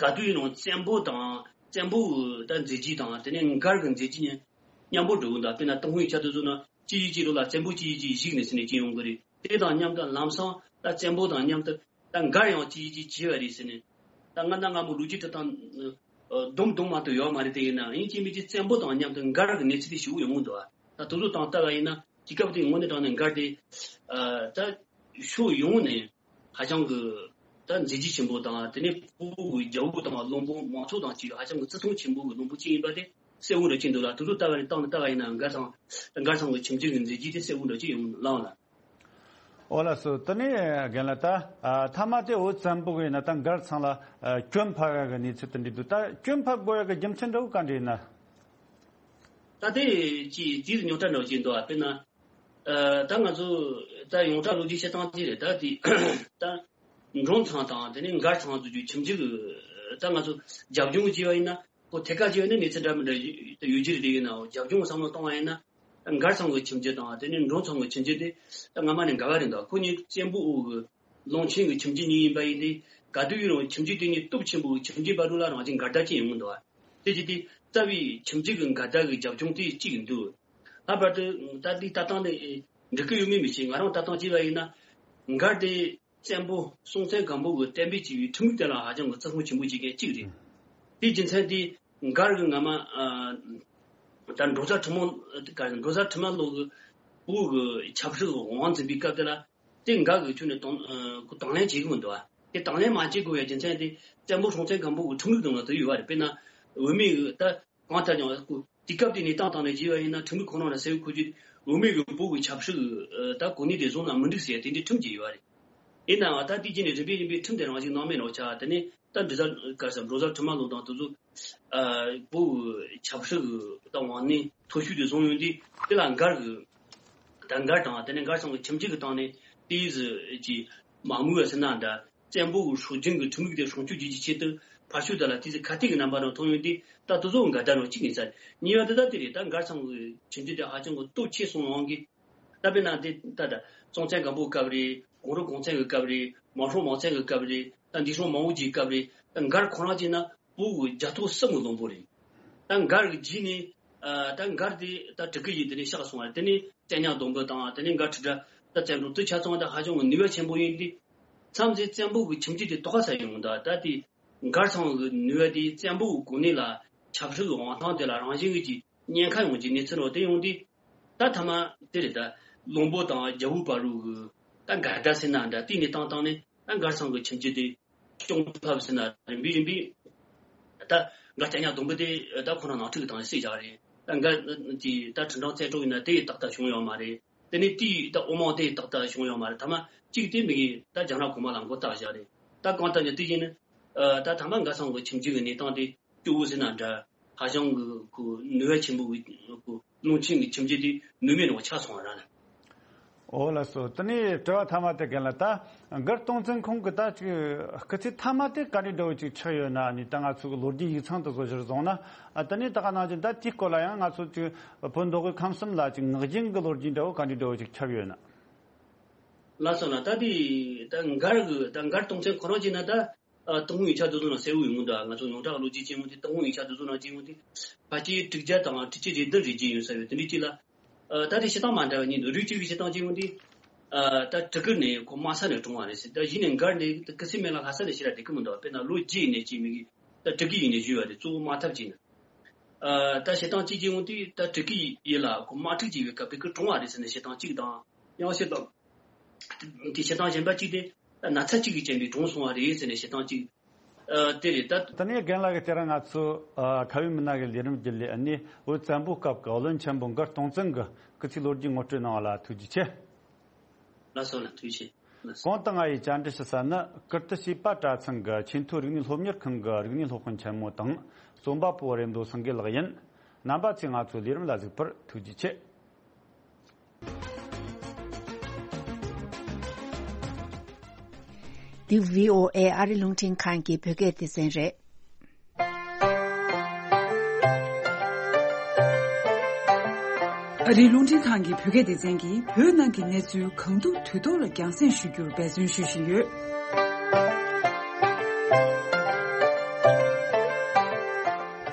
ག་དུས་ཡིན་རུང་བཙན་པོ་དང་བཙན་པོ་གི་ད་མཛད་རྗེས་དང་དེ་ནས་མགར་གི་མཛད་རྗེས་གཉིས་མཉམ་པོ་འགྲོ་གི་འདུག་དཔེར་ན་ཏུན་ཧོང་ཡིག་ཆ་དེ་ཚོ་ནང་གཅིག་གིས་གཅིག་ལོགས་ལ་བཙན་པོ་གཅིག་གིས་གཅིག་གཞིགས་ནས་ཟེར་ནས་སྐྱེ་ཡོང་གི་རེད། དེ་དང་མཉམ་དུ་ལམ་སང་ད་བཙན་པོ་དང་མཉམ་དུ། ད་མགར་ཡང་གཅིག་གིས་གཅིག་བྱས་པ་རེད་ཟེར་ནས། ད་སྔ་ན་སྔ་མོ་ལོ་རྒྱུས་འབྲི་སྟངས་སྡོམ་སྡོམ་མ་གཏོགས་ཡོད་མ་རེད། དེ་ཡིན་ན་ཡིན་གཅིག་མིན་གཅིག་བཙན་པོ་དང་མཉམ་དུ་མགར་གྱི་གནས་ཚུལ་དེ་ཞེ་པོ་ཡོང་གི་འདུག་ད་དེ་ཚོ་དང་ལྟ་བ་ཡིན་ན་དུས་སྐབས་དེའི་དངོས་གནས་དྲང་གནས་མགར་དེ་ཨ་ད་ཕྱོགས་ཡོངས་ནས་ཧ་ཅང་གི་ད་མཛད་རྗེས་ཆེན་པོ་དང་། དེ་ནས་བོད་ཀྱི་རྒྱལ་པོ་དང་བློན་པོ་མང་ཚོགས་དང་བཅས་ཧ་ཅང་གི་བརྩི་མཐོང་ཆེན་པོ་གི་བློན་པོ་གཅིག་ཡིན་པ་དེ་གསལ་བོ་འདྲ་ཅིག་འདུག་ལ། དེ་ཚོ་ལྟ་བ་ནས་བཏང་ནས་ལྟ་བ་ཡིན་ན་མགར་ཚང་། མགར་ཚང་གི་ཁྱིམ་རྒྱུད་ཀྱི་མཛད་རྗེས་དེ་གསལ་བོ་འདྲ་ཅིག་ཡོང་ལངས་ལ། ཨོ་ལགས་སོ། དེ་ནས་རྒན་ལགས། ད་ཨ་མཐའ་མ་དེ་འུ་ཙམ་པོ་གི་ཡིན་ན་ད་མགར་ཚང་ལ་ཨ་སྐྱོན་ཕབ་ཡག་གི་གནས་ཚུལ་དེ་འདྲ་འདུག་ད་སྐྱོན་ཕབ་དགོས་ཡག་གི་རྒྱུ་མཚན་འདྲ་བོ་ག་འདྲ་ཡིན་ན། ད་དེ་ཅིག་དེའི་རྙོག་དྲ་འདྲ་བོ་ཅིག་འདུག་ཨ་དཔེར་ན་ཨ་ད་ང་ཚོ་ད་ཡོངས་གྲགས་ལོ་རྒྱུས་བཤད་སྟངས་ཅིག་རེད། ད་དེ་ད་འབྲོང་ཚང་དང་དེ་ནས་མགར་ཚང་དེ་ཚོའི་ཁྱིམ་རྒྱུད་ཀྱི་ད་ང་ཚོ་རྒྱབ་ལྗོངས་བྱས་པ་ཡིན་ན། ཁོ་ཐད་ཀར་བྱས་ན་གནས་ཚུལ་འདྲ་མི་འདྲ་ཡོད་ཀྱི་རེད། དེ་ཡིན་ནའང་རྒྱབ་ལྗོངས་བསམ་བློ་བཏང་བ་ཡིན་ན། མགར་ཚང་གི་ཁྱིམ་རྒྱུད་དང་དེ་ནས་འབྲོང་ཚང་གི་ཁྱིམ་རྒྱུད་དེ་ད་སྔ་མ་ནས་འགལ་བ་རེད་འདུག་ཁོ་གཉིས་བཙན་པོ་འོག་གི་ལུང་ཆེན་གྱི་ཁྱིམ་རྒྱུད་གཉིས་ཡིན་པ་ཡིན་ཏེ། ག་དུས་ཡིན་རུང་ཁྱིམ་རྒྱུད་དེ་གཉིས་སྟོབས་ཆེན་པོ་གི་ཁྱིམ་རྒྱུད་བར་དུ་ལ་རང་བཞིན་འགལ་ཟླ་ཅན་ཡོང་གི་འདུག་དེ་བྱས་ཏེ་རྩ་བའི་ཁྱིམ་རྒྱུད་ཀྱི་འགལ་ཟླ་གི་རྒྱབ་ལྗོངས་དེ་གཅིག་འདུག་ལྷག་པར་དུ་ད་ལྟའི་ལྟ་སྟངས་དེ་འགྲིག་གི་ཡོད་མེད་མི་ཤེས། ང་རང་ལྟ་སྟངས་བྱས་པ་ཡིན་ན། མགར་དེ་བཙན་པོ་སྲོང་བཙན་སྒམ་པོ་གི་བསྟན་པའི་སྐྱེས་བུའི་ཁྲིམས་ལུགས་དེ་ལ་ཧ་ཅང་གི་བརྩི་མཐོང་ཆེན་པོ་བྱེད་མཁན་གཅིག་རེད། དེའི་རྒྱུ་མཚན་དེ་མགར་གྱི་སྔ་མ་ཨ་ད་འབྲོང་བཟའ་ཁྲི་མོ། ག་འབྲོང་བཟའ་ཁྲི་མ་ལོ་གི་བོད་ཀྱི་ཆབ་སྲིད་དབང་འཛིན་པའི་སྐབས་དེ་ལ་དེ་མགར་གྱི་ཁྱོན་ནས་དང་ཨ་དང་ལེན་བྱེད་ཀྱི་མི་འདུག་དེ་དང་ལེན་མ་བྱེད་དགོས་པའི་རྒྱུ་མཚན་དེ་བཙན་པོ་སྲོང་བཙན་སྒམ་པོ་གི་ཁྲིམས་ལུགས་དང་ལ་དེ་ཡོད་པ་རེད། དཔེར་ན་བུད་མེད་ཀྱི་ད། གང་ལྟར་ཀྱང་སྐུ་དུས་སྐབས་དེ་གནས་སྟངས་སྟེང་ནས་བྱས་པ་ཡིན་ན་ཁྲིམས་ལུགས་ཁོ་རང་ལ་གསལ་བོ་ཁོ་ཚོས་བུད་མེད་ཀྱི་བོད་ཀྱི་ཆབ་སྲིད་ཀྱི་ད་གོ་གནས་དེ་བཟུང་ན་མི་འགྲིག་ཟེར་དེ་འདྲའི་ཁྲིམས་ཅིག་ཡོད་རེད། ཡིན་ནའང་ད་དེ་རྗེས་ནས་རིམ་པས་རིམ་པས་ཁྲིམས་དེ་རང་བཞིན་སྣང་མེད་རང་ཆགས། དེ་ནས་ད་འབྲོང་བཟའ་ག་ས་འབྲོང་བཟའ་ཁྲི་མ་ལོ་དང་དེ་ཚོ་བོད་ཀྱི་ཆབ་སྲིད་ཀྱི་ད་དབང་གནས་མཐོ་ཤོས་དེ་བཟུང་ཡོང་དུས་དེ་ལ་མགར་གྱི་ད་མགར་དང་དེ་ནས་མགར་ཚང་གི་ཁྱིམ་རྒྱུད་ཀྱི་སྟེང་ནས་དེའི་ཟི་ཀྱི་མ་དངུལ་བ་ཟེར་ན་འདྲ། བཙན་པོ་གི་སྲོལ་རྒྱུན་གྱི་ཁྲིམས་ལུགས་དེ་སྲུང་སྐྱོབ་བྱེད་རྒྱུའི་ཆེད་དུ་ཕར་ཕྱོགས་དེ་ལ་དེ་ཚོ་ཁ་གཏད་ཀྱི་རྣམ་པ་རང་མཐོང་ཡོང་དུས་ད་དེ་ཚོ་འགལ་ཟླ་རང་གཅིག་ཡིན་ས་རེད། གཉིས་པ་དེ་ད་དེ་རེད། ད་མགར་ཚང་གི་ཁྱིམ་རྒྱུད་དེ་ཧ་ཅང་གི་སྟོབས་ཆེ་སོང་ཡོང་གི། ད་དཔེར་ན་དེ་ད་ད་སྲོང་བཙན་སྒམ་པོའི་སྐབས་རེད། གུང་རུ་གུང་བཙན་གྱི་སྐབས་རེད། མང་སྲོང་མང་བཙན་གྱི་སྐབས་རེད། ད་འདས་སྲོང་མང་བོ་རྗེའི་སྐབས་རེད། ད་མགར་ཁོ་རང་བྱས་ན་བོད་ཀྱི་རྒྱལ་ཐོབ་གསུམ་གྱི་བློན་པོ་རེད། ད་མགར་གྱི་རྗེས་ནས་ཨ་ད་མགར་དེ་ད་དྲུ་གུ་ཡིས་དེ་ནས་གཤེགས་སོང་བ་རེད། དེ་ནས་བཙན་སྙ་སྡོང་པོ་དང་དེ་ནས་མགར་ཁྲི་སྒྲ་ད་བཙན་པོ་དེ་ཆ་ཚང་ད་ཧ་ཅང་གི་ནུས་པ་ཆེན་པོ་ཡིན་ཏེ། མཚམས་རེ་བཙན་པོ་གི་ཁྱིམ་རྒྱུད་དེ་དོགས་པ་ཟ་ཡོང་ད་ད་དེ་ མགར་ཚང་གི་ནུས་པ་དེ་བཙན་པོའི་གོ་གནས་ལ་ཆབ་སྲིད་ཀྱི་དབང་ཐང་དེ་ལ་རང་བཞིན་གྱིས་ཉེན་ཁ་ཡོང་གི་གནས་ཚུལ་འོ་དེ་ཡོང་དུས། ད་ཐ་མ་དེ་རེད། ད་བློན་པོ་དང་རྒྱལ་པོའི་བར་རུ་གི་ད་འགལ་ཟླ་ཟེར་ན་འདྲ། དེ་ནས་བཏང་བཏང་ནས་ད་མགར་ཚང་གི་ཁྱིམ་རྒྱུད་དེ་སྐྱོང་ཐབས་ཟེར་ན་རིམ་པས་རིམ་པས་ད་མགར་སྐྱ་ཉག་སྡོང་པོ་དེ་ད་ཁོ་རང་ནང་འཁྲུག་དང་བསྲེས་བཞག་རེད། ད་མགར་གྱི་ད་ཁྲི་འབྲང་བཙན་འཕྲོག་ཡིན་ན་དེ་ཡི་ཏག་ཏག་བྱུང་ཡོད་མ་རེད། དེ་ནས་དེའི་ད་འོ་མ་དེ་ཡི་ཏག་ཏག་བྱུང་ཡོད་མ་རེད། ཐ་མ་གཅིག་དེ་མི་གི་ད་རྒྱ་ནག་གོང་མ་ལ་མགོ་བཏགས་བཞག་རེད། ད་གང་ལྟར་ཡང་དེ་བཞིན་ནི་ད་ཐ་མ་མགར་ཚང་གི་ཁྱིམ་རྒྱུད་ཀྱི་གནས་སྟངས་དེ་སྐྱོ་བོ་ཟེར་ན་འདྲ། ཧ་ཅང་གི་ཁོ་ནུས་པ་ཆེན་པོ་གི་ཁོ་རླུང་ཆེན་གྱི་ཁྱིམ་རྒྱུད་དེ་ནུས་མེད་ནང་ཆགས་སོང་བ་ར་ལ། ཨོ་ལགས་སོ། དེ་ནས་དྲི་བ་མཐའ་མ་དེ་རྒན་ལགས། ད་མགར་སྟོང་བཙན་ཁོང་གི་ད་ཅིག་སྐུ་ཚེ་མཐའ་མ་དེ་ག་འདྲའི་འདྲ་བོ་ཅིག་ཆགས་ཡོད་ན་ནི། ད་ང་ཚོ་གི་ལོ་རྒྱུས་ཡིག་ཚང་དེ་ཚོ་གཞིར་བཟུང་ན། ཨ་དེ་ནས་ད་ག་ནང་བཞིན་ད་དེའི་སྐོར་ལ་ཡང་ང་ཚོ་ཅིག་བོད་མདོ་དབུས་ཁམས་གསུམ་ལ་ཅིག་ངག་རྒྱུན་གྱི་ལོ་རྒྱུས་འདྲ་བོ་ག་འདྲའི་འདྲ་བོ་ཅིག་ཁྱབ་ཡོད་ན། ལགས་སོ་ལགས། ད་དེ་ད་མགར་གི་ད་མགར་སྟོང་བཙན་ཁོ་རང་བྱས་ན་ད། ཨ། ཏུན་ཧོང་ཡིག་ཆ་དེ་ཚོ་ནང་གསལ་བོ་ཡོང་གི་འདུག་ང་ཚོ་ཡོངས་གྲགས་ལོ་རྒྱུས་བྱེད་ཡོང་དུས་ཏུན་ཧོང་ཡིག་ཆ་དེ་ཚོ་ནང་བྱེད་ཡོང་དུས་ཕལ་ཆེར་དྲུག་བརྒྱ་དང་དྲུག་ཅུ་རེ་བདུན་རེ་བརྒྱད་ཡོད་ས་ཡོད། དེ་འདྲའི་གཅིག་ལ། ཨ། ད་དེ་བྱེད་སྟངས་མ་འདྲ་བ་གཉིས་འདུག་རིགས་གཅིག་གི་བྱེད་སྟངས་བྱེད་ཡོང་དུས། ཨ། ད་གྲི་གུ་ནས་ཁོ་དམའ་ས་ནས་གྲོངས་པ་རེད་ཟེར། ད་གཞི་ནས་མགར་ནས་སྐུ་ཚེ་སྨད་ལ་ལྷ་ས་ནས་ཞེ་དྲག་བསྡད་ཀྱི་མི་འདུག་དཔེར་ན་ལོ་བརྒྱད་ནས་སྐྱེས་མི་གི་ད་གྲི་གུ་ཡིན་ནས་བཞུས་པ་རེད། གཙོ་བོ་དམག་འཐབ་བྱས་ན། ཨ། ད་བྱེད་སྟངས་གཅིག་བྱེད་ཡོང་དུས་ད་གྲི་གུ་ཡིན་ལ་ཁོ་དམག་འཁྲུག་བྱེད་པའི་སྐབས་དེ་གི་གྲོངས་པ་རེད་ཟེར་ནས་བྱེད་སྟངས་གཅིག་དང་། ཡང་བྱེད་སྟངས། དེ་བྱེད་སྟངས་གཞན་པ་གཅིག་དེ་ན་ཚ་གཅིག་གིས་རྐྱེན་པས་གྲོངས་སོང་བ་རེད་ཟེར་ནས་བྱེད་སྟངས་གཅིག་ཨ། དེ་རེད་ད། ད་ནས་རྒན་ལགས་ཀྱིས་དེ་རིང་ང་ཚོ་ཨ་ཁ་བའི་མི་སྣ་གི་ལས་རིམ་བརྒྱུད་ལས་ཨ་ནི་བོད་བཙན་པོའི་སྐབས་ཀྱི་བློན་ཆེན་པོ་མགར་སྟོང་བཙན་གྱི་སྐུ་ཚེའི་ལོ་རྒྱུས་ངོ་སྤྲོད་གནང་བ་ལ་ཐུགས་རྗེ་ཆེ། ལགས་སོ་ལགས། ཐུགས་རྗེ་ཆེ། ལགས་སོ། གོང་དུ་ང་ཡིས་བཅར་འདྲི་ཞུ་ས་ནི་ཀིརྟི་བྱེས་པ་གྲྭ་ཚང་གི་ཆེས་མཐོའི་རིག་གནས་སློབ་གཉེར་ཁང་གི་རིག་གནས་སློབ་དཔོན་ཆེན་མོ་དང་རྩོམ་པ་པོ་རེད་མདོ་སེང་གེ་ལགས་ཡིན། རྣམ་པ་ཚོས་ང་ཚོའི་ལས་རིམ་ལ་གཟིགས་པར་ཐུགས་རྗེ་ཆེ། འདི་བྷི་ཨོ་ཨེ་ཨ་རི་རླུང་འཕྲིན་ཁང་གི་བོད་སྐད་སྡེ་ཚན་རེད། ཨ་རིའི་རླུང་འཕྲིན་ཁང་གི་བོད་སྐད་སྡེ་ཚན་གྱིས་བོད་ནང་གི་གནས་ཚུལ་གང་ཐུབ་དུས་ཐོག་ལ་རྒྱང་སྲིང་ཞུ་རྒྱུར་འབད་བརྩོན་ཞུ་བཞིན་ཡོད།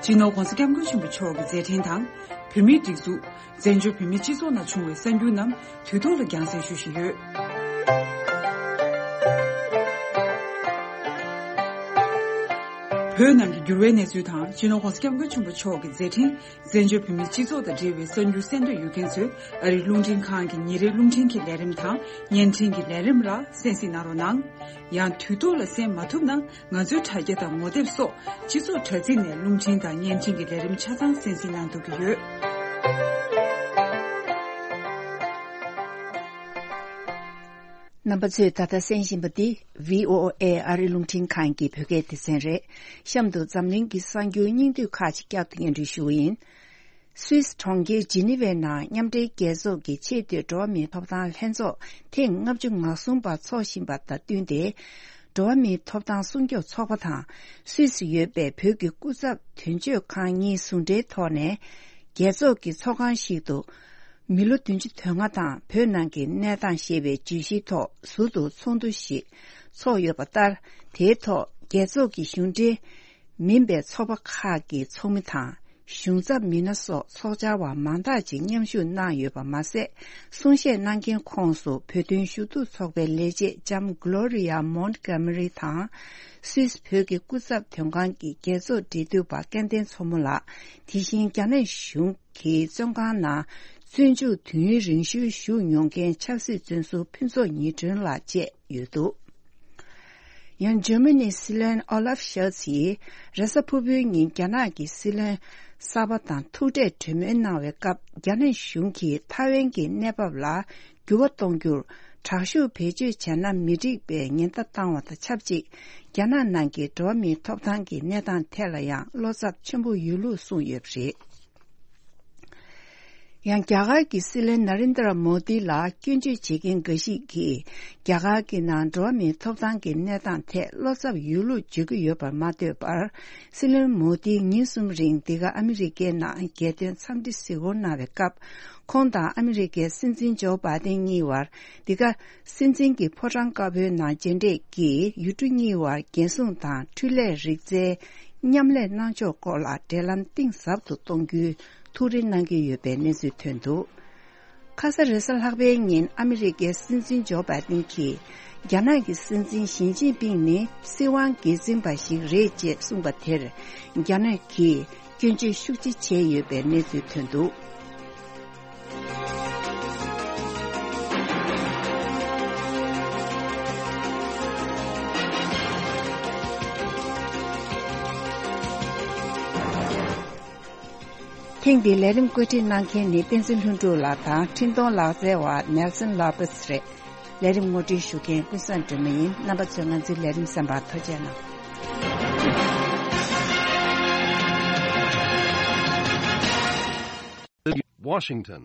སྤྱི་ནོར་༧གོང་ས་༧སྐྱབས་མགོན་ཆེན་པོ་མཆོག་གི་མཛད་འཕྲིན་དང་། བོད་མིའི་སྒྲིག་འཛུགས། བཙན་བྱོལ་བོད་མིའི་སྤྱི་ཚོགས་ནང་བྱུང་བའི་གསར་འགྱུར་རྣམས་དུས་ཐོག་ལ་རྒྱང་སྲིང་ཞུ་བཞིན་ཡོད། བོད་ནང་གི་འགྱུར་བའི་གནས་ཚུལ་དང་། སྤྱི་ནོར་༧གོང་ས་༧སྐྱབས་མགོན་ཆེན་པོ་མཆོག་གི་མཛད་འཕྲིན། བཙན་བྱོལ་བོད་མིའི་སྤྱི་ཚོགས་དང་འབྲེལ་བའི་གསར་འགྱུར་གསན་འདོད་ཡོད་མཁན་ཚོས་ཨ་རིའི་རླུང་འཕྲིན་ཁང་གི་ཉིན་རེའི་རླུང་འཕྲིན་གྱི་ལས་རིམ་དང་བརྙན་འཕྲིན་གྱི་ལས་རིམ་ལ་གསན་གཟིགས་གནང་རོགས་གནང་། ཡང་དུས་ཐོག་ལ་གསན་མ་ཐུབ་ན། ང་ཚོའི་དྲ་རྒྱ་དང་ངོ་དེབ་སོགས་སྤྱི་ཚོགས་དྲ་ཚིགས་ནས་རླུང་འཕྲིན་དང་བརྙན་འཕྲིན་གྱི་ལས་རིམ་ཆ་ཚང་གསན་གཟིགས་གནང་ཐུབ་ཀྱི་ཡོད། རྣམ་པ་ཚོས་ད་ལྟ་གསན་བཞིན་པ་འདི་བྷི་ཨོ་ཨེ་ཨ་རི་རླུང་འཕྲིན་ཁང་གི་བོད་སྐད་སྡེ་ཚན་རེད། གཤམ་དུ་འཛམ་གླིང་གི་གསར་འགྱུར་སྙིང་བསྡུས་ཁག་ཅིག་བསྐྱར་དུ་སྙན་སྒྲོན་ཞུ་གི་ཡིན། སུད་སི་གྲོང་ཁྱེར་ཇི་ནི་ཝའི་ནང་མཉམ་འབྲེལ་རྒྱལ་ཚོགས་ཀྱི་ཆེས་མཐོའི་འགྲོ་བ་མིའི་ཐོབ་ཐང་ལྷན་ཚོགས་ཐེངས་ལྔ་བཅུ་ང་གསུམ་པ་འཚོགས་བཞིན་པ་དང་བསྟུན་ཏེ། འགྲོ་བ་མིའི་ཐོབ་ཐང་སྲུང་སྐྱོབ་ཚོགས་པ་དང་སུད་སི་ཡོད་པའི་བོད་ཀྱི་སྐུ་ཚབ་དོན་གཅོད་ཁང་གཉིས་ཟུང་འབྲེལ་ཐོག་ནས། རྒྱལ་ཚོགས་ཀྱི་ཚོགས་ཁང་ཞིག་ཏུ་མི་ལོ་བདུན་ཅུ་དོན་ལྔ་དང་བོད་ནང་གི་གནས་སྟངས་ཞེས་པའི་བརྗོད་གཞིའི་ཐོག་ཟུར་དུ་ཚོགས་འདུ་ཞིག་ཚོགས་ཡོད་པ་ལྟར། དེའི་ཐོག་རྒྱལ་ཚོགས་ཀྱི་གཞུང་འབྲེལ་མིན་པའི་ཚོགས་པ་ཁག་གི་ཚོགས་མི་དང་། གཞུང་ཚབ་མི་སྣ་སོགས་ཚོགས་བཅར་བ་མང་དག་ཅིག་མཉམ་ཞུགས་གནང་ཡོད་པ་མ་ཟད། གསུང་བཤད་གནང་མཁན་ཁོངས་སུ་བོད་དོན་ཞུ་གཏུག་ཚོགས་པའི་ལས་བྱེད་ལྕམ་Gloria Montgomery དང་། སུད་སི་བོད་ཀྱི་སྐུ་ཚབ་དོན་ཁང་གི་རྒྱལ་ཚོགས་འབྲེལ་མཐུད་པ་སྐལ་ལྡན་མཚོ་མོ་ལགས། དེ་བཞིན་རྒྱ་ནག་གཞུང་གི་བཙོན་ཁང་ནང་བཙོན་འཇུག་དུས་ཡུན་རིང་ཤོས་བཞུགས་མྱོང་མཁན་ཆབ་སྲིད་བཙོན་ཟུར་ཕུན་ཚོགས་ཉི་སྒྲོན་ལགས་བཅས་ཡོད་འདུག་ཡང་འཇར་མ་ནིའི་སྲིད་བློན་ཨོ་ལབ་ཤོལ་ཚིས་རེས་གཟའ་ཕུར་བུའི་ཉིན་རྒྱ་ནག་གི་སྲིད་བློན་གསར་པ་དང་ཐུག་འཕྲད་གྲོས་མོལ་གནང་བའི་སྐབས། རྒྱ་ནག་གཞུང་གིས་ཐའེ་ཝན་གྱི་གནས་བབ་ལ་འགྱུར་བ་གཏོང་རྒྱུར་དྲག་ཤུགས་བེད་སྤྱོད་བྱས་ན་མི་འགྲིག་པའི་ཉེན་བརྡ་བཏང་བ་དང་ཆབས་ཅིག་རྒྱ་ནག་ནང་གི་འགྲོ་བ་མིའི་ཐོབ་ཐང་གི་གནས་སྟངས་ཐད་ལ་ཡང་བློ་འཚབ་ཆེན་པོ་ཡོད་ལུགས་གསུངས་ཡོད་པ་རེད། ཡང་རྒྱ་གར་གྱི་སྲིད་བློན་ན་རེན་དྲ་མོ་དི་ལ་སྐྱོན་བརྗོད་བྱེད་མཁན་འགའ་ཞིག་གིས། རྒྱ་གར་གྱི་ནང་འགྲོ་བ་མིའི་ཐོབ་ཐང་གི་གནས་སྟངས་ཐད་བློ་འཚབ་ཡོད་ལུགས་བརྗོད་ཀྱི་ཡོད་པར་མ་ལྟོས་པར། སྲིད་བློན་མོ་དིས་ཉིན་གསུམ་རིང་འདི་ག་ཨ་མི་རི་ཀའི་ནང་རྒྱལ་དོན་འཚམས་འདྲི་གཟིགས་སྐོར་གནང་བའི་སྐབས། ཁོང་དང་ཨ་མི་རི་ཀའི་སྲིད་འཛིན་ཇོ་བྷའི་ཏན་གཉིས་བར། འདི་ག་སྲིད་འཛིན་གྱི་ཕོ་བྲང་དཀར་པོའི་ནང་མཇལ་འཕྲད་ཀྱིས་ཡུལ་གྲུ་གཉིས་བར་རྒྱལ་སྲུང་དང་འཕྲུལ་ལས་རིག་རྩལ་མཉམ་ལས་གནང་ཕྱོགས་སྐོར་ལ་འབྲེལ་ལམ་གཏིང་ཟབ་ཏུ་གཏོང་རྒྱུའི་ཐུགས་རེ་གནང་གི་ཡོད་པའི་གནས་ཚུལ་ཐོན་འདུག་ཁ་ས་རེས་གཟའ་ལྷག་པའི་ཉིན་ཨ་མི་རི་ཀའི་སྲིད་འཛིན་ཇོ་བྷའི་ཏིན་གྱིས། རྒྱ་ནག་གི་སྲིད་འཛིན་ཞི་ཅིན་ཕིང་ནི་སྲིད་དབང་སྒེར་འཛིན་པ་ཞིག་རེད་ཅེས་གསུངས་པ་དེར། རྒྱ་ནག་གིས་སྐྱོན་བརྗོད་ཤུགས་ཆེ་བྱས་ཡོད་པའི་གནས་ཚུལ་ཐོན་འདུག། ཐེངས་འདིའི་ལས་རིམ་བཀོད་སྒྲིག་གནང་མཁན་ནི་བསྟན་འཛིན་ལྷུན་གྲུབ་ལགས་དང་འཕྲིན་གཏོང་ལག་རྩལ་བ་ནེལ་སན་ལོ་པེས་རེད། ལས་རིམ་ངོ་སྤྲོད་ཞུ་མཁན་ཀུན་བཟང་སྒྲོལ་མ་ཡིན། རྣམ་པ་ཚོས་ང་ཚོའི་ལས་རིམ་གསན་པར་ཐུགས་རྗེ་གནང་། Washington.